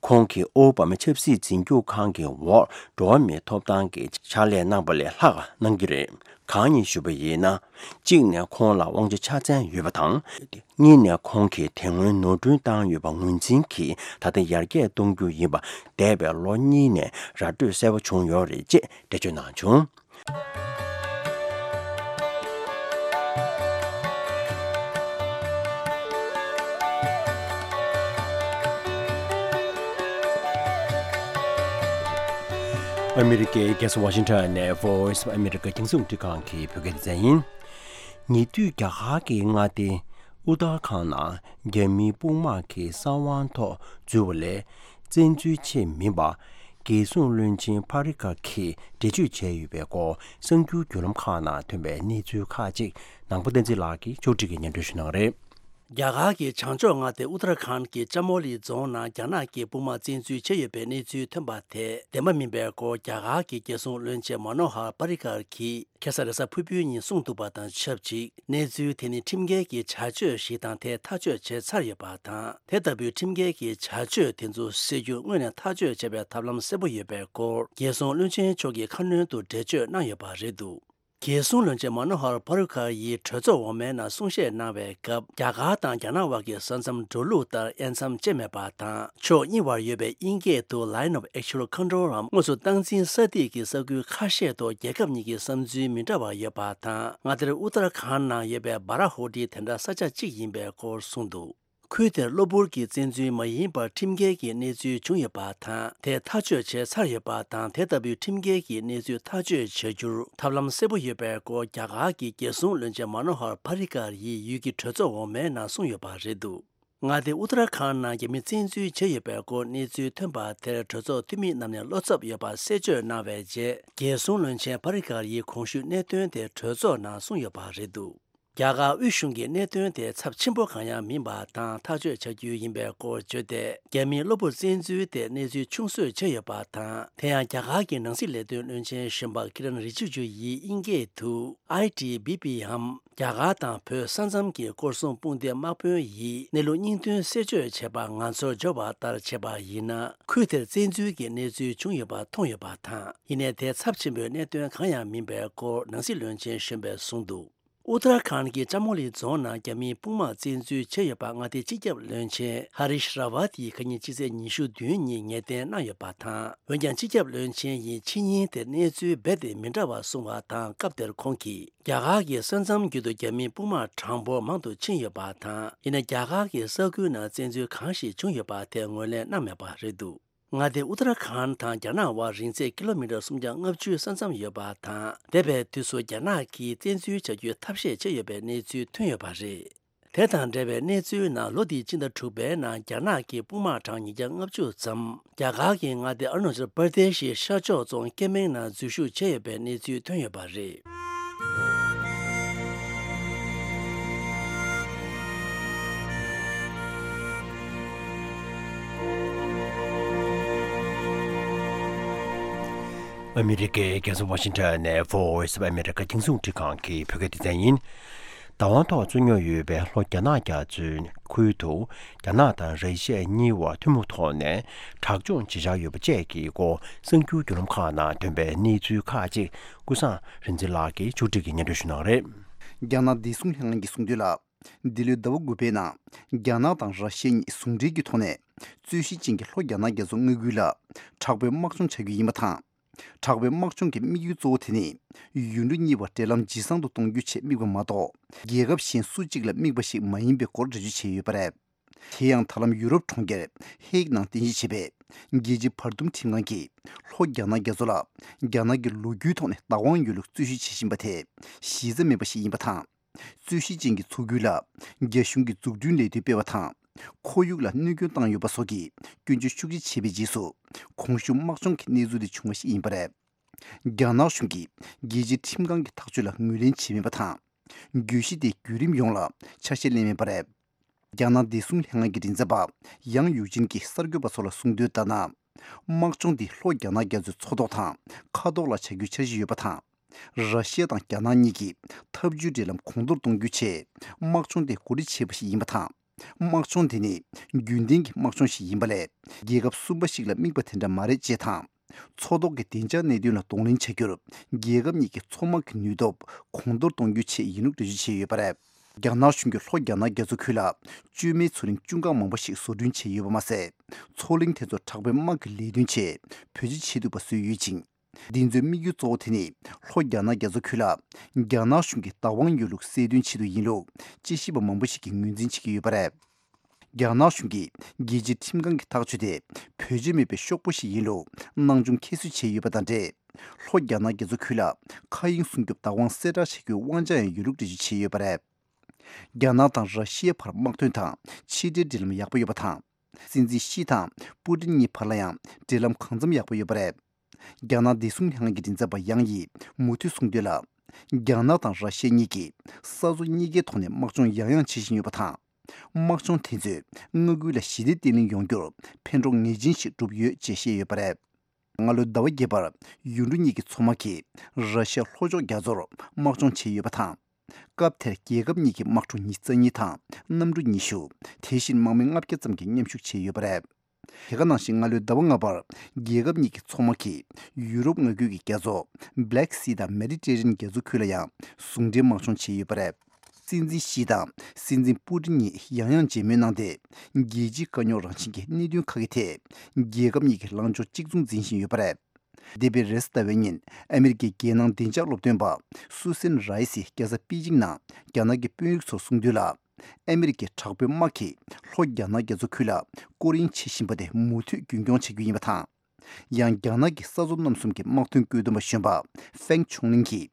ཁོང་གིས་ཨོ་བྷ་མ་ཆབ་སྲིད་འཛིན་སྐྱོང་ཁང་གི་འོག་འགྲོ་བ་མིའི་ཐོབ་ཐང་གི་ཕྱག་ལས་གནང་པ་ལས་ལྷག་གནང་གི་རེད། གང་ཡིན་ཞུས་པ་ཡིན་ན། གཅིག་ནས་ཁོང་ལ་དབང་ཆ་ཆ་ཚང་ཡོད་པ་དང་། གཉིས་ནས་ཁོང་གིས་དེ་སྔོན་ནོར་འཁྲུལ་བཏང་ཡོད་པ་ངོས་འཛིན་གྱིས་ད་ལྟ་ཡར་རྒྱས་གཏོང་རྒྱུ་ཡིན་པ་འདས་པའི་ལོ་གཉིས་ནས་ར་སྤྲོད་གསལ་པོ་བྱུང་ཡོད་རེད་ཅེས་འགྲེལ་བརྗོད་གནང་བྱུང་། ཨ་མི་རི་ཀའི་རྒྱལ་ས་ཝ་ཤིང་ཊོན་ནས་Voice of America རྒྱང་སྲིང་རླུང་འཕྲིན་ཁང་གི་བོད་སྐད་སྡེ་ཚན་ཡིན། ཉེ་དུས་རྒྱ་གར་གྱི་མངའ་སྡེ་ཨུ་ཏར་ཁཱན་ནང་རྒྱ་མིའི་དཔུང་དམག་གི་གསང་བ་ཐོག་འཛུལ་བ་ལས་བཙན་འཛུལ་ཆེད་མིན་པ། རྒྱལ་སྲུང་བློན་ཆེན་ཕ་རི་ཀ་གིས་འགྲེལ་བརྗོད་བྱས་ཡོད་པའི་སྐོར་གསར་འགྱུར་བརྒྱུད་ལམ་ཁག་ནང་ཐོན་པའི་གནས་ཚུལ་ཁག་ཅིག་ནང་པ་བསྟན་འཛིན་ལགས་ཀྱིས་ཕྱོགས་སྒྲིག་གིས་སྙན་སྒྲོན་ཞུ་གནང་གི་རེད། རྒྱ་གར་གྱི་བྱང་ཕྱོགས་མངའ་སྡེ་ཨུ་ཏར་ཁཱན་གྱི་ཅ་མོ་ལི་རྫོང་ནང་རྒྱ་ནག་གི་དཔུང་དམག་བཙན་འཛུལ་བྱས་ཡོད་པའི་གནས་ཚུལ་ཐོན་པ་དེ་བདེན་པ་མིན་པའི་སྐོར། རྒྱ་གར་གྱི་རྒྱལ་སྲུང་བློན་ཆེན་མ་ནོ་ཧར་པ་རི་ཀར་གྱིས་ཁ་སང་རེས་གཟའ་ཕུར་བུའི་ཉིན་གསུངས་འདུག་པ་དང་ཆབས་ཅིག་གནས་ཚུལ་དེ་ནི་ཁྲིམས་འགལ་གྱི་བྱ་སྤྱོད་ཞིག་དང་། དེ་ཐག་གཅོད་བྱས་ཚར་ཡོད་པ་དང་། དེ་ལྟ་བུའི་ཁྲིམས་འགལ་གྱི་བྱ་སྤྱོད་དེ་ཚོ་སེལ་རྒྱུ་དངོས་ནས་ཐག་གཅོད་བྱེད་པའི་ཐབས་ལམ་གསལ་པོ་ཡོད་པའི་སྐོར། རྒྱལ་སྲུང་བློན་ཆེན་མཆོག་གིས་ཁ་སྣོན་དུ་འགྲེལ་བརྗོད་གནང་ཡོད་པ་རེད་འདུག་རྒྱལ་སྲུང་བློན་ཆེན་མ་ནོ་ཧར་པ་རི་ཀར་ཡིས་གྲོས་ཚོགས་འོག་མའི་ནང་གསུང་བཤད་གནང་བའི་སྐབས། རྒྱ་གར་དང་རྒྱ་ནག་དབར་གྱི་ས་མཚམས་འགྲོ་ལུགས་ལྟར་དབྱེ་མཚམས་བཅད་མེད་པ་དང་། ཕྱོགས་གཉིས་བར་ཡོད་པའི་དབྱིན་སྐད་དུ་Line of Actual Control འམ་དངོས་སུ་སྟངས་འཛིན་ས་ཐིག་གི་ས་ཁུལ་ཁ་ཤས་ཐོག་རྒྱལ་ཁབ་གཉིས་ཀྱི་བསམ་ཚུལ་མི་འདྲ་བ་ཡོད་པ་དང་། མངའ་སྡེ་ཨུ་ཏར་ཁཱན་ནང་ཡོད་པའི་སྦ་ར་ཧོ་ཏི་དེ་འདྲ་ས་ཆ་གཅིག་ཡིན་པའི་སྐོར་གསུངས་འདུག་ཁུལ་དེར་གློ་བུར་གྱི་བཙན་འཛུལ་མ་ཡིན་པར་ཁྲིམས་འགལ་གྱི་གནས་ཚུལ་བྱུང་ཡོད་པ་དང་། དེ་ཐག་གཅོད་བྱས་ཚར་ཡོད་པ་དང་། དེ་ལྟ་བུའི་ཁྲིམས་འགལ་གྱི་གནས་ཚུལ་ཐག་གཅོད་བྱ་རྒྱུར་ཐབས་ལམ་གསལ་པོ་ཡོད་པའི་སྐོར། རྒྱ་གར་གྱི་རྒྱལ་སྲུང་བློན་ཆེན་མ་ནོ་ཧར་པ་རི་ཀར་ཡིས་ཡུལ་གྱི་གྲོས་ཚོགས་འོག་མའི་ནང་གསུངས་ཡོད་པ་རེད་འདུག་མངའ་སྡེ་ཨུ་ཏར་ཁཱན་ནང་རྒྱ་མི་བཙན་འཛུལ་བྱས་ཡོད་པའི་སྐོར་གནས་ཚུལ་ཐོན་པ་དེར་གྲོས་ཚོགས་འཐུས་མི་རྣམས་ནས་བློ་འཚབ་ཡོད་པ་གསལ་བརྗོད་གནང་བའི་རྗེས། རྒྱལ་སྲུང་བློན་ཆེན་པ་རི་ཀར་ཡིས་གོང་ཞུས་གནད་དོན་དེ་གྲོས་ཚོགས་ནང་གསུངས་ཡོད་པ་རེད་འདུག་རྒྱ་གར་དབུས་གཞུང་གིས་གནད་དོན་དེ་ཚབས་ཆེན་པོ་གང་ཡང་མིན་པ་དང་། ཐག་གཅོད་བྱ་རྒྱུ་ཡིན་པའི་སྐོར་བརྗོད་དེ། རྒྱ་མིའི་གློ་བུར་བཙན་འཛུལ་དེ་གནས་ཚུལ་ཆུང་ཤོས་བྱས་ཡོད་པ་དང་། དེ་ཡང་རྒྱ་གར་གྱི་ནང་སྲིད་ལས་དོན་བློན་ཆེན་གཞོན་པ་ཀི་རན་རི་ཇི་ཇུ་ཡིས་དབྱིན་སྐད་དུ་ཨའི་ཊི་བི་པི་འམ། རྒྱ་གར་དང་བོད་ས་མཚམས་ཀྱི་སྐོར་སྲུང་དཔུང་སྡེ་དམག་དཔོན་ཡིས་གནས་ལུགས་སྙིང་དོན་གསལ་བརྗོད་བྱས་པ་ང་ཚོར་འབྱོར་བ་ལྟར་བྱས་པ་ཡིན་ན། ཁུལ་དེར་བཙན་འཛུལ་གྱི་གནས་ཚུལ་བྱུང་ཡོད་པ་མཐོང་ཡོད་པ་དང་། ཡིན་ནའི་དེ་ཚབས་ཆེན་པོའི་གནད་དོན་གང་ཡང་མིན་པའི་སྐོར་ནང་སྲིད་བློན་ཆེན་གཞོན་པས་གསུངས་འདུག་ཨུ་ཏར་ཁཱན་གྱི་ཅ་མོ་ལི་རྫོང་ནང་རྒྱ་མིའི་དཔུང་དམག་བཙན་འཛུལ་བྱས་ཡོད་པ་མངའ་སྡེའི་སྤྱི་ཁྱབ་བློན་ཆེན་ཧ་རིཤ་ར་ཝ་ཏིས་ཁ་ཉིན་སྤྱི་ཚེས་ཉི་ཤུ་བདུན་ཉིན་ངེས་གཏན་གནང་ཡོད་པ་དང་། འོན་ཀྱང་སྤྱི་ཁྱབ་བློན་ཆེན་ཡིས་ཕྱི་ཉིན་དེར་གནས་ཚུལ་རྦད་དེ་མི་འདྲ་བ་གསུངས་པ་དང་། སྐབས་དེར་ཁོང་གིས་རྒྱ་གར་གྱི་ས་མཚམས་བརྒྱུད་དུ་རྒྱ་མིའི་དཔུང་དམག་གྲངས་འབོར་མང་དུ་ཕྱིན་ཡོད་པ་དང་། ཡིན་ན་རྒྱ་གར་གྱི་ས་ཁུལ་ནང་བཙན་འཛུལ་གང་ཞིག་བྱུང་ཡོད་པ་དེ་ངོས་ལེན་གནང་མེད་པ་རེད་འདུག་མངའ་སྡེ་ཨུ་ཏར་ཁཱན་དང་རྒྱ་ནག་དབར་རིང་ཚད་ཀི་ལོ་མི་ཊར་སུམ་བརྒྱ་ལྔ་བཅུའི་ས་མཚམས་ཡོད་པ་དང་། འདས་པའི་དུས་སུ་རྒྱ་ནག་གིས་བཙན་འཛུལ་བྱ་རྒྱུའི་ཐབས་ཤེས་བྱས་ཡོད་པའི་གནས་ཚུལ་ཐོན་ཡོད་པ་རེད། དེ་དང་འབྲེལ་བའི་གནས་ཚུལ་ནང་། ལོ་འདིའི་སྤྱི་ཟླ་དྲུག་པའི་ནང་རྒྱ་ནག་གི་དཔུང་དམག་གྲངས་ཉིས་བརྒྱ་ལྔ་བཅུ་ཙམ་རྒྱ་གར་གྱི་མངའ་སྡེ་ཨ་རུ་ན་ཅལ་པར་དེ་ཤི་ཤར་ཕྱོགས་རྫོང་ཀེ་མེང་ནང་འཛུལ་ཞུགས་བྱས་ཡོད་པའི་གནས་ཚུལ་ཐོན་ཡོད་པ་རེད། ཨ་མི་རི་ཀའི་རྒྱལ་ས་ཝ་ཤིང་ཊོན་ནས་Voice of America རྒྱང་སྲིང་རླུང་འཕྲིན་ཁང་གི་བོད་སྐད་སྡེ་ཚན་ཡིན། བདག་དབང་ཐོག་རྩོད་རྙོག་ཡོད་པའི་ལྷོ་རྒྱ་ནག་རྒྱ་མཚོའི་ཁུལ་དུ། རྒྱ་ནག་དང་ར་ཤི་ཡ་གཉིས་བར་ཐུན་མོང་ཐོག་ནས་དྲག་སྦྱོང་བྱེད་འཆར་ཡོད་པ་བཅས་ཀྱི་སྐོར། གསར་འགྱུར་བརྒྱུད་ལམ་ཁག་ནང་ཐོན་པའི་གནས་ཚུལ་ཁག་ཅིག་ཀུན་བཟང་རིག་འཛིན་ལགས་ཀྱིས་མཇུག་སྒྲིལ་གྱིས་སྙན་སྒྲོན་ཞུ་གནང་རེད། རྒྱ་ནག་བདེ་སྲུང་ལྷན་ཁང་གིས་གསུངས་དོན་ལ། འདི་ལོའི་ཟླ་བ་དགུ་པའི་ནང་། རྒྱ་ནག་དང་ར་ཤི་ཡ་གཉིས་ཟུང་འབྲེལ་གྱི་ཐོག་ནས། རྩོད་གཞི་ཅན་གྱི་ལྷོ་རྒྱ་ནག་རྒྱ་མཚོ་མངའ་ཁུལ་ལ། དྲག་པོའི་དམག་སྦྱོང་བྱ་རྒྱུ་ཡིན་པ་དང་། དྲག་པོའི་དམག་སྦྱོང་གི་དམིགས་ཡུལ་གཙོ་བོ་དེ་ནི། ཡུལ་གྲུ་གཉིས་བར་འབྲེལ་ལམ་ཇེ་བཟང་དུ་གཏོང་རྒྱུའི་ཆེད་དམིགས་པ་མ་གཏོགས། རྒྱལ་ཁབ་གཞན་སུ་གཅིག་ལ་དམིགས་པ་ཞིག་མ་ཡིན་པའི་སྐོར་འགྲེལ་བརྗོད་བྱས་ཡོད་པ་རེད། དེ་ཡང་ད་ལམ་ཡུ་རོབ་གྲོང་ཁྱེར་ཧེག་ནང་རྟེན་གཞི་བྱས་པའི་རྒྱལ་སྤྱིའི་བར་འདུམ་ཁྲིམས་ཁང་གིས་ལྷོ་རྒྱ་ནག་རྒྱ་མཚོ་ལ་རྒྱ་ནག་གིས་ལོ་རྒྱུས་ཐོག་ནས་བདག་དབང་ཡོད་ལུགས་རྩོད་གཞི་བྱེད་བཞིན་པ་དེ་གཞི་རྩ་མེད་པ་ཞིག་ཡིན་པ་དང་། རྩོད་གཞི་ཅན་གྱི་མཚོ་ཁུལ་ལ་རྒྱ་གཞུང་གིས་འཛུགས་སྐྲུན་ལས་དོན་སྤེལ་བ་དང་། ཁོར་ཡུག་ལ་གནོད་སྐྱོན་བཏང་ཡོད་པ་སོགས་ཀྱི་སྐྱོན་བརྗོད་ཤུགས་ཆེ་བྱས་པའི་རྗེས་སུ། གོང་ཞུས་དམག་སྦྱོང་གི་གནས་ཚུལ་དེ་བྱུང་བ་ཞིག་ཡིན་པ་རེད། རྒྱ་ནག་གཞུང་གིས་རྒྱལ་སྤྱིའི་ཁྲིམས་ཁང་གི་ཐག་གཅོད་ལ་ངོས་ལེན་བྱས་མེད་པ་དང་། གྱོད་གཞི་དེ་བརྒྱུད་རིམ་ཡོངས་ལ་ཆ་ཤས་ལེན་མེད་པ་རེད། རྒྱ་ནག་བདེ་སྲུང་ལྷན་ཁང་གི་མགྲིན་ཚབ་པ་ཡང་ཡུའུ་ཅིན་གྱིས་གསར་འགོད་པ་ཚོ་ལ་གསུངས་དོན་ལྟར་ན། དམག་སྦྱོང་འདི་ལྷོ་རྒྱ་ནག་རྒྱ་མཚོའི་མཚོ་ཐོག་དང་མཁའ་ཐོག་ལ་བྱ་རྒྱུའི་འཆར་གཞི་ཡོད་པ་དང་། ར་ཤི་ཡ་དང་རྒྱ་ནག་གཉིས་ཀྱིས་འཐབ་ཇུས་འབྲེལ་ལམ་གོང་མཐོར་གཏོང་རྒྱུའི་ཆེད་དམག་སྦྱོང་དེ་གོ་སྒྲིག་བྱས་པ་ཞིག་ཡིན་པ་དང་། དམག་སྦྱོང་དེ་ནི་རྒྱུན་ལྡན་གྱི་དམག་སྦྱོང་ཞིག་ཡིན་པ་ལས། རྒྱལ་ཁབ་གསུམ་པ་ཞིག་ལ་དམིགས་པ་དེ་འདྲ་མ་རེད་ཅེས་དང་། མཚོ་ཐོག་གི་བདེ་འཇགས་གནད་དོན་ལ་གདོང་ལེན་བྱ་རྒྱུར། རྒྱལ་ཁབ་གཉིས་ཀྱི་མཚོ་དམག་གི་ནུས་སྟོབས་གོང་མཐོར་གཏོང་རྒྱུའི་ཆེད་ཡིན་ལུགས་འགྲེལ་བརྗོད་བྱས་ཡོད་པ་རེད། རྒྱ་ནག་གཞུང་གིས་ལྷོ་རྒྱ་ནག་རྒྱ་མཚོ་ཁུལ་ལ། བཅོས་མའི་མཚོ་གླིང་ཅུང་ཁག་མང་པོ་ཞིག་བཟོ་སྐྲུན་བྱས་ཡོད་པ་མ་ཟད། མཚོ་གླིང་དེ་ཚོར་དྲག་པོའི་དམག་གི་ལས་དོན་ཆེད་བེད་སྤྱོད་བྱེད་ཐུབ་པ་བཟོས་ཡོད་ཅིང་། འདི་ཚོའི་དམིགས་ཡུལ་གཙོ་བོ་དེ་ནི། ལྷོ་རྒྱ་ནག་རྒྱ་མཚོ་ཁུལ་ལ། རྒྱ་ནག་གཞུང་གི་བདག་དབང་ཡོད་ལུགས་གསལ་སྟོན་ཆེད་དུ་ཡིན་ལུགས། དཔྱད་ཞིབ་པ་མང་པོ་ཞིག་གིས་ངོས་འཛིན་བྱེད་ཀྱི་ཡོད་པ་རེད། རྒྱ་ནག་གཞུང་གིས་རྒྱལ་སྤྱིའི་ཁྲིམས་ཁང་གི་ཐག་གཅོད་དེ་བེད་སྤྱོད་མེད་པའི་ཤོག་བུ་ཞིག་ཡིན་ལུགས་སྣང་ཆུང་ཁྱད་གསོད་བྱས་ཡོད་པ་དང་འབྲེལ། ལྷོ་རྒྱ་ནག་རྒྱ་མཚོ་ཁུལ་ལ་མཁའ་དབྱིངས་སྲུང་སྐྱོབ་བདག་དབང་གསལ་བསྒྲགས་བྱ་རྒྱུའི་དབང་ཆ་ཡང་ཡོད་ལུགས་འགྲེལ་བརྗོད་བྱས་ཡོད་པ་རེད། རྒྱ་ནག་དང་ར་ཤི་ཡའི་བར་དམག་དོན་དང་ཕྱི་འབྲེལ་འབྲེལ་ལམ་ཡག་པོ་ཡོད་པ་དང་། སྲིད་འཛིན་ཞི་དང་པུ་ཏིན་གཉིས་བར་ལ་ཡང་འབྲེལ་ལམ་གང་འཚམ་ཡག་པོ་ཡོད་པ་རེད། རྒྱ་ནག་བདེ་སྲུང་ལྷན་ཁང་གི་མགྲིན་ཚབ་པ་ཡང་ཡིས་མུ་མཐུད་གསུངས་དོན་ལ། རྒྱ་ནག་དང་ར་ཤི་ཡ་གཉིས་ཀྱིས་ས་མཚོ་གཉིས་ཀའི་ཐོག་ནས་དམག་སྦྱོང་ཡང་ཡང་བྱེད་བཞིན་ཡོད་པ་དང་ དམག་སྦྱོང་དེ་ཚོས་མངའ་ཁུལ་ལ་ཞི་བདེ་བརྟན་ལྷིང་ཡོང་རྒྱུར་ཕན་གྲོགས་ངེས་ཅན་ཞིག་བསྒྲུབས་ཡོད་ཅེས་བཤད་ཡོད་པ་རེད། སྔ་ལོའི་ཟླ་བ་བརྒྱད་པར་ཡུལ་གྲུ་གཉིས་ཀྱི་མཚོ་དམག་གིས་ར་ཤི་ཡའི་ལྷོ་ཕྱོགས་རྒྱ་མཚོར་དམག་སྦྱོང་བྱས་ཡོད་པ་དང་། སྐབས་དེར་རྒྱལ་ཁབ་གཉིས་ཀྱི་དམག་གྲུ་ཉི་ཤུ་རྩ་གཉིས་དང་གནམ་གྲུ་ཉི་ཤུ། དེ་བཞིན་དམག་མི་ལྔ་བརྒྱ་ཙམ་གྱིས་མཉམ་ཞུགས་བྱས་ཡོད་པ་རེད། དེ་ག་ནང་བཞིན་སྔ་ལོའི་ཟླ་བ་ལྔ་པར་རྒྱལ་ཁབ་གཉིས་ཀྱི་མཚོ་དམག་གིས་ཡུ་རོབ་མངའ་ཁུལ་གྱི་རྒྱ་མཚོ་Black Sea དང་Mediterranean རྒྱ་མཚོ་ཁུལ་ལ་ཡང་ཟུང་འབྲེལ་དམག་སྦྱོང་བྱས་ཡོད་པ་རེད། སྲིད་འཛིན་ཞི་དང་སྲིད་འཛིན་པུ་ཏིན་གཉིས་ཡང་ཡང་མཇལ་མོལ་གནང་སྟེ། རྒྱལ་སྤྱིའི་དཀའ་རྙོག་རང་བཞིན་གྱི་གནད་དོན་ཁག་གི་ཐད་རྒྱལ་ཁབ་གཉིས་ཀྱི་ལངས་ཕྱོགས་གཅིག་མཚུངས་འཛིན་བཞིན་ཡོད་པ་རེད། འདས་པའི་རེས་གཟའ་ཟླ་བའི་ཉིན་ཨ་མེ་རི་ཀའི་རྒྱལ་ནང་བདེ་འཇགས་སློབ་སྟོན་པ་སུ་སན་རའི་སིས་རྒྱལ་ས་པེ་ཅིང་ནང་རྒྱ་ནག་གི་དཔོན་རིགས་ཚོར་གསུངས་དོན་ལ། ཨ་མེ་རི་ཀའི་དྲག་པོའི་དམག་གིས་ལྷོ་རྒྱ་ནག་རྒྱ་མཚོ་ཁུལ་ལ་སྐོར་གཡེང་བྱེད་བཞིན་པ་དེ་མུ་མཐུད་རྒྱུན་སྐྱོང་བྱེད་རྒྱུ་ཡིན་པ་དང་། ཡང་རྒྱ་ནག་གི་ས་མཚོ་རྣམ་གསུམ་གྱི་དམག་དོན་བཀོད་འདོམས་པ་གཞོན་པ་ཧྥེང་ཆུང་ལིང་གིས་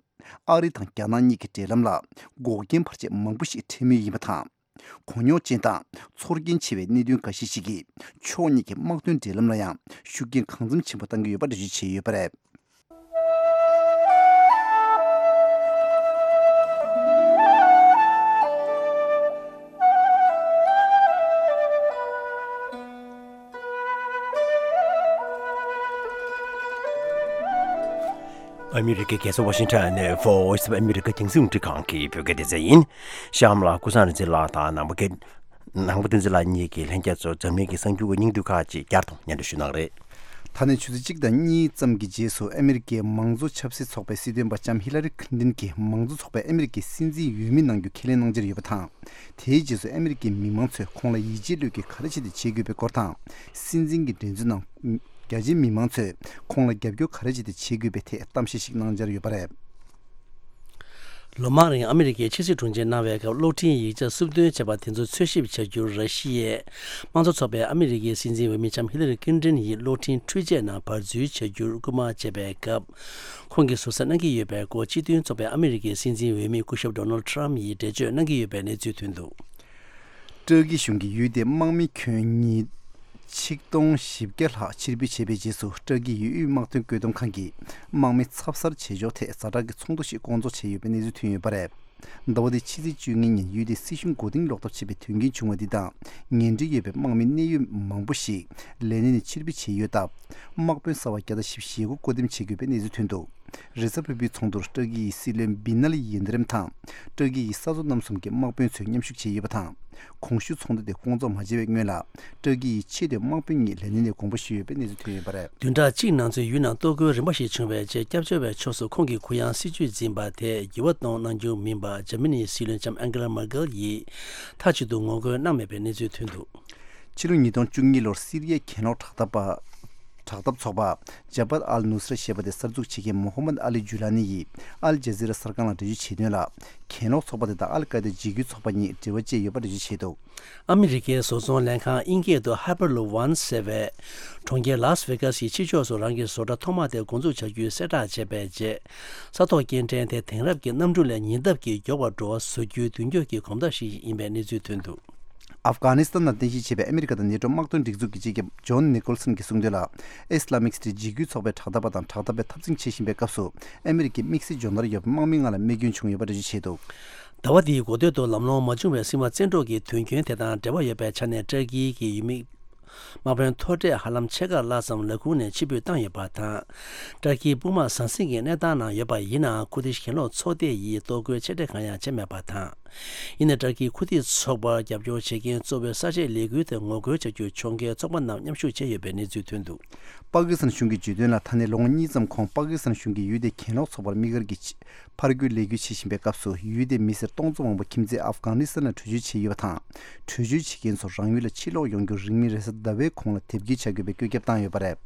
ཨ་རི་དང་རྒྱ་ནག་གཉིས་ཀྱི་འབྲེལ་ལམ་ལ་འགོག་རྐྱེན་བར་ཆད་མང་པོ་ཞིག་འཕྲད་མུས་ཡིན་པ་དང་། གོ་རྙོག་ཅན་དང་ཚོར་སྐྱེན་ཆེ་བའི་གནད་དོན་འགའ་ཤས་ཤིག་གིས་ཕྱོགས་གཉིས་ཀྱི་དམག་དོན་འབྲེལ་ལམ་ལ་ཡང་ཤུགས་རྐྱེན་གང་འཚམ་ཆེན་པོ་བཏང་གི་ཡོད་པ་འགྲེལ་བརྗོད་བྱས་ཡོད་པ་རེད། ཨ་མི་རི་ཀའི་རྒྱལ་ས་ཝ་ཤིང་ཊོན་ནས་Voice of America རྒྱང་སྲིང་རླུང་འཕྲིན་ཁང་གི་བོད་སྐད་སྡེ་ཚན་ཡིན། གཤམ་ལ་ཀུན་བཟང་རིག་འཛིན་ལགས་དང་ནང་པ་སྐད། ནང་པ་བསྟན་འཛིན་ལགས་གཉིས་ཀྱིས་ལྷན་རྒྱས་ཚོར་འཛམ་གླིང་གི་གསར་འགྱུར་གྱི་སྙིང་བསྡུས་ཁག་ཅིག་བསྐྱར་དུ་སྙན་སྒྲོན་ཞུ་གནང་རེད། ད་ནས་ཆུ་ཚོད་གཅིག་དང་གཉིས་ཙམ་གྱི་རྗེས་སུ་ཨ་མི་རི་ཀའི་མང་གཙོ་ཆབ་སྲིད་ཚོགས་པའི་སྲིད་དོན་པ་ལྕམ་ཧི་ལ་རི་ཁིན་ཏིན་གྱིས་མང་གཙོ་ཚོགས་པའི་ཨ་མི་རི་ཀའི་སྲིད་འཛིན་འོས་མི་གནང་རྒྱུ་ཁས་ལེན་གནང་འཆར་ཡོད་པ་དང་། དེའི་རྗེས་སུ་ཨ་མི་རི་ཀའི་མི་མང་ཚོས་ཁོང་ལ་ཡིད་ཆེས་བློས་བཀལ་ག་རེ་བྱས་ཏེ་བྱེད་དགོས་པའི་སྐོར་དང་། སྲིད་འཛིན་གྱི་འགྲན་རྩོད་ནང་རྒྱ་ཆེའི་མི་མང་ཚོས་ཁོང་ལ་རྒྱབ་སྐྱོར་ག་རེ་བྱས་ཏེ་བྱེད་དགོས་པའི་ཐད་གཏམ་བཤད་ཞིག་གནང་འཆར་ཡོད་པ་རེད། ལོ་མང་རིང་ཨ་མི་རི་ཀའི་ཕྱི་སྲིད་དྲུང་ཆེ་གནང་བའི་སྐབས་གློག་འཕྲིན་ཡིག་ཆ་སུབ་འདོན་བྱས་པ་དེ་ཚོ་འཚོལ་ཞིབ་བྱ་རྒྱུར་ར་ཤི་ཡའི་དམངས་གཙོ་ཚོགས་པའི་ཨ་མི་རི་ཀའི་སྲིད་འཛིན་འོས་མི་ལྕམ་ཧི་ལ་རི་ཀིན་ཏིན་ཡིས་གློག་འཕྲིན་འཕྲུལ་ཆས་ནང་བར་འཛུལ་བྱ་རྒྱུར་སྐུལ་མ་བྱས་པའི་སྐབས། ཁོང་གིས་ཟུར་ཟ་གནང་གི་ཡོད་པའི་སྐོར་སྤྱི་མཐུན་ཚོགས་པའི་ཨ་མི་རི་ཀའི་སྲིད་འཛིན་འོས་མི་སྐུ་ཞབས་ཌོ་ནལ་ཊམ་ཡིས་འགྲེལ་བརྗོད་གནང་གི་ཡོད་པའི་གནས་ཚུལ་ཐོན་འདུག་ཏྲ་ཀི་གཞུང་གིས་ཡུལ་དེའི་དམག་མི་ཁྱོན་ཉིས་ཆིག་སྟོང་བཞི་བརྒྱ་ལྷག་ཕྱིར་འབུད་བྱས་པའི་རྗེས་སུ། ཏྲ་ཀིའི་ཡུལ་དབུས་དམག་དོན་བཀོད་འདོམས་ཁང་གིས་དམག་མི་ཚབ་གསར་བྱེད་ཕྱོགས་ཐད་ཛ་དྲག་གི་ཚོགས་འདུ་ཞིག་བསྐོང་ཚོགས་བྱས་ཡོད་པའི་གནས་ཚུལ་ཐོན་ཡོད་པ་རེད། ཟླ་བ་འདིའི་ཕྱི་ཚེས་བཅུ་གཉིས་ཉིན་ཡུལ་དེའི་སྲིད་གཞུང་མགོ་རྟིང་སློག་ཐབས་བྱས་པའི་དོན་རྐྱེན་བྱུང་བ་འདི་དང་། ངན་འབྲེལ་ཡོད་པའི་དམག་མི་གནད་ཡོད་མང་པོ་ཞིག་ལས་གནས་ནས་ཕྱིར་འབུད་བྱས་ཡོད་སྟབས། དམག་དཔོན་གསར་པ་བརྒྱ་དང་བཞི་བཅུ་ཞེ་དགུ་བསྐོ་འདེམས་བྱེད་དགོས་པའི་གནས་ཚུལ་ཐོན་འདུག་རེས་གཟའ་ཕུར་བུའི་ཚོགས་འདུར་ཏྲ་ཀི་ཡི་སྲིད་བློན་བི་ན་ལི་ཡིལ་དི་རིམ་དང་། ཏྲ་ཀི་ཡི་ས་མཚོ་རྣམ་གསུམ་གྱི་དམག་དཔོན་ཚོས་མཉམ་ཞུགས་བྱས་ཡོད་པ་དང་། གོང་ཞུས་ཚོགས་འདུ་དེ་བསྐོང་ཚོགས་མ་བྱས་པའི་སྔོན་ལ། ཏྲ་ཀི་ཡི་ཆེས་མཐོའི་དམག་དཔོན་གཉིས་ལས་གནས་ནས་དགོངས་པ་ཞུས་ཡོད་པའི་གནས་ཚུལ་ཐོན་ཡོད་པ་རེད། བདུན་ཕྲག་གཅིག་ནང་ཚུད་ཡུལ་ནང་གཏོར་རྒོལ་རིམ་པ་ཞིག་བྱུང་བའི་རྗེས། སྐྱབས་བཅོལ་བའི་ཕྱོགས་སུ་ཁོང་གི་གུ་ཡངས་སྲིད་བྱུས་འཛིན་པ་དེ་འགྱུར་བ་གཏོང་གནང་རྒྱུ་མིན་པ། འཇར་མ་ནིའི་སྲིད་བློན་ལྕམ་ཨན་ཀེ་ལ་མར་ཀེལ་ཡིས་མཐའ་གཅིག་ཏུ་ངོ་རྒོལ་གནང་མེད་པའི་གནས་ཚུལ་ཐོན་འདུག་ཕྱི་ལོ་ཉིས་སྟོང་བཅུ་གཉིས་ལོར་སི་རི་ཡའི་གྱེན་ལོག་དྲག་འཐབ་པ། དྲག་འཐབ་ཚོགས་པ་ཇ་བྷ་ཨལ་ནུ་སྲ་ཞེས་པ་དེ་གསར་འཛུགས་བྱེད་མཁན་མོ་ཧམ་མད་ཨ་ལི་ཇུ་ལ་ནི་ཡིས་ཨལ་ཇ་ཟི་ར་གསར་ཁང་ལ་འགྲེལ་བརྗོད་བྱས་དོན་ལ། གྱེན་ལོག་ཚོགས་པ་དེ་དང་ཨལ་ཀ་ཡེ་ད་འཇིགས་སྐུལ་ཚོགས་པ་གཉིས་འབྲེལ་བ་བཅད་ཡོད་པ་འགྲེལ་བརྗོད་བྱས་འདུག་ཨ་མི་རི་ཀའི་བཟོ་ཚོང་ལས་ཁང་དབྱིན་སྐད་དུ་Hyperloop One ཟེར་བས། གྲོང་ཁྱེར་ལཱས་ཝེ་གཱས་ཀྱི་ཕྱི་ཕྱོགས་སུ་རང་གི་བཟོ་གྲྭ་ཐོག་མ་དེ་འགོ་འཛུགས་བྱ་རྒྱུའི་གསལ་བསྒྲགས་བྱས་པའི་རྗེས། ས་ཐོག་སྐྱེལ་འདྲེན་དེ་དེང་རབས་ཀྱི་གནམ་གྲུ་ལས་ཉེ་འདབས་ཀྱི་མགྱོགས་པར་འགྲོ་བ་བཟོ་རྒྱུའི་མདུན་སྐྱོད་ཀྱི་གོམ་སྟབས་ཤིག་ཡིན་པའི་གནས་ཚུལ་ཐོན་འདུག་ཨབ་གྷ་ནི་སི་ཐན་ནང་རྟེན་གཞི་བྱས་པའི་ཨ་མི་རི་ཀ་དང་ནེ་ཊོ་དམག་དོན་སྒྲིག་འཛུགས་ཀྱི་སྤྱི་ཁྱབ་ཇོན་ནི་ཀོལ་སན་གྱིས་གསུངས་དོན་ལ། ཨི་སི་ལ་མིག་སི་ཊི་འཇིགས་སྐུལ་ཚོགས་པའི་དྲག་འཐབ་པ་དང་དྲག་འཐབ་པའི་འཐབ་འཛིང་བྱེད་བཞིན་པའི་སྐབས་སུ། ཨ་མི་རི་ཀའི་དམིགས་བསལ་སྦྱོང་བརྡར་ཡོད་པའི་དམག་མི་ལྔ་ལ་རྨས་སྐྱོན་བྱུང་ཡོད་པ་འགྲེལ་བརྗོད་བྱས་འདུག་ཟླ་བ་འདིའི་འགོ་སྟོད་དུ་ལམ་ལྷོང་མ་བྱུང་བའི་སྲིད་དབང་བཙན་འཕྲོག་གི་དོན་རྐྱེན་དེ་དང་འབྲེལ་བ་ཡོད་པའི་ཆ་ནས། ཏྲ་ཀིའི་གི་ཡུལ་མི་དམག་དཔོན་མཐོ་གྲས་ཧ་ལམ་ཕྱེད་ཀ་ལྷག་ཙམ་ལས་ཁུངས་ནས་ཕྱིར་འབུད་བཏང་ཡོད་པ་དང་། ཏྲ་ཀིའི་དཔུང་དམག་ཟང་ཟིང་གི་གནས་སྟངས་ནང་ཡོད་པ་ཡིན་ནའང་། ཁུར་ཏིཤ་གྱེན་ལོག་ཚོགས་སྡེ་ཡིས་གཏོར་རྒོལ་ཆེ་གྲས་གང་ཡང་བྱས་མེད་པ་དང་། ཡིན་ནའི་ཏྲ་ཀིའི་ཁུར་ཏིཤ་ཚོགས་པར་རྒྱབ་སྐྱོར་བྱེད་མཁན་གཙོ་བོའི་གསར་བརྗེའི་ལས་འགུལ་དེར་ངོ་རྒོལ་བྱ་རྒྱུར་ཕྱོགས་འགལ་ཚོགས་པ་རྣམས་མཉམ་ཞུགས་བྱས་ཡོད་པའི་གནས་ཚུལ་ཐོན་འདུག་པ་ཀི་སི་ཐན་གཞུང་གིས་བརྗོད་དོན་ལ། ད་ནས་ལོ་ངོ་གཉིས་ཙམ་གོང་པ་ཀི་སི་ཐན་གཞུང་གིས་ཡུལ་དེའི་གྱེན་ལོག་ཚོགས་པར་དམིགས་བཀར་གྱིས་ཕར་རྒོལ་ལས་འགུལ་བྱེད་བཞིན་པའི་སྐབས་སུ། ཡུལ་དེའི་མི་སེར་སྟོང་ཚོ་མང་པོ་ཁྱིམ་མཚེས་ཨབ་གྷ་ནི་སི་ཐན་ལ་བྲོས་བྱོལ་བྱས་ཡོད་པ་དང་། བྲོས་བྱོལ་བྱེད་མཁན་ཚོར་རང་ཡུལ་ལ་ཕྱིར་ལོག་ཡོང་རྒྱུར་རིང་མིན་རེས་གཟའ་ཟླ་བའི་གོང་ལ་དེབ་སྐྱེལ་བྱ་དགོས་པའི་བཀོད་ཁྱབ་བཏང་ཡོད་པ་རེད།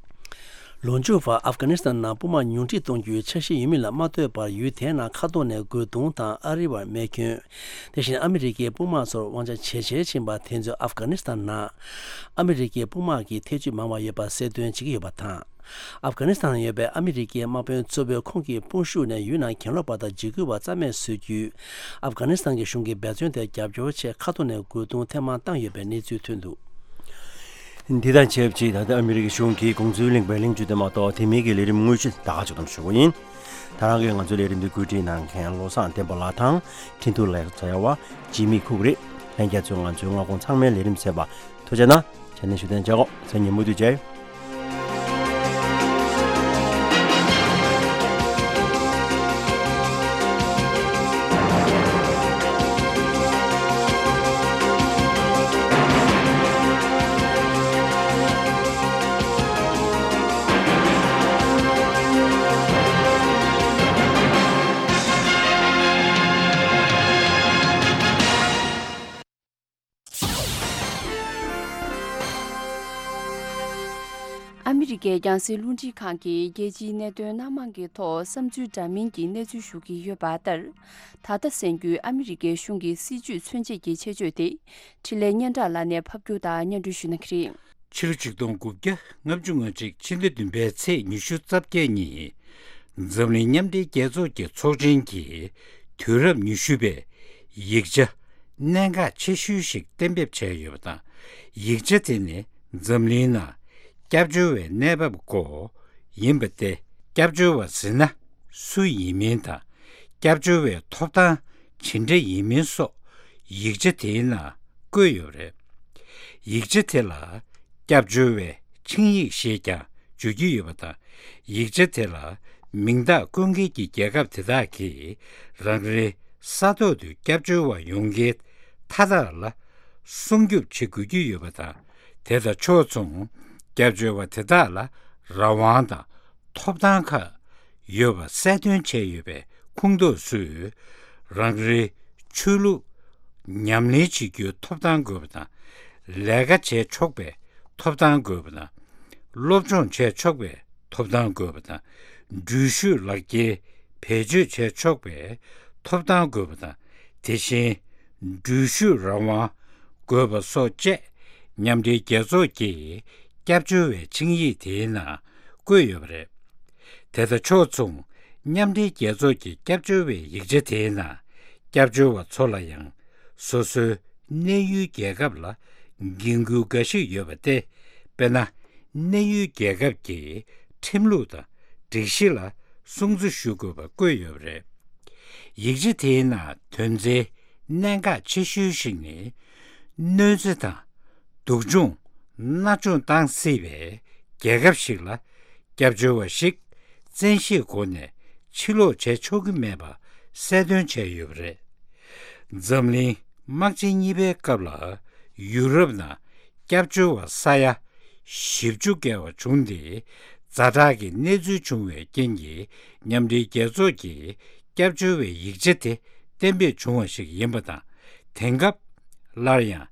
ལོ་མཇུག་བར་ཨབ་གྷ་ནི་སི་ཐན་ནང་དཔུང་དམག་ཉུང་འཕྲི་གཏོང་རྒྱུའི་འཆར་གཞི་ཡོད་མིན་ལ་མ་ལྟོས་པར། ཡུལ་དེའི་ནང་མཁའ་ཐོག་ནས་རྒོལ་རྡུང་དང་ཨ་རི་བར་རྨས་སྐྱོན། དེ་བཞིན་ཨ་མི་རི་ཀའི་དཔུང་དམག་ཚོར་དབང་ཆ་ཇེ་ཆེར་ཕྱིན་པ་དེ་ཚོས་ཨབ་གྷ་ནི་སི་ཐན་ནང་ཨ་མི་རི་ཀའི་དཔུང་དམག་གི་ཐེ་ཇུས་མང་བ་ཡོད་པ་གསལ་སྟོན་བྱེད་ཀྱི་ཡོད་པ་དང་། ཨབ་གྷ་ནི་སི་ཐན་ཡོད་པའི་ཨ་མི་རི་ཀའི་དམག་དཔོན་གཙོ་བོས་ཁོང་གི་དཔུང་ཤུགས་ནས་ཡུལ་ནང་གྱེན་ལོག་པ་དང་འཇིགས་སྐུལ་བ་རྩ་མེད་བཟོ་རྒྱུའི་ཨབ་གྷ་ནི་སི་ཐན་གྱི་གཞུང་གི་འབད་བརྩོན་དེར་རྒྱབ་སྐྱོར་ཆེད་མཁའ་ཐོག་ནས་རྒོལ་རྡུང་ཐེངས་མང་བཏང་ཡོད་པའི་གནས་ཚུལ་ཐོན་འདུག་འདི་དང་ཆབས་ཅིག་ད་ལྟ་ཨ་མི་རི་ཀའི་གཞུང་གིས་དགོངས་ཚུལ་གླེང་བའི་གླེང་བརྗོད་དེ་མ་གཏོགས། དེ་མིན་གྱི་ལས་རིམ་དངོས་གཞི་ད་ག་ཅིག་དང་ཞུ་གི་ཡིན། ད་རང་གིས་ང་ཚོའི་ལས་རིམ་འདི་བཀོད་སྒྲིག་གནང་མཁན་བློ་བཟང་བསྟན་པ་ལགས་དང་། འཕྲིན་ཐུང་ལེགས་བྱ་བ་འཇིགས་མེད་ཁུག་རེད། ལྷན་རྒྱས་ཚོས་ང་ཚོའི་མངའ་ཁོངས་ཚང་མའི་ལས་རིམ་གསན་པ་ཐུགས་རྗེ་གནང་། ཆ་ནས་བཞུགས་གདན་འཇགས་གོ། མཚན་ཉིན་མུ་མཐུད་མཇལ་ཡོང་། ཨ་མི་རི་ཀའི་རྒྱང་སྲིང་རླུང་འཕྲིན་ཁང་གིས་རྒྱལ་སྤྱིའི་གནད་དོན་སྣ་མང་གི་ཐོག་བསམ་ཚུལ་འདྲ་མིན་གྱི་གནས་ཚུལ་ཞུ་གི་ཡོད་པ་ལྟར། ད་ལྟ་གསན་རྒྱུའི་ཨ་མི་རི་ཀའི་གཞུང་གི་སྲིད་ཇུས་མཚོན་བྱེད་ཀྱི་ཆེད་བརྗོད་དེ། འཕྲིན་ལས་སྙན་གྲགས་ལགས་ནས་ཕབ་སྒྱུར་དང་སྙན་སྒྲོན་ཞུ་གནང་གི་རེད། ཕྱི་ལོ་ཆིག་སྟོང་དགུ་བརྒྱ་ལྔ་བཅུ་ང་གཅིག་ཕྱི་ཟླ་བདུན་པའི་ཚེས་ཉི་ཤུ་རྩ་བརྒྱད་ཉིན། འཛམ་གླིང་མཉམ་འབྲེལ་རྒྱལ་ཚོགས་ཀྱི་ཚོགས་ཆེན་གྱི་དུས་རབས་ཉི་ཤུ་པའི་ཡིག་ཆ་གནད་འགག་ཆེ་ཤོས་ཤིག་གཏན་འབེབས་བྱས་ཡོད་པ་དང་། ཡིག་ཆ་དེ་ནི་འཛམ་གླིང་ནང་སྐྱབས་བཅོལ་བའི་གནས་བབ་སྐོར་ཡིན་པ་སྟེ། སྐྱབས་བཅོལ་བ་ཟེར་ན་སུ་ཡིན་མིན་དང་། སྐྱབས་བཅོལ་བའི་ཐོབ་ཐང་ཇི་འདྲ་ཡིན་མིན་སོགས་ཡིག་ཆ་དེའི་ནང་བཀོད་ཡོད་པ་རེད། ཡིག་ཆ་དེ་ལ་སྐྱབས་བཅོལ་བའི་ཆིངས་ཡིག་ཞེས་ཀྱང་བརྗོད་ཀྱི་ཡོད་པ་དང་། ཡིག་ཆ་དེ་ལ་མིང་རྟགས་བཀོད་མཁན་གྱི་རྒྱལ་ཁབ་དེ་དག་གིས་རང་རེའི་ས་ཐོག་ཏུ་སྐྱབས་བཅོལ་བ་ཡོང་མཁན་མཐའ་དག་ལ་སྲུང་སྐྱོབ་བྱེད་དགོས་ཀྱི་ཡོད་པ་དང་། དེ་དང་ཕྱོགས་མཚུངས་སྐྱབས་བཅོལ་བ་དེ་དག་ལ་རང་དབང་དང་ཐོབ་ཐང་ཁག་ཡོད་པ་གསལ་སྟོན་བྱས་ཡོད་པའི་ཁོངས་གཏོགས་སུ། རང་རེའི་ཆོས་ལུགས་ཉམས་ལེན་བྱེད་རྒྱུའི་ཐོབ་ཐང་དགོས་པ་དང་། ལས་ཀ་བྱས་ཆོག་པའི་ཐོབ་ཐང་དགོས་པ་དང་། སློབ་སྦྱོང་བྱས་ཆོག་པའི་ཐོབ་ཐང་དགོས་པ་དང་། འགྲུལ་བཞུད་ལག་འཁྱེར་བེད་སྤྱོད་བྱས་ཆོག་པའི་ཐོབ་ཐང་དགོས་པ་དང་། དེ་བཞིན་འགྲུལ་བཞུད་རང་དབང་དགོས་པ་སོགས་བཅས་མཉམ་འབྲེལ་རྒྱལ་ཚོགས་ཀྱི་སྐྱབས་བཅོལ་བའི་ཆིངས་ཡིག་དེའི་ནང་བཀོད་ཡོད་པ་རེད། དེ་དང་ཕྱོགས་མཚུངས་མཉམ་འབྲེལ་རྒྱལ་ཚོགས་ཀྱི་སྐྱབས་བཅོལ་བའི་ཡིག་ཆ་དེའི་ནང་སྐྱབས་བཅོལ་བ་ཚོ་ལ་ཡང་སོ་སོའི་གནས་ཡུལ་རྒྱལ་ཁབ་ལ་འགན་ཁུར་འགའ་ཞིག་ཡོད་པ་སྟེ། དཔེར་ན། གནས་ཡུལ་རྒྱལ་ཁབ་ཀྱི་ཁྲིམས་ལུགས་དང་སྒྲིག་གཞི་ལ་སྲུང་བརྩི་ཞུ་དགོས་པ་བཀོད་ཡོད་པ་རེད། ཡིག་ཆ་དེའི་ནང་དོན་ཚན་གནད་འགག་ཆེ་ཤོས་ཤིག་ནི། གནོད་འཚེ་དང་སྡུག་སྦྱོང་མནར་གཅོད་བཏང་སྲིད་པའི་རྒྱལ་ཁབ་ཞིག་ལ་སྐྱབས་བཅོལ་བ་ཞིག་བཙན་ཤེད་སྒོ་ནས་ཕྱིར་ལོག་བྱེད་ཆོག་གི་མེད་པ་གསལ་སྟོན་བྱས་ཡོད་པ་རེད། འཛམ་གླིང་དམག་ཆེན་གཉིས་པའི་སྐབས་ལ་ཡུ་རོབ་ནང་སྐྱབས་བཅོལ་བ་ས་ཡ་བཞི་བཅུ་བརྒལ་བ་བྱུང་སྟེ། ཛ་དྲག་གི་གནས་ཚུལ་བྱུང་བའི་རྐྱེན་གྱིས་མཉམ་འབྲེལ་རྒྱལ་ཚོགས་ཀྱི་སྐྱབས་བཅོལ་བའི་ཡིག་ཆ་དེ་གཏན་འབེབས་བྱུང་བ་ཞིག་ཡིན་པ་དང་། དེང་སྐབས་སླར་ཡང་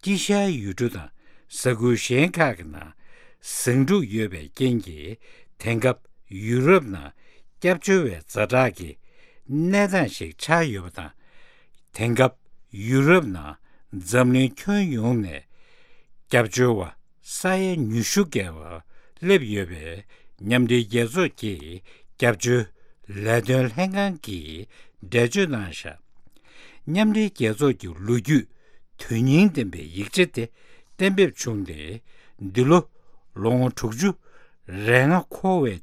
དཀྱིལ་ཤར་ཡུལ་གྲུ་དང་ས་ཁུལ་གཞན་ཁག་གི་ནང་ཟིང་འཁྲུག་ཡོད་པའི་རྐྱེན་གྱིས། དེང་སྐབས་ཡུ་རོབ་ནང་སྐྱབས་བཅོལ་བའི་ཛ་དྲག་གི་གནས་སྟངས་ཤིག་ཆགས་ཡོད་པ་དང་། དེང་སྐབས་ཡུ་རོབ་ནང་འཛམ་གླིང་ཁྱོན་ཡོངས་ནས་སྐྱབས་བཅོལ་བ་ས་ཡ་ཉི་ཤུ་བརྒལ་བ་སླེབས་ཡོད་པས། མཉམ་འབྲེལ་རྒྱལ་ཚོགས་ཀྱི་སྐྱབས་བཅོལ་ལས་དོན་ལྷན་ཁང་གིས་འགྲེལ་བརྗོད་གནང་བཞག་མཉམ་འབྲེལ་རྒྱལ་ཚོགས་ཀྱི་ལོ་རྒྱུས་དོན་སྙིང་ལྡན་པའི་ཡིག་ཆ་དེ་གཏན་འབེབས་བྱུང་སྟེ། འདི་ལོ་ལོ་ངོ་དྲུག་ཅུ་རེ་ལྔ་འཁོར་བའི་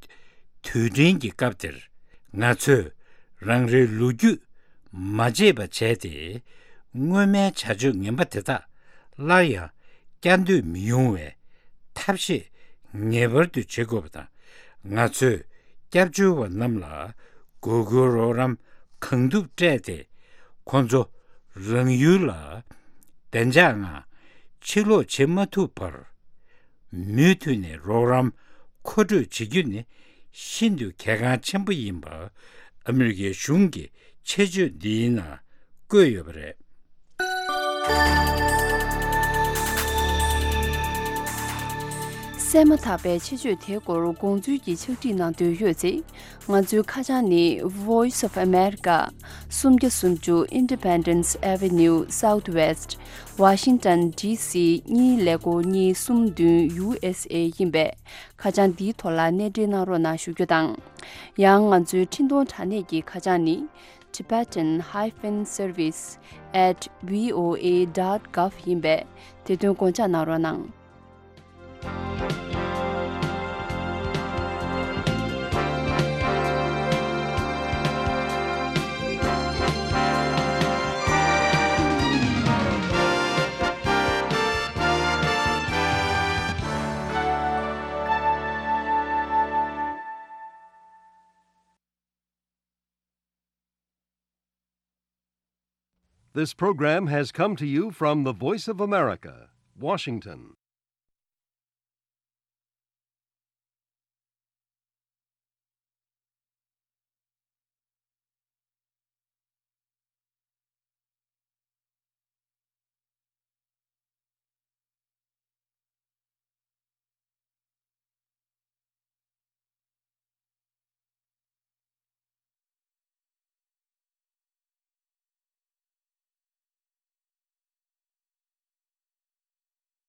དུས་དྲན་གྱི་སྐབས་དེར། ང་ཚོས་རང་རེའི་ལོ་རྒྱུས་མ་བརྗེད་པ་བྱས་ཏེ། སྔོན་མའི་བྱ་སྤྱོད་ངན་པ་དེ་དག་སླར་ཡང་བསྐྱར་ཟློས་མི་ཡོང་བའི་ཐབས་ཤེས་ངེས་པར་དུ་བྱེད་དགོས་པ་དང་། ང་ཚོས་སྐྱབས་བཅོལ་བ་རྣམས་ལ་དགོས་མཁོའི་རོགས་རམ་གང་ཐུབ་སྤྲད་དེ། ཁོང་ཚོ་རང་ཡུལ་ལ་བདེ་འཇགས་ངང་ཕྱིར་ལོག་བྱེད་མ་ཐུབ་བར། མུ་མཐུད་ནས་རོགས་རམ་མཁོ་སྤྲོད་བྱེད་རྒྱུ་ནི་ཤིན་ཏུ་གལ་འགངས་ཆེན་པོ་ཡིན་པ་ཨ་མི་རི་ཀའི་གཞུང་གི་ཆེད་བརྗོད་འདིའི་ནང་བཀོད་ཡོད་པ་རེད། གསན་མ་ཐག་པའི་ཆེད་བརྗོད་དེའི་སྐོར་དགོངས་ཚུལ་གྱི་ཕྱག་བྲིས་གནང་འདོད་ཡོད་ཚེ། ང་ཚོའི་ཁ་བྱང་ནི། Voice of America། སུམ་བརྒྱ་སུམ་ཅུ་Independence Avenue Southwest། Washington D C གཉིས་ཀླད་ཀོར་གཉིས་གསུམ་བདུན་U S A ཡིན་པས། ཁ་བྱང་འདིའི་ཐོག་ལ་གནས་འབྲེལ་གནང་རོགས་གནང་ཞུ་རྒྱུ་དང་། ཡང་ང་ཚོའི་འཕྲིན་གཏོང་དྲ་གནས་ཀྱི་ཁ་བྱང་ནི། Tibetan hyphen service at V O A dot gov ཡིན་པས། དེ་དོན་དགོངས་འཇགས་གནང་རོགས་གནང་། This program has come to you from the Voice of America, Washington.